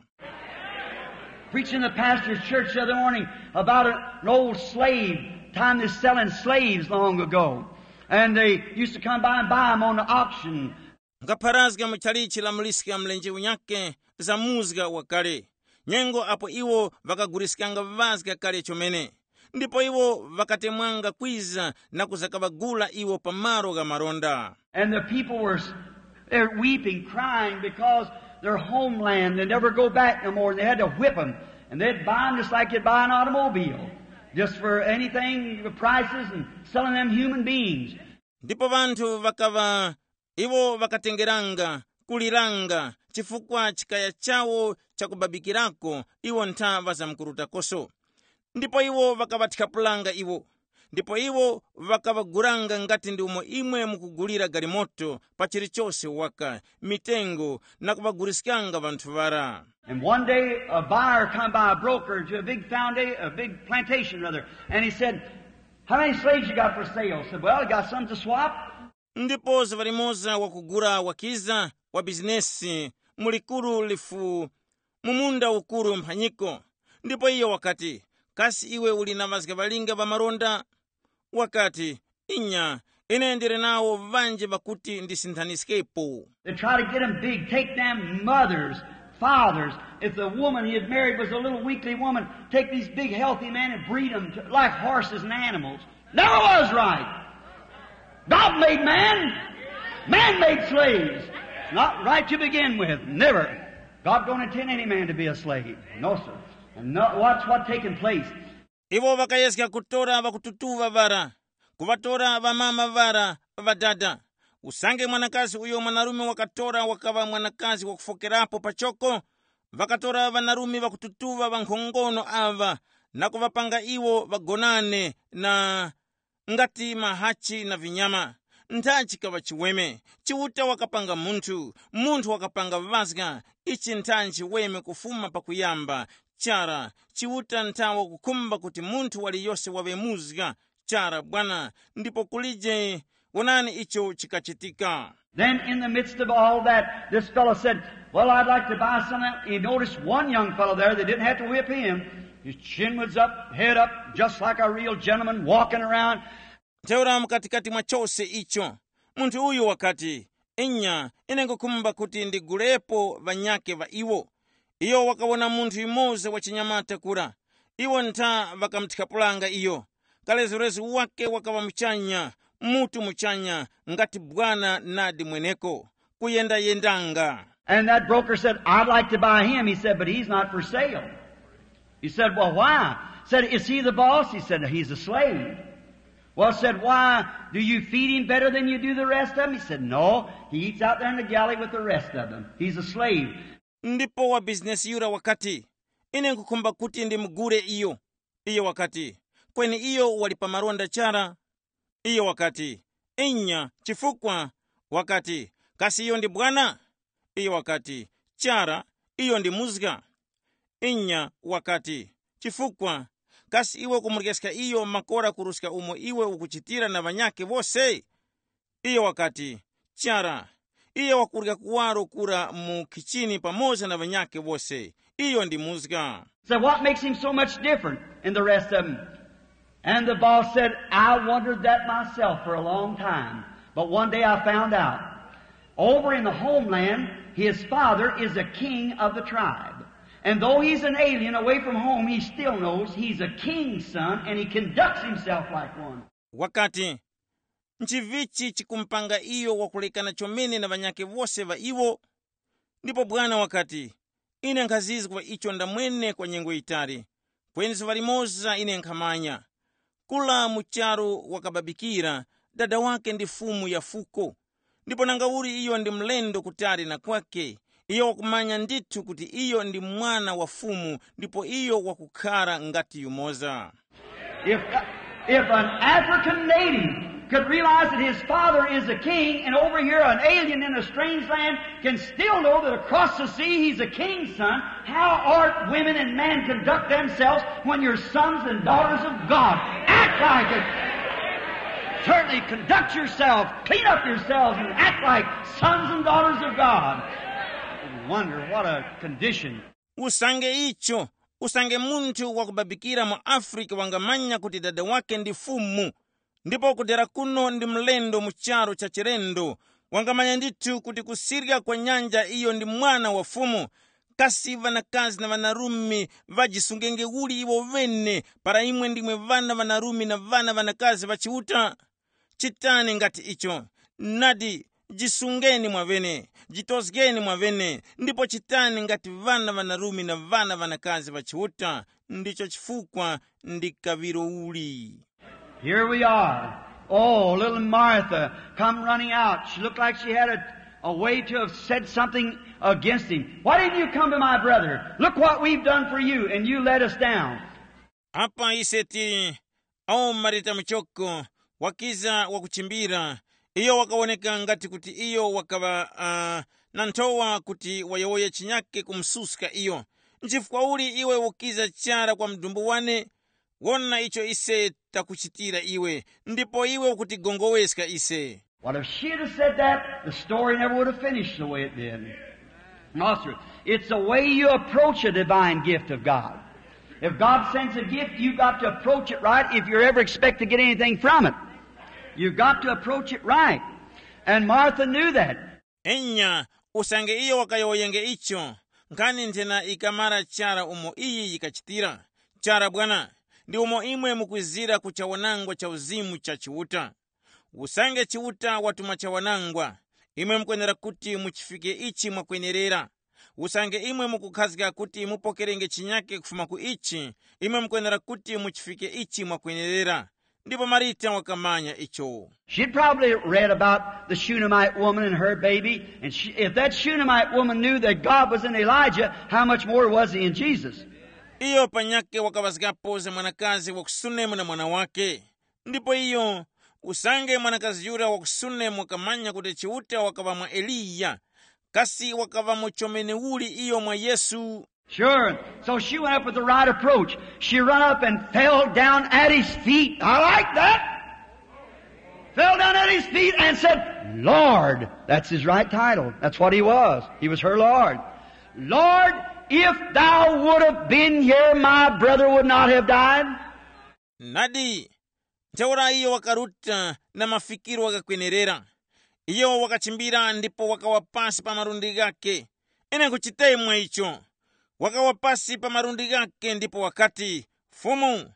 Preaching in the pastor's church the other morning about an old slave, time they selling slaves long ago. And they used to come by and buy them on the auction. Nkapharazga mu chalichi la muliska mlenje unyake za muzga wakale, nyengo apo iwo ŵakaguliskanga ŵazga kale chomene, ndipo iwo ŵakatemwanga kwiza na kuzakaŵagula iwo pa malo gha malonda. And the people were s- they're weeping, crying because their homeland, they never go back no more. And they had to whip them. And they'd buy them just like you'd buy an automobile, just for anything, the prices, and selling them human beings. Ndipo ŵanthu ŵakaŵa iwo ŵakatengeranga, kuliranga, chifukwa chikaya chawo chakubabikirako iwo ntha ŵazamkurutakoso. Ndipo iwo ŵakaŵathyapulanga iwo. Ndipo iwo ŵakaŵagulanga ngati ndi umo imwe mukugulira galimoto pa chilichose waka, mitengo, na kuŵaguliskanga ŵanthu ŵara. And one day a buyer come by, a broker to a big foundation, a big plantation rather, and he said, how many slaves you got for sale? Said, well, I got some to swap. Ndipo zuŵa limoza wakugula wakiza wa bizinesi mu likuru lifu mu munda ukuru mphanyiko. Ndipo iyo wakati, kasi iwe uli na ŵazga ŵalinga ŵa malonda? Wakati, inya, ine ndili nawo ŵanji ŵakuti ndisinthaniskepo. They try to get them big, take them mothers, fathers. If the woman he had married was a little weakly woman, take these big healthy men and breed them to, like horses and animals. Never was right. God made man. Man made slaves. Not right to begin with. Never. God don't intend any man to be a slave. No, sir. And no, watch what taking place. Iwo ŵakayezga kutora ŵakututuŵa ŵara, kuŵatora ŵamama ŵara ŵadada. Usange mwanakazi uyo mwanarume wakatora wakaŵa mwanakazi wakufokerapo pachoko, ŵakatora ŵanarume ŵakututuŵa ŵankhongono aŵa na kuŵapanga iwo ŵagonane na ngati mahachi na vinyama. Nthachi kaŵa chiweme, Chiuta wakapanga munthu, munthu wakapanga ŵazga. Ichi nthanji weme kufuma pakuyamba, chara, Chiuta nthawa kukhumba kuti munthu waliyose waŵe muzga, chara bwana, ndipo kulije, wonani icho chikachitika. Then, in the midst of all that, this fellow said, "Well, I'd like to buy some." He noticed one young fellow there that didn't have to whip him. His chin was up, head up, just like a real gentleman walking around. Ntheura mukatikati mwa chose icho, munthu uyu wakati, "Inya, ine nkukhumba kuti ndigulepo ŵanyake ŵa iwo." Iyo wakawona munthu yumoza wa chinyamata kura. Iwo ntha ŵakamuthapulanga iyo. Kalezulezu wake wakaŵa muchanya, mutu muchanya, ngati bwana nadi mweneko, kuyendayendanga. And that broker said, "I'd like to buy him." He said, "But he's not for sale." He said, "Well, why?" Said, "Is he the boss?" He said, "He's a slave." "Well," said, "why? Do you feed him better than you do the rest of them?" He said, "No, he eats out there in the galley with the rest of them. He's a slave." Ndipo wa bizinesi yura wakati, "Ine nkukhumba kuti ndimugule iyo." Iyo wakati, "Kweni iyo wali pa malonda chara." Iyo wakati, "Inya, chifukwa?" Wakati, "Kasi iyo ndi bwana?" Iyo wakati, "Chara, iyo ndi muzga." Inya wakati, "Chifukwa? Kasi iwe kumuryeska iyo makora kuruska umo iwe ukuchitira na ŵanyakhe wose?" Iyo wakati, "Chara, iyo wakurya kuwaro kura mu khichini pamoza na ŵanyakhe wose. Iyo ndi muzga." Said, "What makes him so much different in the rest of them?" And the boss said, "I wondered that myself for a long time, but one day I found out. Over in the homeland, his father is a king of the tribe. And though he's an alien away from home, he still knows he's a king's son and he conducts himself like one." Wakati, "Nchivichi chikumupanga iyo wakulekana chomene na ŵanyakhe wose ŵa iwo?" Ndipo bwana wakati, "Ine nkhazizwa icho ndamwene kwa nyengo yitali, kweni zuŵa limoza ine nkhamanya. Kula mu charu wakababikira, dada wake ndi fumu ya fuko. Ndipo nangauli iyo ndi mlendo kutali na kwake, iyo wakumanya ndithu kuti iyo ndi mwana wa fumu ndipo iyo wakukhara ngati yumoza." If, if an African native could realize that his father is a king and over here an alien in a strange land can still know that across the sea he's a king's son, how art women and men conduct themselves when you're sons and daughters of God? Act like it. Certainly conduct yourself, clean up yourselves, and act like sons and daughters of God. Wonder what a condition. Usange icho, usange munthu wakubabikira mu Afrika wangamanya kuti dada wake ndi fumu, ndipo kudera kuno ndi mlendo mu charu cha chilendo, wangamanya ndithu kuti kusirya kwa nyanja iyo ndi mwana wa fumu. Kasi ŵanakazi na ŵanarume ŵajisungenge uli iwo ŵene, para imwe ndimwe ŵana ŵanarume na ŵana ŵanakazi ŵa Chiuta? Chitani ngati icho. Nadi, jisungeni mwaŵene, jitozgeni mwaŵene, ndipo chitani ngati ŵana ŵanarume na ŵana ŵanakazi ŵa Chiuta. Ndicho chifukwa ndi kaŵiro uli. Here we are. Oh, little Martha come running out. She looked like she had a, a way to have said something against him. "Why didn't you come to my brother? Look what we've done for you, and you let us down." Apa ise tili, awo Marita muchoko, wakiza wakuchimbira. Iyo wakawoneka ngati kuti iyo wakaŵa uh, na nthowa kuti wayowoye chinyake kumususka iyo. Nchifukwa uli iwe ukiza chara kwa mdumbu wane? Wona icho ise takuchitira iwe, ndipo iwe ukutigongoweska ise. Well, if she had have said that, the story never would have finished the way it did. No, sir. It's the way you approach a divine gift of God. If God sends a gift, you've got to approach it right if you ever expect to get anything from it. You've got to approach it right. And Martha knew that. Enya, usange iyo wakayowoyenge icho, nkhani nthena ikamara chara umo iyi yikachitira. Chara bwana, ndi umo imwe mukwizira ku chawanangwa cha uzimu cha Chiuta. Usange Chiuta watuma chawanangwa, imwe mukwenera kuti muchifike ichi mwakwenerera. Usange imwe mukukhazga kuti mupokerenge chinyake kufuma ku ichi, imwe mukwenera kuti muchifike ichi mwakwenerera. Ndipo Marita wakamanya icho. She'd probably read about the Shunammite woman and her baby, and she, if that Shunammite woman knew that God was in Elijah, how much more was he in Jesus? Iyo panyake wakaŵazgapo za mwanakazi wa ku Sunemu na mwana wake. Ndipo iyo, usange mwanakazi yura wa ku Sunemu wakamanya kuti Chiuta wakaŵa mwa Eliya, kasi wakaŵamo chomene uli iyo mwa Yesu? Sure. So she went up with the right approach. She run up and fell down at his feet. I like that. Fell down at his feet and said, "Lord," that's his right title. That's what he was. He was her Lord. "Lord, if thou would have been here, my brother would not have died." Nadi, ntheura iyo wakaruta na mafikiro ghakwenerera. Iyo wakachimbira ndipo wakawa pasi pa malundi ghake. Ine nkuchitemwa icho. Wakawa pasi pa malundi ghake ndipo wakati, "Fumu."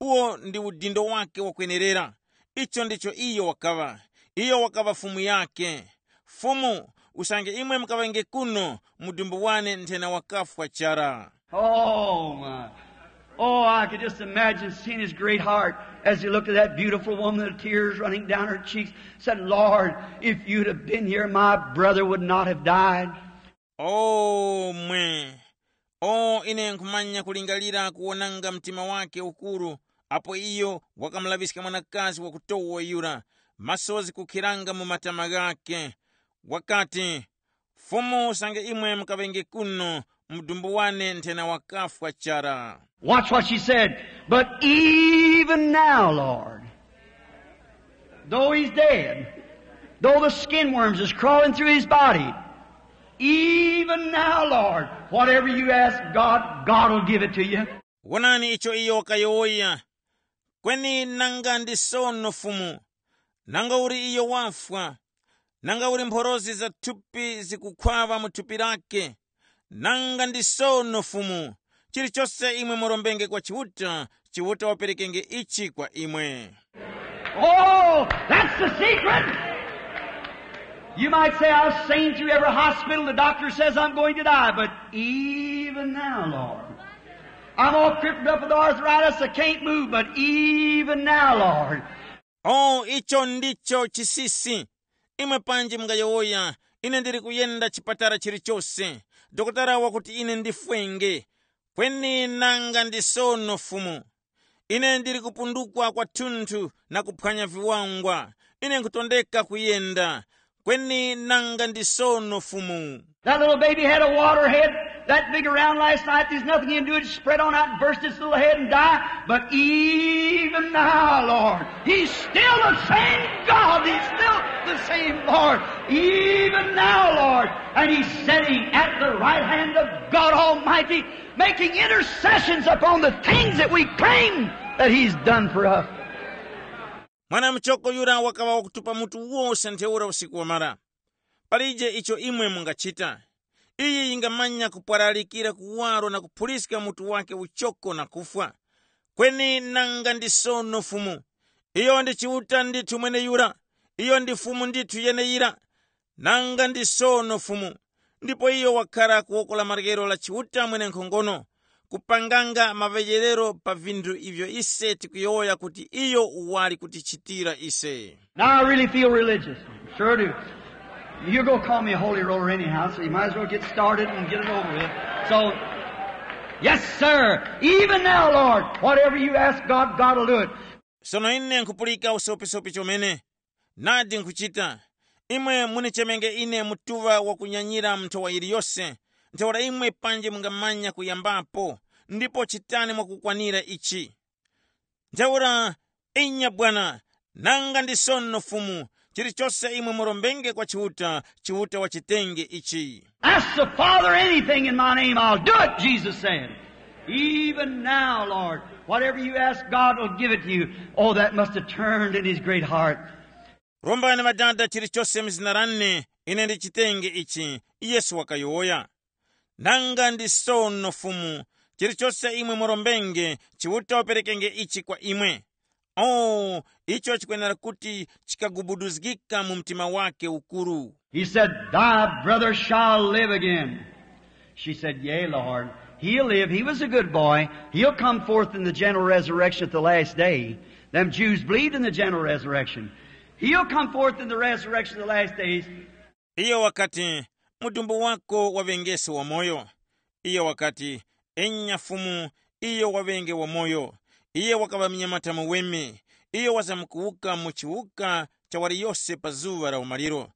Uwo ndi udindo wake wakwenerera. Icho ndicho iyo wakaŵa. Iyo wakaŵa fumu yake. "Fumu, usange imwe mukaŵenge kuno, mudumbu wane nthena wakafwa chara." Oh, my. Oh, I could just imagine seeing his great heart as he looked at that beautiful woman, the tears running down her cheeks, said, "Lord, if you'd have been here, my brother would not have died." Oh, mwe. Oh, ine nkhumanya kulingalira kuwonanga mtima wake ukuru, apo iyo wakamulaŵiska mwanakazi wakutowa yura, masozi kukhiranga mu matama ghake. Wakati, "Fumu, usange imwe mukaŵenge kuno, mudumbu wane nthena wakafwa chara." Watch what she said. "But even now, Lord, though he's dead, though the skin worms is crawling through his body, even now, Lord, whatever you ask God, God will give it to you." Wonani icho iyo wakayowoya. "Kweni nanga ndi sono, Fumu, nanga uli iyo wafwa, nanga uli mphorozi za thupi zikukhwaŵa mu thupi lake, nanga ndi sono, Fumu, chilichose imwe murombenge kwa Chiuta, Chiuta waperekenge ichi kwa imwe." Oh, that's the secret. You might say, "I've seen through every hospital. The doctor says I'm going to die." But even now, Lord, I'm all crippled up with arthritis. I can't move. But even now, Lord. Oh, icho ndicho chisisi. Imwe panji mungayowoya, "Ine ndili kuyenda chipatala chilichose. Dokotala wakuti ine ndifwenge." Kweni nanga ndi sono, Fumu. Ine ndili kupundukwa kwathunthu na kuphwanya viwangwa. Ine nkhutondeka kuyenda. Kweni nanga ndi sono, Fumu. That little baby had a water head that big around last night. There's nothing you can do. It spread on out and burst its little head and die. But even now, Lord, he's still the same God. He's still the same Lord. Even now, Lord. And he's sitting at the right hand of God Almighty, making intercessions upon the things that we claim that he's done for us. Mwana muchoko yura wakaŵa wakutupa mutu wose ntheura usiku wamara. Palije icho imwe mungachita. Iyi yingamanya kupwaralikira kuwaro na kuphuliska mutu wake uchoko na kufwa. Kweni nanga ndi sono, Fumu. Iyo ndi Chiuta ndithu mweneyura. Iyo ndi Fumu ndithu yeneyira. Nanga ndi sono, Fumu. Ndipo iyo wakhara ku woko la maryero la Chiuta mwenenkhongono, kupanganga maŵejerero pa vinthu ivyo ise tikuyowoya kuti iyo wali kutichitira ise. Now I really feel religious. Sure do. You're going to call me a holy roller anyhow, so you might as well get started and get it over with. So, yes, sir. Even now, Lord, whatever you ask God, God will do it. Sono ine nkhupulika usopisopi chomene. Nadi nkhuchita. Imwe munichemenge ine mutuŵa wakunyanyira mu nthowa yiliyose, ntheura imwe panji mungamanya kuyambapo, ndipo chitani mwakukwanira ichi. Ntheura, inya bwana, nanga ndi sono Fumu, chilichose imwe murombenge kwa Chiuta, Chiuta wachitenge ichi. Ask the Father anything in my name, I'll do it, Jesus said. Even now, Lord, whatever you ask, God will give it to you. Oh, that must have turned in his great heart. Rombani Ŵadada chilichose mu zina lane, ine ndichitenge ichi, Yesu wakayowoya. Nanga ndi sono Fumu, chilichose imwe murombenge, Chiuta waperekenge ichi kwa imwe. Oh, icho chikwenera kuti chikagubuduzgika mu mtima wake ukuru. He said, "Thy brother shall live again." She said, "Yea, Lord. He'll live. He was a good boy. He'll come forth in the general resurrection at the last day." Them Jews believed in the general resurrection. "He'll come forth in the resurrection of the last days." Iyo wakati, "Mudumbu wako waŵengese wamoyo." Iyo wakati, "Enya Fumu, iyo waŵenge wamoyo. Iye wakaŵa munyamata muweme. Iyo wazamkuwuka mu chiwuka cha waliyose pa zuŵa la umaliro."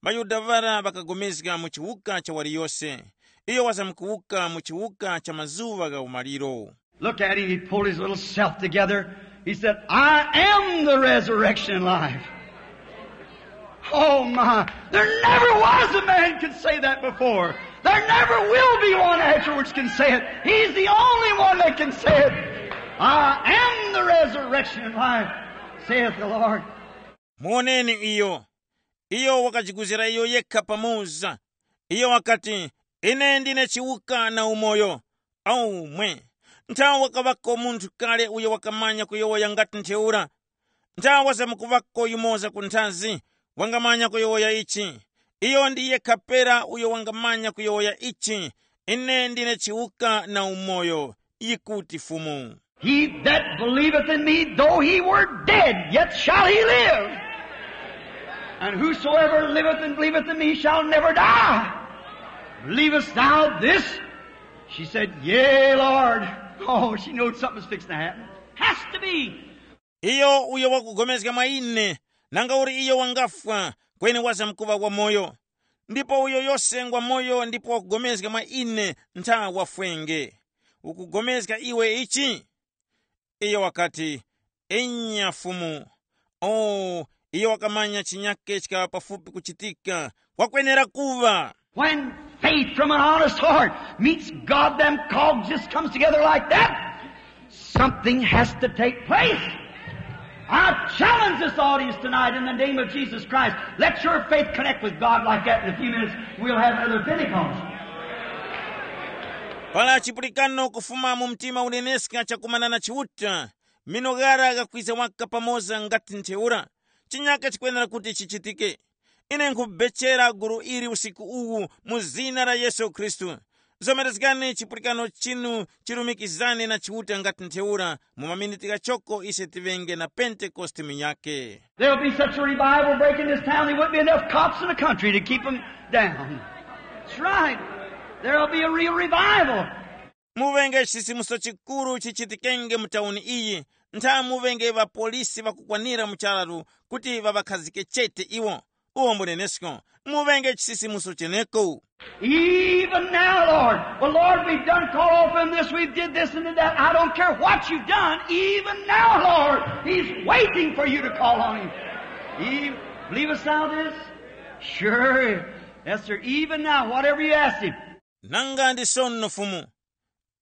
МaYuda ŵara ŵakagomezga mu chiwuka cha waliyose. Iyo wazamkuwuka mu chiwuka cha mazuŵa gha umaliro. Look at him. He pulled his little self together. He said, "I am the resurrection and life." Oh my, there never was a man could say that before. There never will be one afterwards can say it. He's the only one that can say it. "I am the resurrection and life, saith the Lord." Muwoneni iyo. Iyo wakajiguzira iyo yekha pamoza. Iyo wakati, "Ine ndine chiwuka na umoyo." Aumwe, nthawa wakaŵako munthu kale uyo wakamanya kuyowoya ngati ntheura? Nthawa wazamkuŵako yumoza ku nthazi wangamanya kuyowoya ichi? Iyo ndi yekha pera uyo wangamanya kuyowoya ichi, "Ine ndine chiwuka na umoyo," yikuti Fumu. "He that believeth in me, though he were dead, yet shall he live. And whosoever liveth and believeth in me shall never die. Believest thou this?" She said, "Yea, Lord." Oh, she knowed something was fixing to happen. Has to be. Iyo uyo wakugomezga mwa ine, nanga uli iyo wangafwa, kweni wazamkuŵa wamoyo. Ndipo uyo yose ngwa moyo ndipo wakugomezga mwa ine ntha wafwenge. Ukugomezga iwe ichi? Iyo wakati, "Inya Fumu." Oh, iyo wakamanya chinyake chikaŵa pafupi kuchitika, wakwenera kuŵa. When faith from an honest heart meets God, them cogs just comes together like that. Something has to take place. I challenge this audience tonight in the name of Jesus Christ. Let your faith connect with God like that in a few minutes. We'll have another Pentecost. Pala chipulikano kufuma mu mtima uneneska chakumana na Chiuta, mino ghara ghakwiza waka pamoza ngati ntheura. Chinyaka chikwenera kuti chichitike. Ine nkhubechera gulu ili usiku uwu mu zina la Yesu Khristu. Zomerezgani chipulikano chinu chilumikizane na Chiuta ngati ntheura. Mu maminiti ghachoko ise tiŵenge na Pentekoste minyake. There'll be such a revival breaking this town, there wouldn't be enough cops in the country to keep 'em down. That's right. There'll be a real revival. Muŵenge chisisimuso chikuru chichitikenge mu tauni iyi. Ntha muŵenge ŵapolisi ŵakukwanira mu chararu kuti ŵaŵakhazike chete iwo. Uwo mbunenesko. Muŵenge chisisimuso cheneko. Even now, Lord. Well, Lord, we've done call off him this, we've did this and did that. I don't care what you've done. Even now, Lord, he's waiting for you to call on him. He, believest thou this? Sure. Yes, sir. Even now, whatever you ask him. Nanga ndi sono Fumu.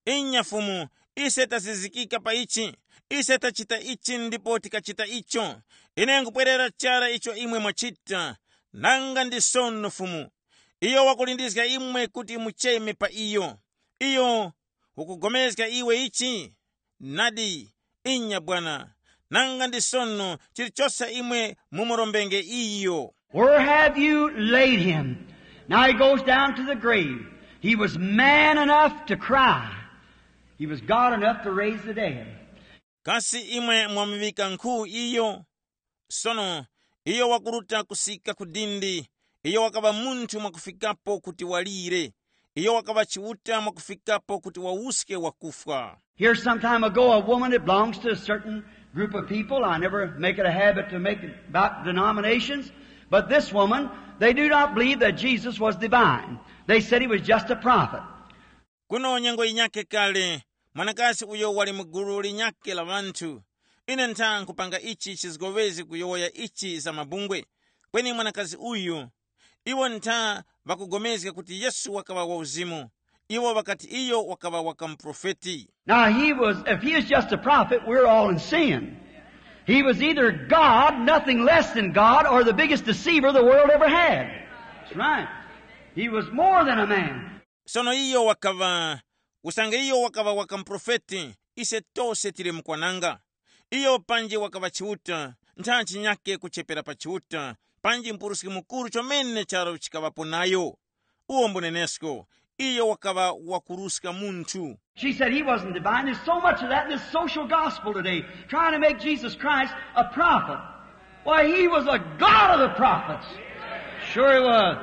Inya Fumu, ise tazizikika pa ichi, ise tachita ichi ndipo tikachita icho. Ine nkupwerera chara icho imwe mwachita. Nanga ndi sono Fumu. Iyo wakulindizga imwe kuti mucheme pa iyo. Iyo ukugomezga iwe ichi? Nadi, inya bwana. Nanga ndi sono chilichose imwe mumurombenge iyo. Where have you laid him? Now he goes down to the grave. He was man enough to cry. He was God enough to raise the dead. Kasi imwe mwamuŵika nkhu iyo? Sono iyo wakuruta kusika ku dindi. Iyo wakaŵa munthu mwakufikapo kuti walire. Iyo wakaŵa Chiuta mwakufikapo kuti wawuske wakufwa. Here, some time ago, a woman that belongs to a certain group of people. I never make it a habit to make it about denominations, but this woman, they do not believe that Jesus was divine. They said he was just a prophet. Kuno nyengo yinyakhe kale, mwanakazi uyo wali mu gulu linyakhe la ŵanthu. Ine ntha nkupanga ichi chizgowezi kuyowoya ichi za mabungwe. Kweni mwanakazi uyu, iwo ntha ŵakugomezga kuti Yesu wakaŵa wauzimu. Iwo ŵakati iyo wakaŵa waka muprofeti. Now he was, if he is just a prophet, we're all in sin. He was either God, nothing less than God, or the biggest deceiver the world ever had. That's right. He was more than a man. Sono iyo wakaŵa, usange iyo wakaŵa waka muprofeti, ise tose tili mukwananga. Iyo panji wakaŵa Chiuta, nthanchi nyakhe kuchepera pa Chiuta, panji Mupuruski Mukuru chomene charo chikaŵapo nayo. Uwo mbunenesko, iyo wakaŵa wakuruska munthu. She said he wasn't divine. There's so much of that in this social gospel today, trying to make Jesus Christ a prophet. Why, he was a God of the prophets. Sure he was.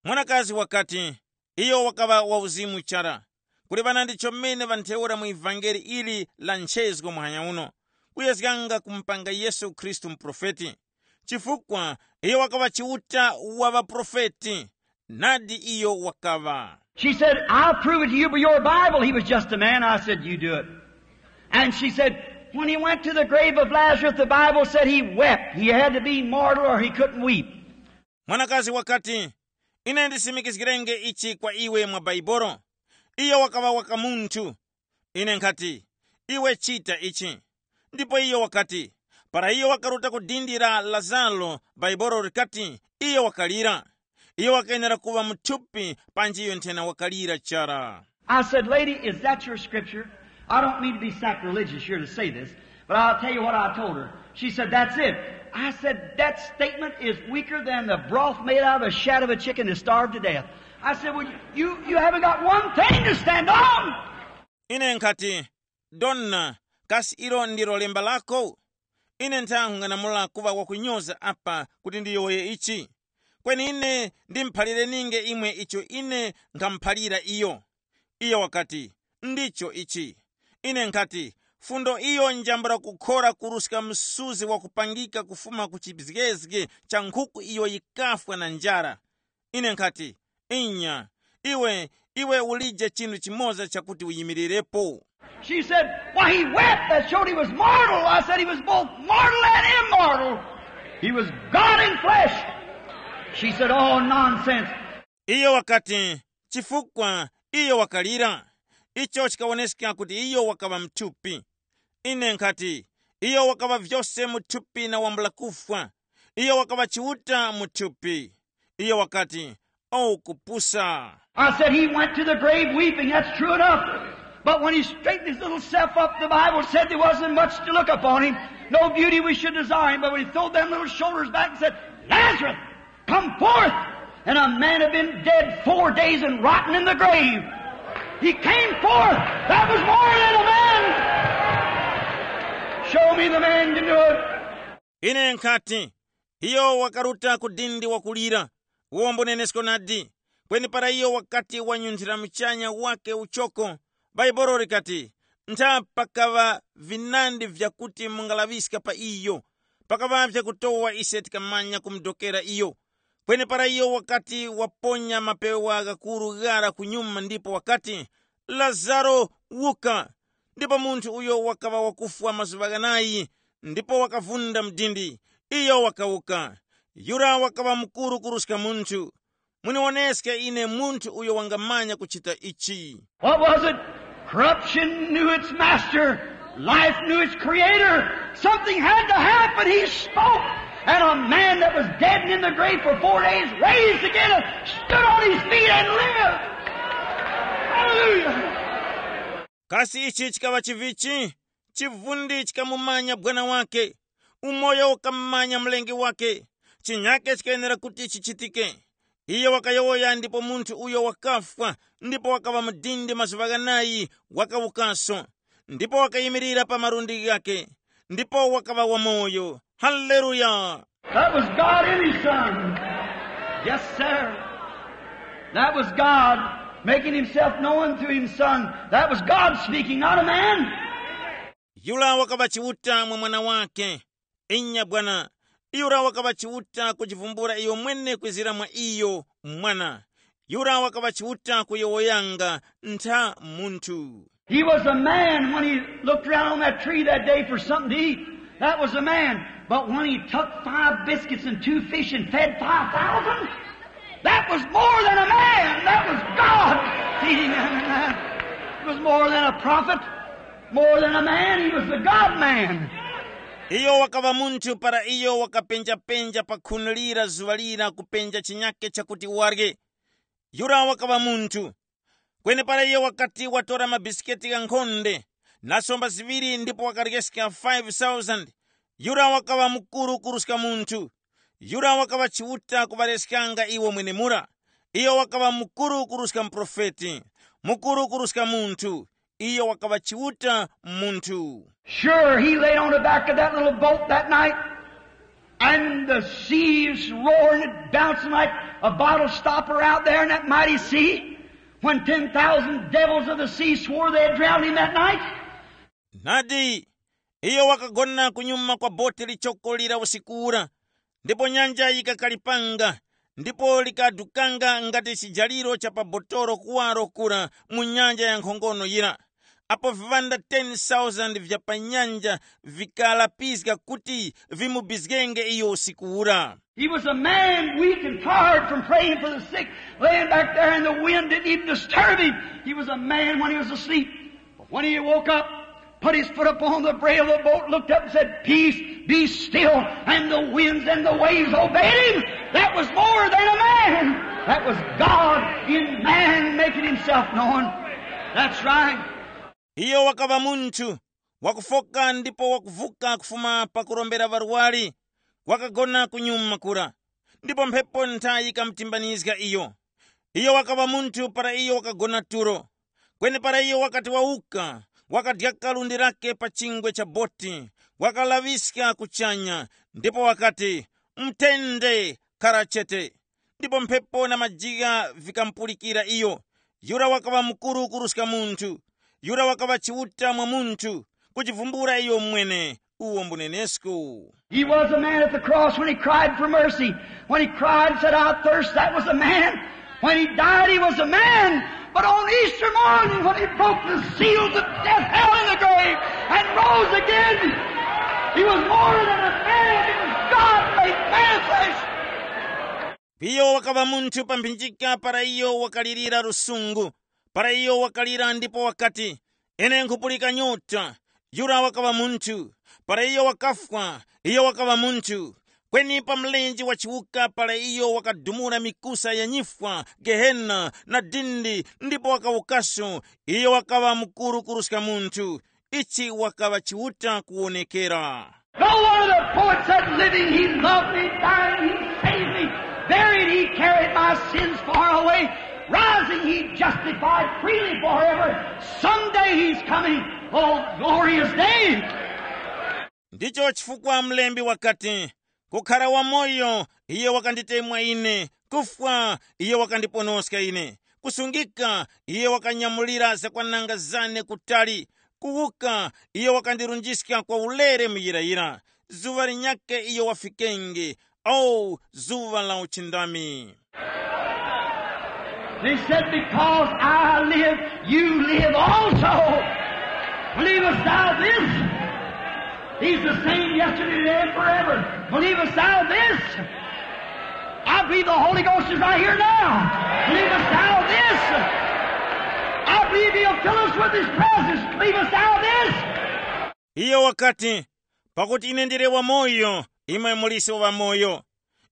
Mwanakazi wakati, iyo wakaŵa wauzimu chara. Kuli ŵanandi chomene ŵantheura mu ivangeli ili la nchezgo muhanya uno, kuyezganga kumupanga Yesu Khristu muprofeti. Chifukwa iyo wakaŵa Chiuta wa ŵaprofeti. Nadi iyo wakaŵa. She said, "I'll prove it to you by your Bible." He was just a man. I said, "You do it." And she said, "When he went to the grave of Lazarus, the Bible said he wept. He had to be mortal or he couldn't weep." Mwanakazi wakati, "Ine ndisimikizgirenge ichi kwa iwe mwa Baibolo." Iyo wakaŵa waka munthu. Ine nkhati, "Iwe chita ichi." Ndipo iyo wakati, para iyo wakaruta ku dindi la Lazaro, Baibolo likati, "Iyo wakalira." Iyo wakayenera kuŵa muthupi panji iyo nthena wakalira chara. I said, "Lady, is that your scripture? I don't mean to be sacrilegious here to say this, but I'll tell you what I told her." She said, "That's it." I said, "That statement is weaker than the broth made out of the shat of a chicken that starved to death." I said, "Well, you, you haven't got one thing to stand on." Ine nkhati, "Donna, kasi ilo ndilo lemba lako?" Ine nthang'anamula kuŵa wakunyoza apa kuti ndiyowoye ichi. Kweni ine ndimuphalire ninge imwe icho ine nkhamuphalira iyo. Iyo wakati, "Ndicho ichi." Ine nkhati, "Fundo iyo njambula kukhora kuruska msuzi wakupangika kufuma ku chizgezge cha nkhuku iyo yikafwa na njara." Ine nkhati, "Inya, iwe, iwe ulije chinthu chimoza chakuti uyimirirepo." She said, "Why, he wept. That showed he was mortal." I said, "He was both mortal and immortal. He was God in flesh." She said, "Oh, nonsense." Iyo wakati, "Chifukwa iyo wakalira, icho chikawoneska kuti iyo wakaŵa mthupi." Ine nkhati, "Iyo wakaŵa vyose muthupi na wambula kufwa. Iyo wakaŵa Chiuta muthupi." Iyo wakati, "Oh, kupusa." I said, "He went to the grave weeping. That's true enough. But when he straightened his little self up, the Bible said there wasn't much to look upon him. No beauty we should desire him. But when he threw them little shoulders back and said, 'Lazarus, come forth.' And a man had been dead four days and rotten in the grave. He came forth. That was more than a man. Show me the man can do it." Ine nkhati, iyo wakaruta ku dindi wakulira, uwo mbunenesko nadi. Kweni para iyo wakati wanyunthira muchanya wake uchoko, Baibolo likati, ntha pakaŵa vinandi vyakuti mungalaŵiska pa iyo. Pakaŵa vyakutowa ise tikamanya kumudokera iyo. Kweni para iyo wakati waponya mapewa ghakuru ghara kunyuma ndipo wakati, "Lazaro, wuka!" Ndipo munthu uyo wakaŵa wakufwa mazuŵa ghanayi, ndipo wakavunda mdindi, iyo wakawuka. Yura wakaŵa mukuru kuruska munthu. Muniwoneske ine munthu uyo wangamanya kuchita ichi. What was it? Corruption knew its master. Life knew its creator. Something had to happen. He spoke. And a man that was dead and in the grave for four days raised again and stood on his feet and lived. Hallelujah. Kasi ichi chikaŵa chivichi? Chivundi chikamumanya bwana wake. Umoyo ukamumanya mlengi wake. Chinyake chikayenera kuti chichitike. Iyo wakayowoya ndipo munthu uyo wakafwa, ndipo wakaŵa mudindi mazuŵa ghanayi, wakawukaso. Ndipo wakayimirira pa malundi ghake, ndipo wakaŵa wamoyo. Haleluya! That was God in his son. Yes, sir. That was God making himself known through his son. That was God speaking, not a man. Yura wakaŵa Chiuta mwa mwana wake. Inya bwana, yura wakaŵa Chiuta kujivumbula iyo mwene kwizira mwa iyo mwana. Yura wakaŵa Chiuta kuyowoyanga ntha munthu. He was a man when he looked around on that tree that day for something to eat. That was a man. But when he took five biscuits and two fish and fed five thousand, that was more than a man. That was God feeding them. It was more than a prophet, more than a man. He was the God man. Iyo wakaŵa munthu para iyo wakapenjapenja pa khuni lira zuŵa lira kupenja chinyake chakuti warye. Yura wakaŵa munthu. Kwenepara iyo wakati watora mabisiketi ghankhonde, na somba ziŵiri ndipo wakaryeska five thousand. Yura wakaŵa mukuru kuruska munthu. Yura wakaŵa Chiuta kuŵaryeskanga iwo mwenemura. Iyo wakaŵa mukuru kuruska muprofeti, mukuru kuruska munthu. Iyo wakaŵa Chiuta munthu. Sure, he laid on the back of that little boat that night, and the seas roaring and bouncing like a bottle stopper out there in that mighty sea. When ten thousand devils of the sea swore they had drowned him that night. Nadi, iyo wakagona kunyuma kwa boti lichoko lira usiku ura, ndipo nyanja yikakalipanga, ndipo likadukanga ngati chijaliro cha pa botolo kuwaro kura mu nyanja ya nkhongono yira, apo viŵanda ten thousand vya pa nyanja vikalapizga kuti vimubizgenge iyo usiku ura. He was a man weak and tired from praying for the sick, laying back there, and the wind didn't even disturb him. He was a man when he was asleep. But when he woke up, put his foot upon the brail of the boat, looked up and said, "Peace, be still." And the winds and the waves obeyed him. That was more than a man. That was God in man making himself known. That's right. Iyo wakaŵa munthu wakufoka ndipo wakuvuka kufuma pakurombera ŵarwari, wakagona kunyuma kura, ndipo mphepo nthayi yikamutimbanizga iyo. Iyo wakaŵa munthu para iyo wakagona tulo. Kweni para iyo wakati wawuka, wakadyaka lundi lake pa chingwe cha boti, wakalaŵiska kuchanya, ndipo wakati, "Mthende, khara chete." Ndipo mphepo na majigha vikamupulikira iyo. Yura wakaŵa mukuru kuruska munthu. Yura wakaŵa Chiuta mwa munthu, kuchivumbula iyo mwene. Uwo mbunenesko. He was a man at the cross when he cried for mercy. When he cried and said, "I thirst," that was a man. When he died, he was a man. But on Easter morning, when he broke the seals of death, hell, and the grave, and rose again, he was more than a man. It was God made manifest. Iyo wakaŵa munthu pa mphinjika para iyo wakalirira lusungu, para iyo wakalira ndipo wakati, "Ine nkhupulika nyota." Yura wakaŵa munthu. Para iyo wakafwa, iyo wakaŵa munthu. Kweni pa mlenje wa chiwuka para iyo wakadumula mikusa ya nyifwa, gehena na dindi, ndipo wakawukaso, iyo wakaŵa mukuru kuruska munthu. Ichi wakaŵa Chiuta kuwonekera. No one of the poets said, "Living, he loved me, dying, he saved me, buried, he carried my sins far away, rising, he justified freely forever. Someday he's coming, oh, glorious day." Ndicho chifukwa mlembi wakati, "Kukhara wamoyo, iye wakanditemwa ine, kufwa, iye wakandiponoska ine, kusungika, iye wakanyamulira zakwananga zane kutali, kuwuka, iye wakandirunjiska kwa ulere muyirayira. Zuŵa linyakhe iyo wafikenge, o zuŵa la uchindami." They said, "Because I live, you live also. Believest thou this? He's the same yesterday, today, and forever. Believest thou this? I believe the Holy Ghost is right here now. Believest thou this? I believe he'll fill us with his presence. Believest thou this?" Iyo wakati, "Pakuti ine ndili wamoyo, imwe muliso wamoyo.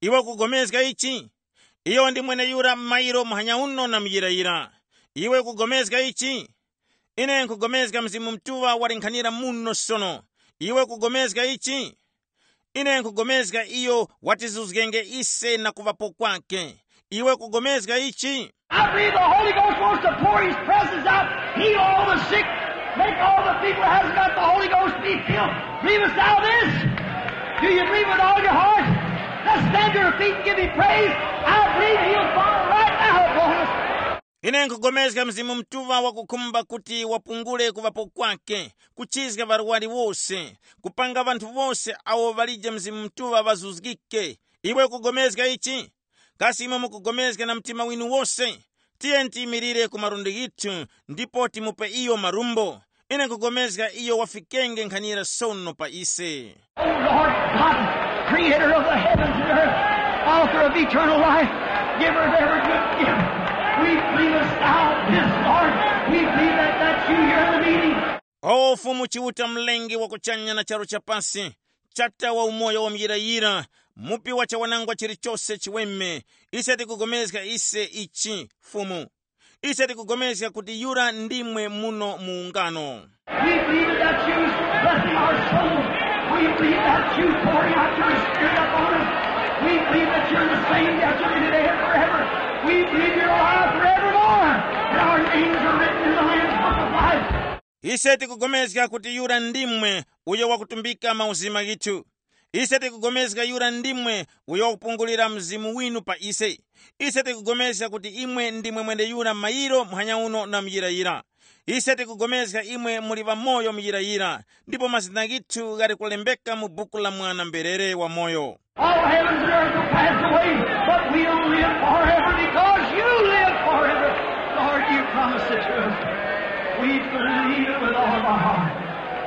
Iwe ukupulikana ichi? Iyo ndi mweneyura mairo muhanya uno na muyirayira. Iwe ukupulikana ichi?" Ine nkhupulikana Mzimu Mutuŵa walinkhanira muno sono. Iwe ukupulikana ichi? Ine nkhupulikana iyo watizuzgenge ise na kuŵapo kwake. Iwe ukupulikana ichi? I believe the Holy Ghost wants to pour his presence out, heal all the sick, make all the people who hasn't got the Holy Ghost be filled. Believest thou this? Do you believe with all your heart? Let's stand to our feet and give him praise. I believe he'll fall right now upon us. Ine nkhupulikana Mzimu Mutuŵa wakukhumba kuti wapungule kuŵapo kwake, kuchizga ŵarwari wose, kupanga ŵanthu wose awo ŵalije Mzimu Mutuŵa ŵazuzgike. Iwe ukupulikana ichi? Kasi imwe mukupulikana na mtima winu wose? Tiyeni tiyimirire ku malundi ghithu ndipo timupe iyo marumbo. Ine nkhupulikana iyo wafikenge nkhanira sono pa ise. O Lord God, creator of the heavens and earth, author of eternal life, giver of every good gift, we believe us thou this, Lord. We believe that that's you here in the meeting. O Fumu Chiuta, mlengi wa kuchanya na charu chapasi, chata wa umoyo wa muyirayira, mupi wa chawanangwa chilichose chiweme, ise tikupulikana ise ichi, Fumu. Ise tikupulikana kuti yura ndimwe muno mu ungano. We believe that you blessing our souls. We believe that you pouring out your spirit upon us. We believe that you're the same yesterday, today, and forever. We believe you're alive forevermore. And our names are written in the Lamb's Book of Life. Ise tikupulikana kuti yura ndimwe uyo wakutumbika mauzima ghithu. Ise tikupulikana yura ndimwe uyo wakupungulira Mzimu winu pa ise. Ise tikupulikana kuti imwe ndimwe mweneyura mairo muhanya uno na muyirayira. Ise tikupulikana imwe muli ŵamoyo muyirayira, ndipo mazina ghithu ghali kulembeka mu buku la Mwana-mberere wamoyo. All heavens and earth will pass away, but we'll live.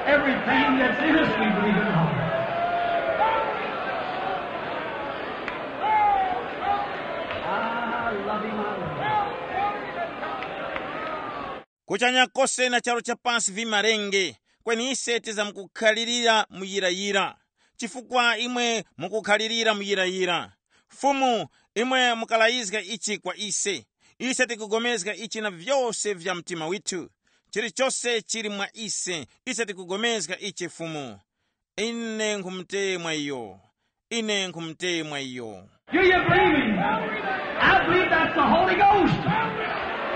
Everything that's in us, we believe in God. I love him, I love him. Kuchanya kose na charu cha pasi vimarenge, kweni ise tizamkukhalirira muyirayira, chifukwa imwe mukukhalirira muyirayira. Fumu, imwe mukalayizga ichi kwa ise. Ise tikugomezga ichi na vyose vya mtima withu. Chilichose chili mwa ise, ise tikugomezga ichi Fumu. Ine nkhumutemwa iyo. Ine nkhumutemwa iyo. Do you believe him? I believe that's the Holy Ghost.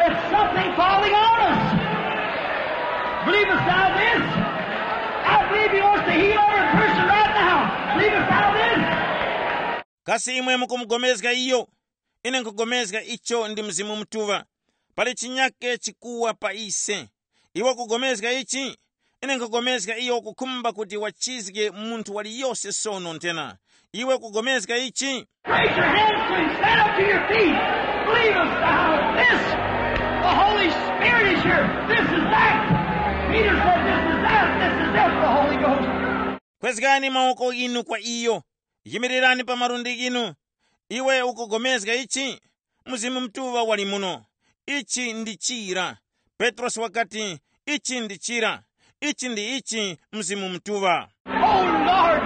It's something falling on us. Believe us thou this. I believe he wants to heal every person right now. Believe us thou this. Kasi imwe mukumugomezga iyo? Ine nkhugomezga icho ndi Mzimu Mutuŵa. Pali chinyake chikuwa pa ise. Iwe ukugomezga ichi? Ine nkhugomezga iyo ukukhumba kuti wachizge munthu waliyose sono nthena. Iwe ukugomezga ichi? Raise your hands to him. Stand up to your feet. Believe us thou this. The Holy Spirit is here. This is that. Peter said, "This is that. This is it, the Holy Ghost." Kwezgani mawoko inu kwa iyo. Yimirirani pa malundi inu. Iwe ukugomezga ichi? Mzimu Mutuŵa wali muno. Ichi ndi chira. Petrosi wakati, ichi ndi chira. Ichi ndi ichi Mzimu Mutuŵa. Oh Lord,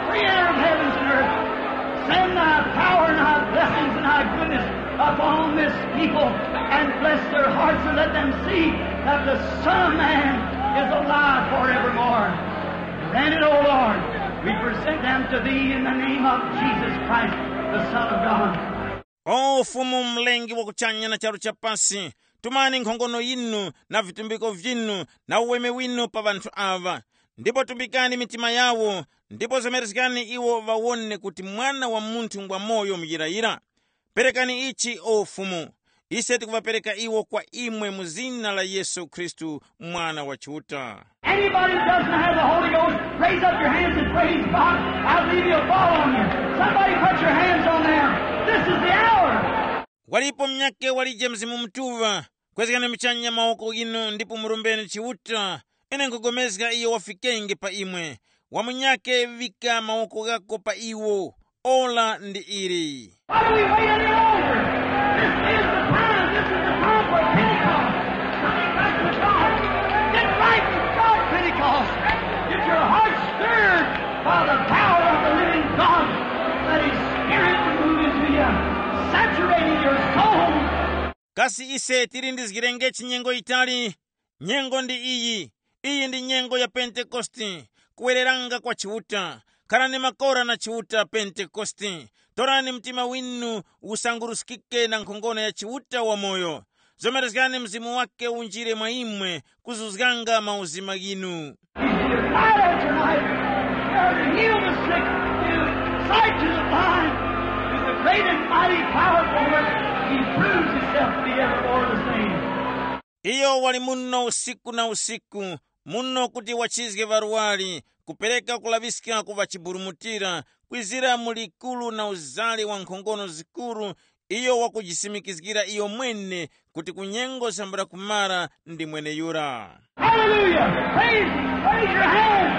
creator of heavens and earth, send thy power and thy blessings and thy goodness upon this people and bless their hearts and let them see that the Son of Man is alive forevermore. Grant it, O Lord. We present them to thee in the name of Jesus Christ, the Son of God. O Fumu, Mlengi wa kuchanya na charu cha pasi, tumani nkhongono yinu na vitumbiko vyinu na uweme winu pa ŵanthu aŵa, ndipo tumbikani mitima yawo, ndipo zemerezgani iwo ŵawone kuti Mwana wa Munthu ngwamoyo muyirayira. Perekani ichi, o Fumu. Ise tikuŵapereka iwo kwa imwe mu zina la Yesu Khristu, Mwana wa Chiuta. Anybody who doesn't have the Holy Ghost, raise up your hands and praise God. I believe he'll fall on you. Somebody put your hands on there. This is the hour. Walipo munyakhe walije Mzimu Mutuŵa? Kwezgani muchanya mawoko ghinu ndipo murombeni Chiuta. Ine nkhupulikana iyo wafikenge pa imwe. Wa munyakhe, ŵika mawoko ghako pa iwo. Ora ndi ili. Why do we wait any longer? This is the time. This is the time for Pentecost. Coming back to God. Get right with God, Pentecost. Get your heart stirred by the power of the living God. Let His Spirit move into you, saturating your soul. Kasi ise tilindizgirengechi nyengo yitali? Nyengo ndi iyi. Iyi ndi nyengo ya Pentekoste, kuwereranga kwa Chiuta. Kharani makora na Chiuta Pentekoste. Torani mtima winu usanguruskike na nkhongono ya Chiuta wamoyo. Zomerezgani Mzimu wake unjire mwa imwe, kuzuzganga mauzima ghinu. He's here right at your life. There to heal the sick, to sight to the blind, to the great and mighty powerful work. He proves himself to be evermore the same. Iyo wali muno usiku na usiku, muno kuti wachizge ŵarwari, kupereka kulaŵiska ku ŵachiburumutira, kwizira mu likuru na uzale wa nkhongono zikuru, iyo wakujisimikizgira iyo mwene kuti ku nyengo zambula kumara ndi mweneyura. Hallelujah! Praise Him! Raise your hand!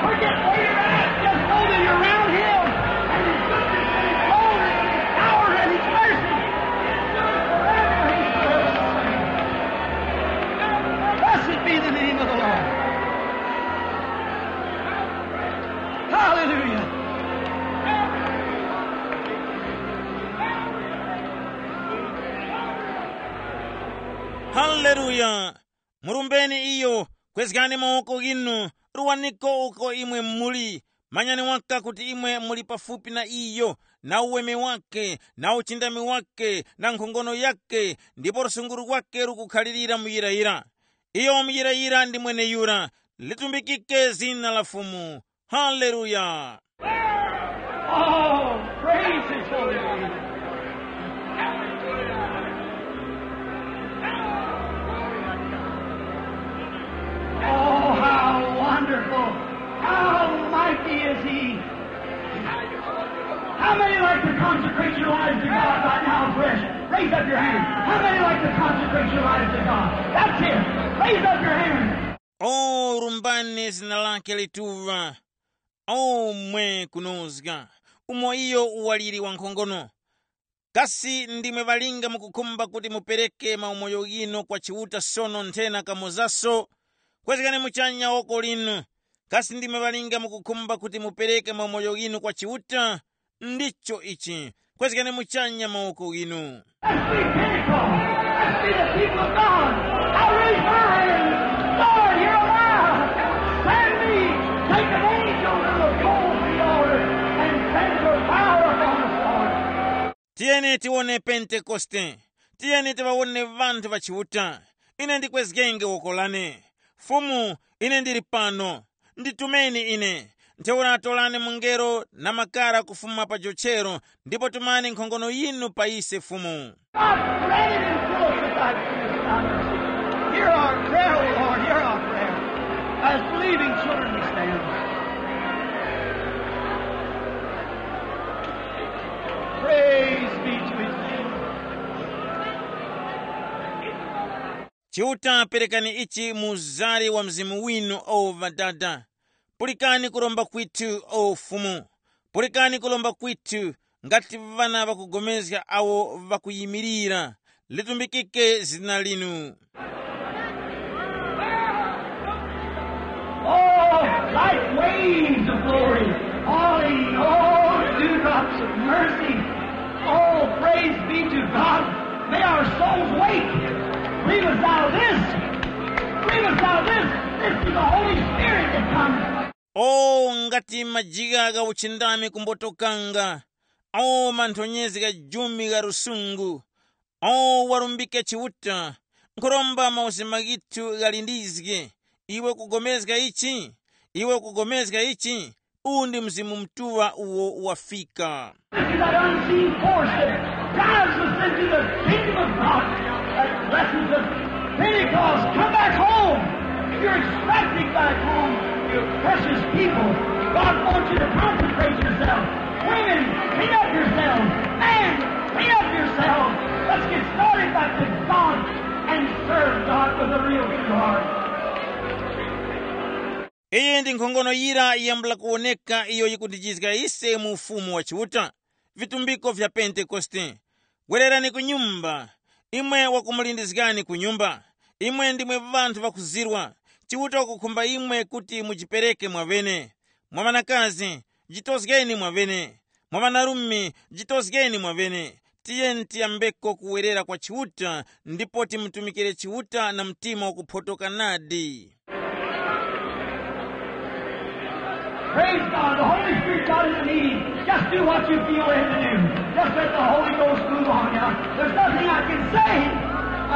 Forget where you're at. Just know that you're around Him. And His goodness and His glory and His power and His mercy endures forever. He's forever the same. Blessed be the name of the Lord. Hallelujah. Haleluya! Murumbeni iyo, kwezgani mawoko ghinu, ruwaniko uko imwe muli. Manyani waka kuti imwe muli pafupi na iyo, na uweme wake, na uchindami wake, na nkhongono yake, ndipo lusunguru lwake lukukhalirira muyirayira. Iyo muyirayira ndi mweneyura, litumbikike zina la Fumu. Haleluya! Oh, praise His holy name. Oh, how wonderful, how mighty is He. How many like to consecrate your lives to God right now, fresh? Raise up your hand. How many like to consecrate your lives to God? That's it. Raise up your hand. O, lumbani zina lake lituŵa. O, mwe kunozga, umo iyo waliri wankhongono. Kasi ndimwe ŵalinga mukukhumba kuti mupereke maumoyo ghinu kwa Chiuta sono nthena kamozaso? Kwezgani muchanya woko linu. Kasi ndimwe ŵalinga mukukhumba kuti mupereke maumoyo ghinu kwa Chiuta? Ndicho ichi. Kwezgani muchanya mawoko ghinu. Let's be Pentecost. Let's be the people of God. Now raise your hands. Lord, here am I. Send me. Take an angel to the coals of the altar and send your power upon us, Lord. Tiyeni tiwone Pentekoste. Tiyeni tiŵawone ŵanthu ŵa Chiuta. Ine ndikwezgenge woko lane. Fumu, ine ndili pano. Nditumeni ine. Ntheura torani mungelo na makara kufuma pa jochero, ndipo tumani nkhongono yinu pa ise Fumu. God, grant it and fill us with thy goodness and thy mercy. Hear our prayer, O Lord, hear our prayer. As believing children we stand. Praise be to his name. Chiuta, perekani ichi mu uzari wa mzimu winu, o Ŵadada. Pulikani kuromba kwithu, o Fumu. Pulikani kuromba kwithu, ngati ŵana ŵakugomezga awo ŵakuyimirira. Litumbikike zina linu. Oh, like waves of glory, falling, oh, dewdrops of mercy. Oh, praise be to God. May our souls wake. Believe us thou this. Believe us thou this. This is the Holy Spirit that comes. O, ngati majigha gha uchindami kumbotokanga, o, manthonyezi gha jumi gha lusungu, o, walumbike Chiuta, nkhuromba mauzima ghithu ghalindizge. Iwe ukugomezga ichi? Iwe ukugomezga ichi? Uwu ndi Mzimu Mutuŵa uwo wafika. This is that unseen force that drives us into the kingdom of God, that blesses us. Pentecost, come back home. You're expected back home, you precious people. God wants you to consecrate yourself. Women, clean up yourselves. Men, clean up yourselves. Let's get started back to God and serve God with a real true heart. Iyi ndi nkhongono yira yambula kuwoneka iyo yikundijizga ise mu Ufumu wa Chiuta, vitumbiko vya Pentekoste. Wererani ku nyumba, imwe wakumulindizgani ku nyumba. Imwe ndimwe ŵanthu ŵakuzirwa. Chiuta wakukhumba imwe kuti mujipereke mwaŵene. Mwa ŵanakazi, jitozgeni mwaŵene. Mwa ŵanarume, jitozgeni mwaŵene. Tiyeni tiyambeko kuwerera kwa Chiuta ndipo timutumikire Chiuta na mtima wakuphotoka nadi. Praise God. The Holy Spirit got in the meeting. Just do what you feel led to do. Just let the Holy Ghost move on now. There's nothing I can say.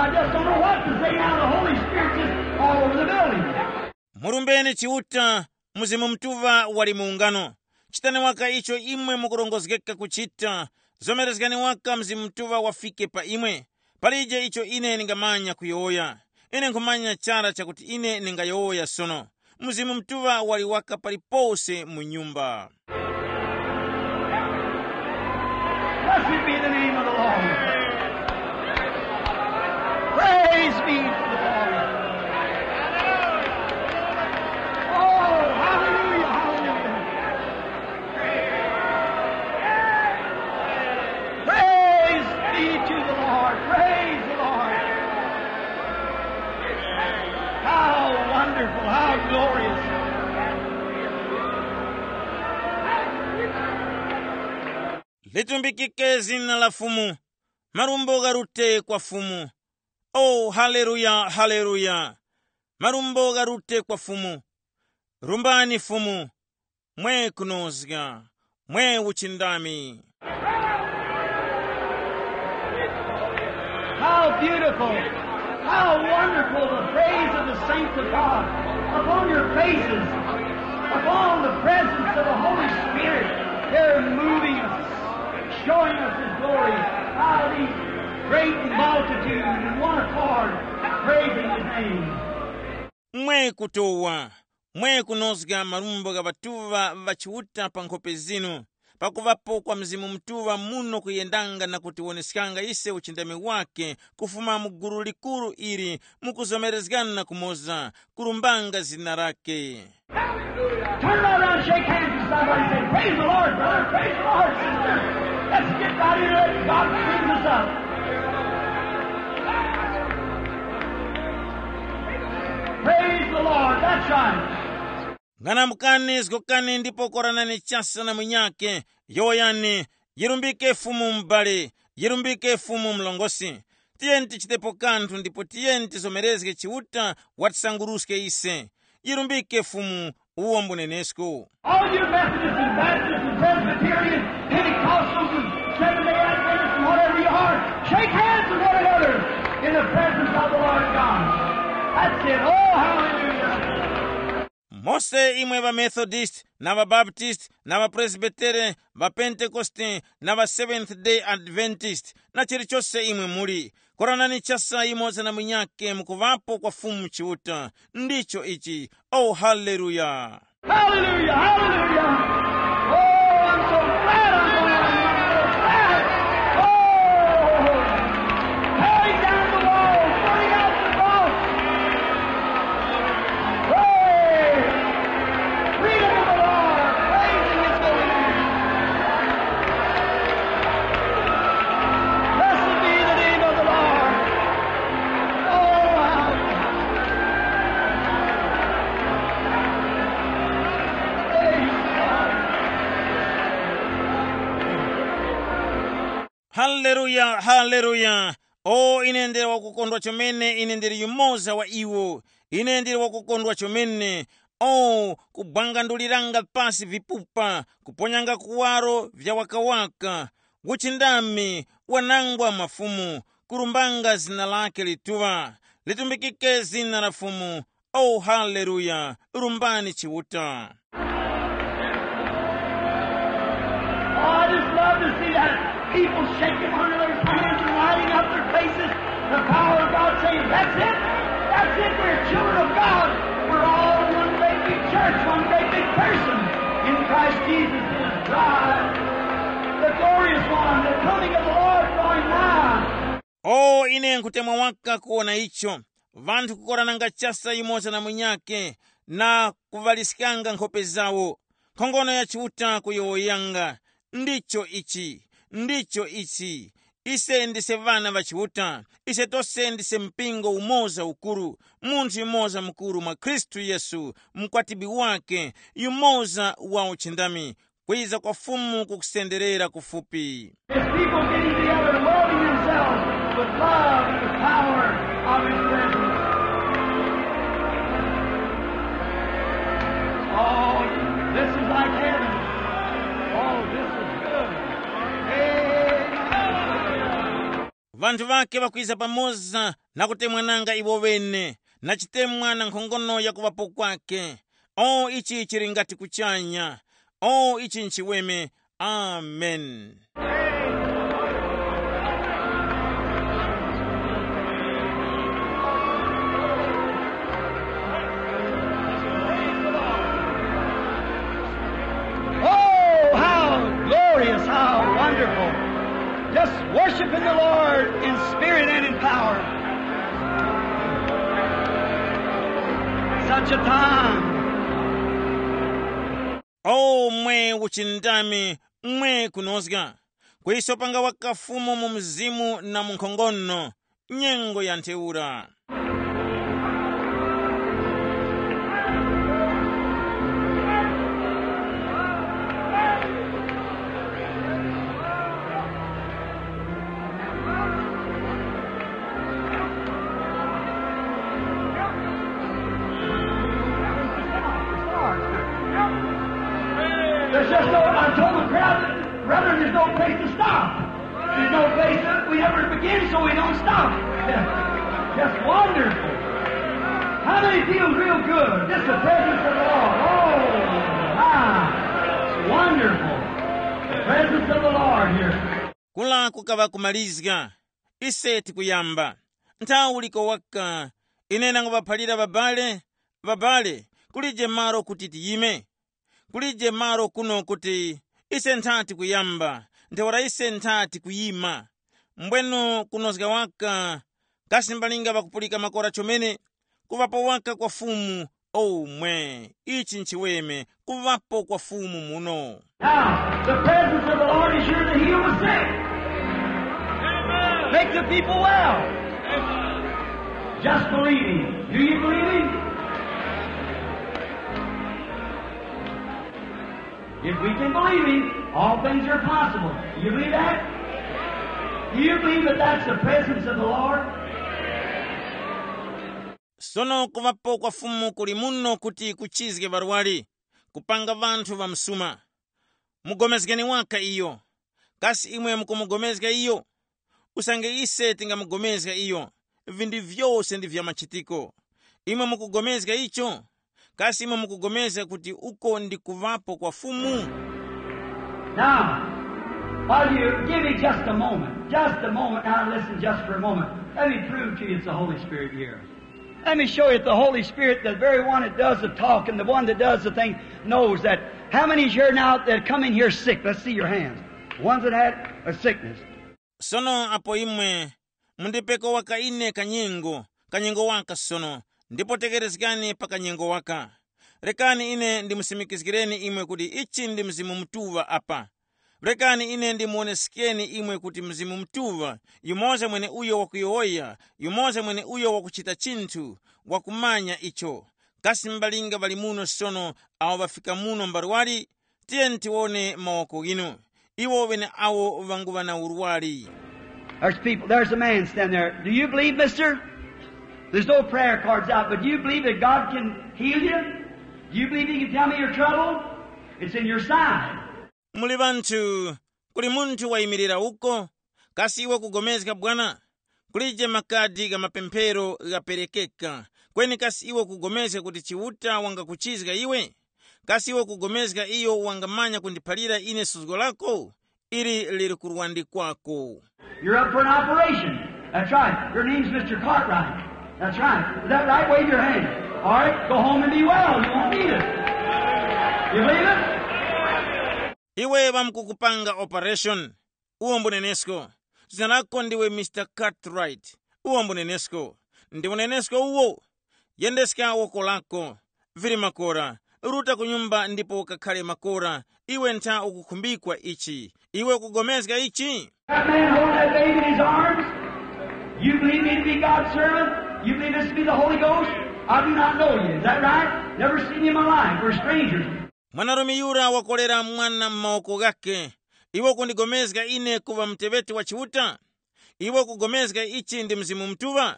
I just don't know what to say now. The Holy Spirit just all over the building. Murumbeni Chiuta, Mzimu Mutuŵa wali mu ungano. Chitani waka icho imwe mukurongozgeka kuchita. Zomerezgani waka Mzimu Mutuŵa wafike pa imwe. Palije icho ine ndingamanya kuyowoya. Ine nkhumanya chara chakuti ine ndingayowoya sono. Mzimu Mutuŵa wali waka palipose mu nyumba. Blessed be the name of the Lord. Praise be to the Lord. Oh, hallelujah, hallelujah. Praise be to the Lord. Praise the Lord. How wonderful, how glorious. Litumbikike zina la Fumu. Marumbo gharute kwa Fumu. O, haleluya, haleluya. Marumbo gharute kwa Fumu. Rumbani Fumu, mwe kunozga, mwe uchindami. How beautiful, how wonderful the praise of the saints of God upon your faces, upon the presence of the Holy Spirit. They're moving us, showing us His glory. How these great multitude in one accord praising His name. Mwe kutowa, mwe kunozga marumbo gha ŵatuŵa ŵa Chiuta pa nkhope zinu, pakuŵapo kwa Mzimu Mutuŵa muno kuyendanga na kutiwoneskanga ise uchindami wake kufuma mu gulu likuru ili mukuzomerezgana na kumoza, kurumbanga zina lake. Turn right around, shake hands with somebody, say, "Praise the Lord, brother. Praise the Lord, sister. Let's get right into it. God cleans us up." Praise the Lord. That's right. Ng'anamukani, zgokani ndipo koranani chasa na munyakhe, yowoyani, "Yirumbike Fumu m'bale, yirumbike Fumu mlongosi." Tiyeni tichitepo kanthu ndipo tiyeni tizomerezge Chiuta watisanguruske ise. Yirumbike Fumu, uwo mbunenesko. All you Methodists and Baptists and Presbyterians, Pentecostals and Seventh-day Adventists and whatever you are, shake hands with one another in the presence of the Lord God. That's it. Oh, hallelujah. Mose imwe ŵaMethodist na ŵaBaptist na ŵaPresbitere, ŵaPentekoste na ŵa Seventh Day Adventist na chilichose imwe muli, koranani chasa yumoza na munyakhe mukuŵapo kwa Fumu Chiuta. Ndicho ichi. Oh, haleluya! Hallelujah, hallelujah. Oh, I'm so glad I'm alive. I'm so glad. Oh, tearing down the walls, burning out the false. Praise. Freedom of the Lord. Praising his holy name. Blessed be the name of the Lord. Oh, how Praise God. Haleluya, haleluya! O, ine ndili wakukondwa chomene, ine ndili yumoza wa iwo. Ine ndili wakukondwa chomene. O, kubwanganduliranga pasi vipupa, kuponyanga kuwaro vya wakawaka, uchindami, wanangwa mafumu, kurumbanga zina lake lituŵa. Litumbikike zina la Fumu. Oh, haleluya! Rumbani Chiuta. Oh, I just love to see that people shaking one another's hands and lighting up their faces. The power of God saying, "That's it. That's it. We're children of God. We're all one great big church, one great big person in Christ Jesus." It is God, the glorious one, the coming of the Lord drawing nigh. O, ine nkhutemwa waka kuwona icho, vanthu kukorananga chasa yumoza na munyakhe na kuŵaliskanga nkhope zawo. Nkhongono ya Chiuta kuyowoyanga. Ndicho ichi, ndicho ichi. Ise ndise ŵana ŵa Chiuta. Ise tose ndise mpingo umoza ukuru, munthu yumoza mukuru mwa Khristu Yesu, mkwatibwi wake, yumoza wa uchindami. Kwiza kwa Fumu kukusenderera kufupi. His people getting together and welding themselves with love and the power of his presence. Oh, this is like heaven. Oh, this is good. Amen. Vanthu vake ŵakwiza pamoza na kutemwananga iwo ŵene, na chitemwa na nkhongono ya kuŵapo kwake. O, ichi chili ngati kuchanya. O, ichi nchiweme. Amen. Oh, how glorious, how wonderful. Just worshiping the Lord in spirit and in power. Such a time. O, mwe uchindami, mwe kunozga, kuyiso panga waka Fumu mu mzimu na mu nkhongono, nyengo ya ntheura. There's just no, I told the crowd, "Brother, there's no place to stop. There's no place that we ever begin, so we don't stop." Just wonderful. How many feel real good? Just the presence of the Lord. Oh, my. It's wonderful. The presence of the Lord here. Kula kukaŵa kumalizga. Ise tikuyamba. Nthawi uliko waka. Ine nangupaphalira ŵabale, ŵabale, kulije malo kuti tiyime. Kulije malo kuno kuti Ise nthati kuyamba, ntheura ise nthati kuyima. Mbwenu kunozga waka, kasi mbalinga ŵakupulika makora chomene? Kuŵapo waka kwa Fumu. Omwe, ichi nchiweme, kuŵapo kwa Fumu muno. Now, the presence of the Lord is here to heal the sick. Make the people well. Just believe him. Do you believe him? If we can believe him, all things are possible. You believe that? Do you believe that that's the presence of the Lord? Sono kuŵapo kwa Fumu kuli muno kuti kuchizge ŵarwari, kupanga ŵanthu ŵamsuma. Mugomezgeni waka iyo. Kasi imwe mukumugomezga iyo? Usange ise tingamugomezga iyo, vinthu vyose ndi vya machitiko. Imwe mukugomezga icho? Kasi imwe mukugomezga kuti uko ndi kuŵapo kwa Fumu? Now, while you give me just a moment, just a moment, now listen just for a moment. Let me prove to you it's the Holy Spirit here. Let me show you that the Holy Spirit, the very one that does the talking, the one that does the thing, knows that. How many is here now that come in here sick? Let's see your hands. Ones that had a sickness. Sono apo imwe mundipeko waka ine kanyengo, kanyengo waka sono, ndipo tekerezgani pa kanyengo waka. Rekani ine ndimusimikizgireni imwe kuti ichi ndi Mzimu Mutuŵa apa. Rekani ine ndimuwoneskeni imwe kuti Mzimu Mutuŵa, yumoza mweneuyo wakuyowoya, yumoza mweneuyo wakuchita chinthu, wakumanya icho. Kasi mbalinga ŵali muno sono awo ŵafika muno mbarwari? Tiyeni tiwone mawoko ghinu. Iwo ŵeneawo ŵanguŵa na urwari. There's people, there's a man standing there. Do you believe, mister? There's no prayer cards out, but do you believe that God can heal you? Do you believe he can tell me your trouble? It's in your side. Muli ŵanthu, kuli munthu wayimirira uko. Kasi iwe kugomezga bwana? Kulije makadi gha mapemphero ghaperekeka. Kweni kasi iwe kugomezga kuti Chiuta wangakuchizga iwe? Kasi iwe kugomezga iyo wangamanya kundiphalira ine suzgo lako? Ili lili kurwandi kwako. You're up for an operation. That's right. Your name's mister Cartwright. That's right. Is that right? Wave your hand. All right. Go home and be well. You won't need it. You believe it? Iwe ŵamkukupanga operation. Uwo mbunenesko. Zina lako ndiwe mister Cartwright. Uwo mbunenesko. Ndi unenesko uwo. Yendeska woko lako. Vili makora. Ruta ku nyumba ndipo ukakhale makora. Iwe ntha ukukhumbikwa ichi. Iwe ukugomezga ichi? That man holding that baby in his arms? You believe me to be God's servant? You believe this to be the Holy Ghost? I do not know you. Is that right? Never seen you in my life. We're strangers. Mwanarume yura wakolera mwana m'mawoko ghakhe. Iwe kundigomezga ine kuŵa muteŵeti wa Chiuta? Iwe kugomezga ichi ndi Mzimu Mutuŵa?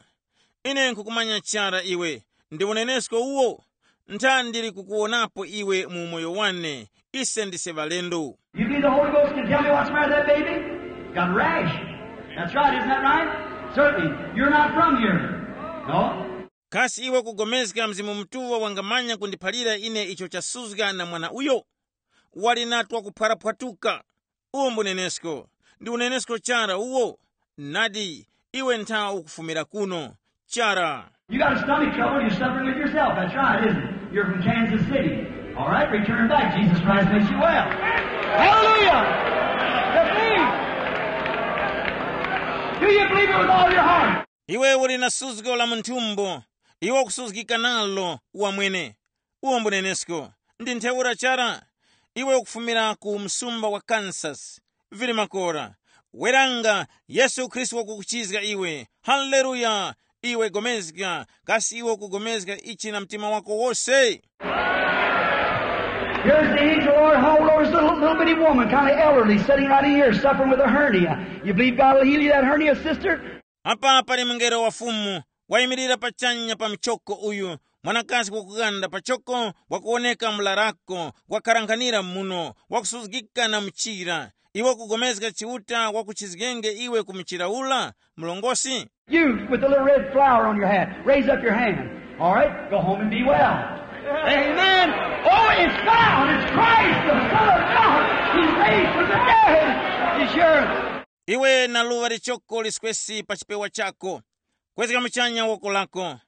Ine nkhukumanya chara iwe. Ndi unenesko uwo. Ntha ndili kukuwonapo iwe mu umoyo wane. Ise ndise ŵalendo. You believe the Holy Ghost can tell me what's the matter with that baby? Got a rash. That's right, isn't that right? Certainly, you're not from here. No? Kasi iwe kugomezga Mzimu Mutuŵa wangamanya kundiphalira ine icho chasuzga na mwana uyo? Wali na twakuphwaraphwatuka. Uwo mbunenesko. Ndi unenesko chara uwo. Nadi, iwe ntha ukufumira kuno. Chara. You got a stomach trouble you're suffering with yourself. That's right, isn't it? You're from Kansas City. All right, return back. Jesus Christ makes you well. Hallelujah! Believe. Do you believe it with all your heart? Iwe uli na suzgo la munthumbo. Iwe ukusuzgika nalo wamwene. Uwo mbunenesko. Ndi ntheura chara. Iwe ukufumira ku msumba wa Kansas. Vili makora. Weranga, Yesu Khristu wakukuchizga iwe. Haleluya! Iwe gomezga, kasi iwe ukugomezga ichi na mtima wako wose? Here's the angel of the Lord. How old is this little, little bitty woman, kind of elderly, sitting right in here, suffering with a hernia? You believe God will heal you that hernia, sister? Apa pali mngelo wa Fumu, wayimirira pachanya pa mchoko uyu, mwanakazi wakughanda pachoko, wakuwoneka mlarako, wakharanghanira muno, wakusuzgika na mchira. Iwe kugomezga Chiuta wakuchizgenge iwe ku mchira ula, mlongosi? You with the little red flower on your hat, raise up your hand. All right, go home and be well. Amen. Oh, it's found. It's Christ, the Son of God. He's raised from the dead. He's yours. Iwe na luŵa lichoko liskwesi pa chipewa chako. Kwezga muchanya woko lako.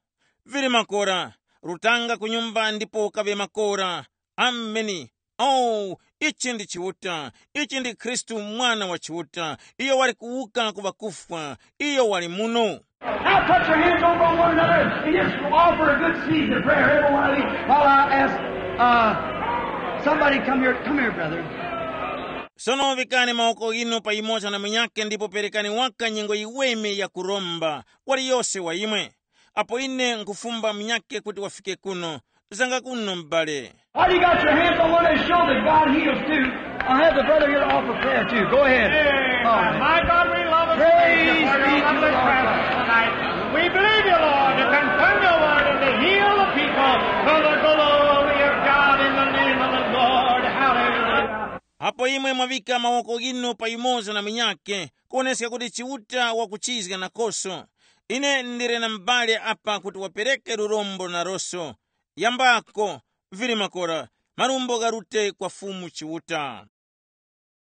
Vili makora. Rutanga ku nyumba ndipo ukaŵe makora. Ameni. Oh, ichi ndi Chiuta. Ichi ndi Khristu, Mwana wa Chiuta. Iyo wali kuwuka ku ŵakufwa. Iyo wali muno. Now touch your hands over on one another and just offer a good season of prayer, every one of you, while I ask uh, somebody come here. Come here, brother. Sono vikani mawoko inu pa yumoza na munyake ndipo perekani waka nyengo yiweme ya kuromba, waliyose wa imwe. Apo ine nkhufumba munyake kuti wafike kuno, zanga kuno m'bale. While you got your hands on one and show that God heals too, I'll have the brother here to offer prayer too. Go ahead. All right. My God, we love us. Praise be to the Lord. Tonight. We believe you, Lord, to confirm your word and to heal the people for the glory of God in the name of the Lord. Hallelujah. Apo imwe mwavika mawoko ghinu pa yumoza na munyake, kuwoneska kuti Chiuta wakuchizga nakoso. Ine ndili na m'bale apa kuti wapereke lurombo naroso. Yambako, vili makora, marumbo gharute kwa Fumu Chiuta.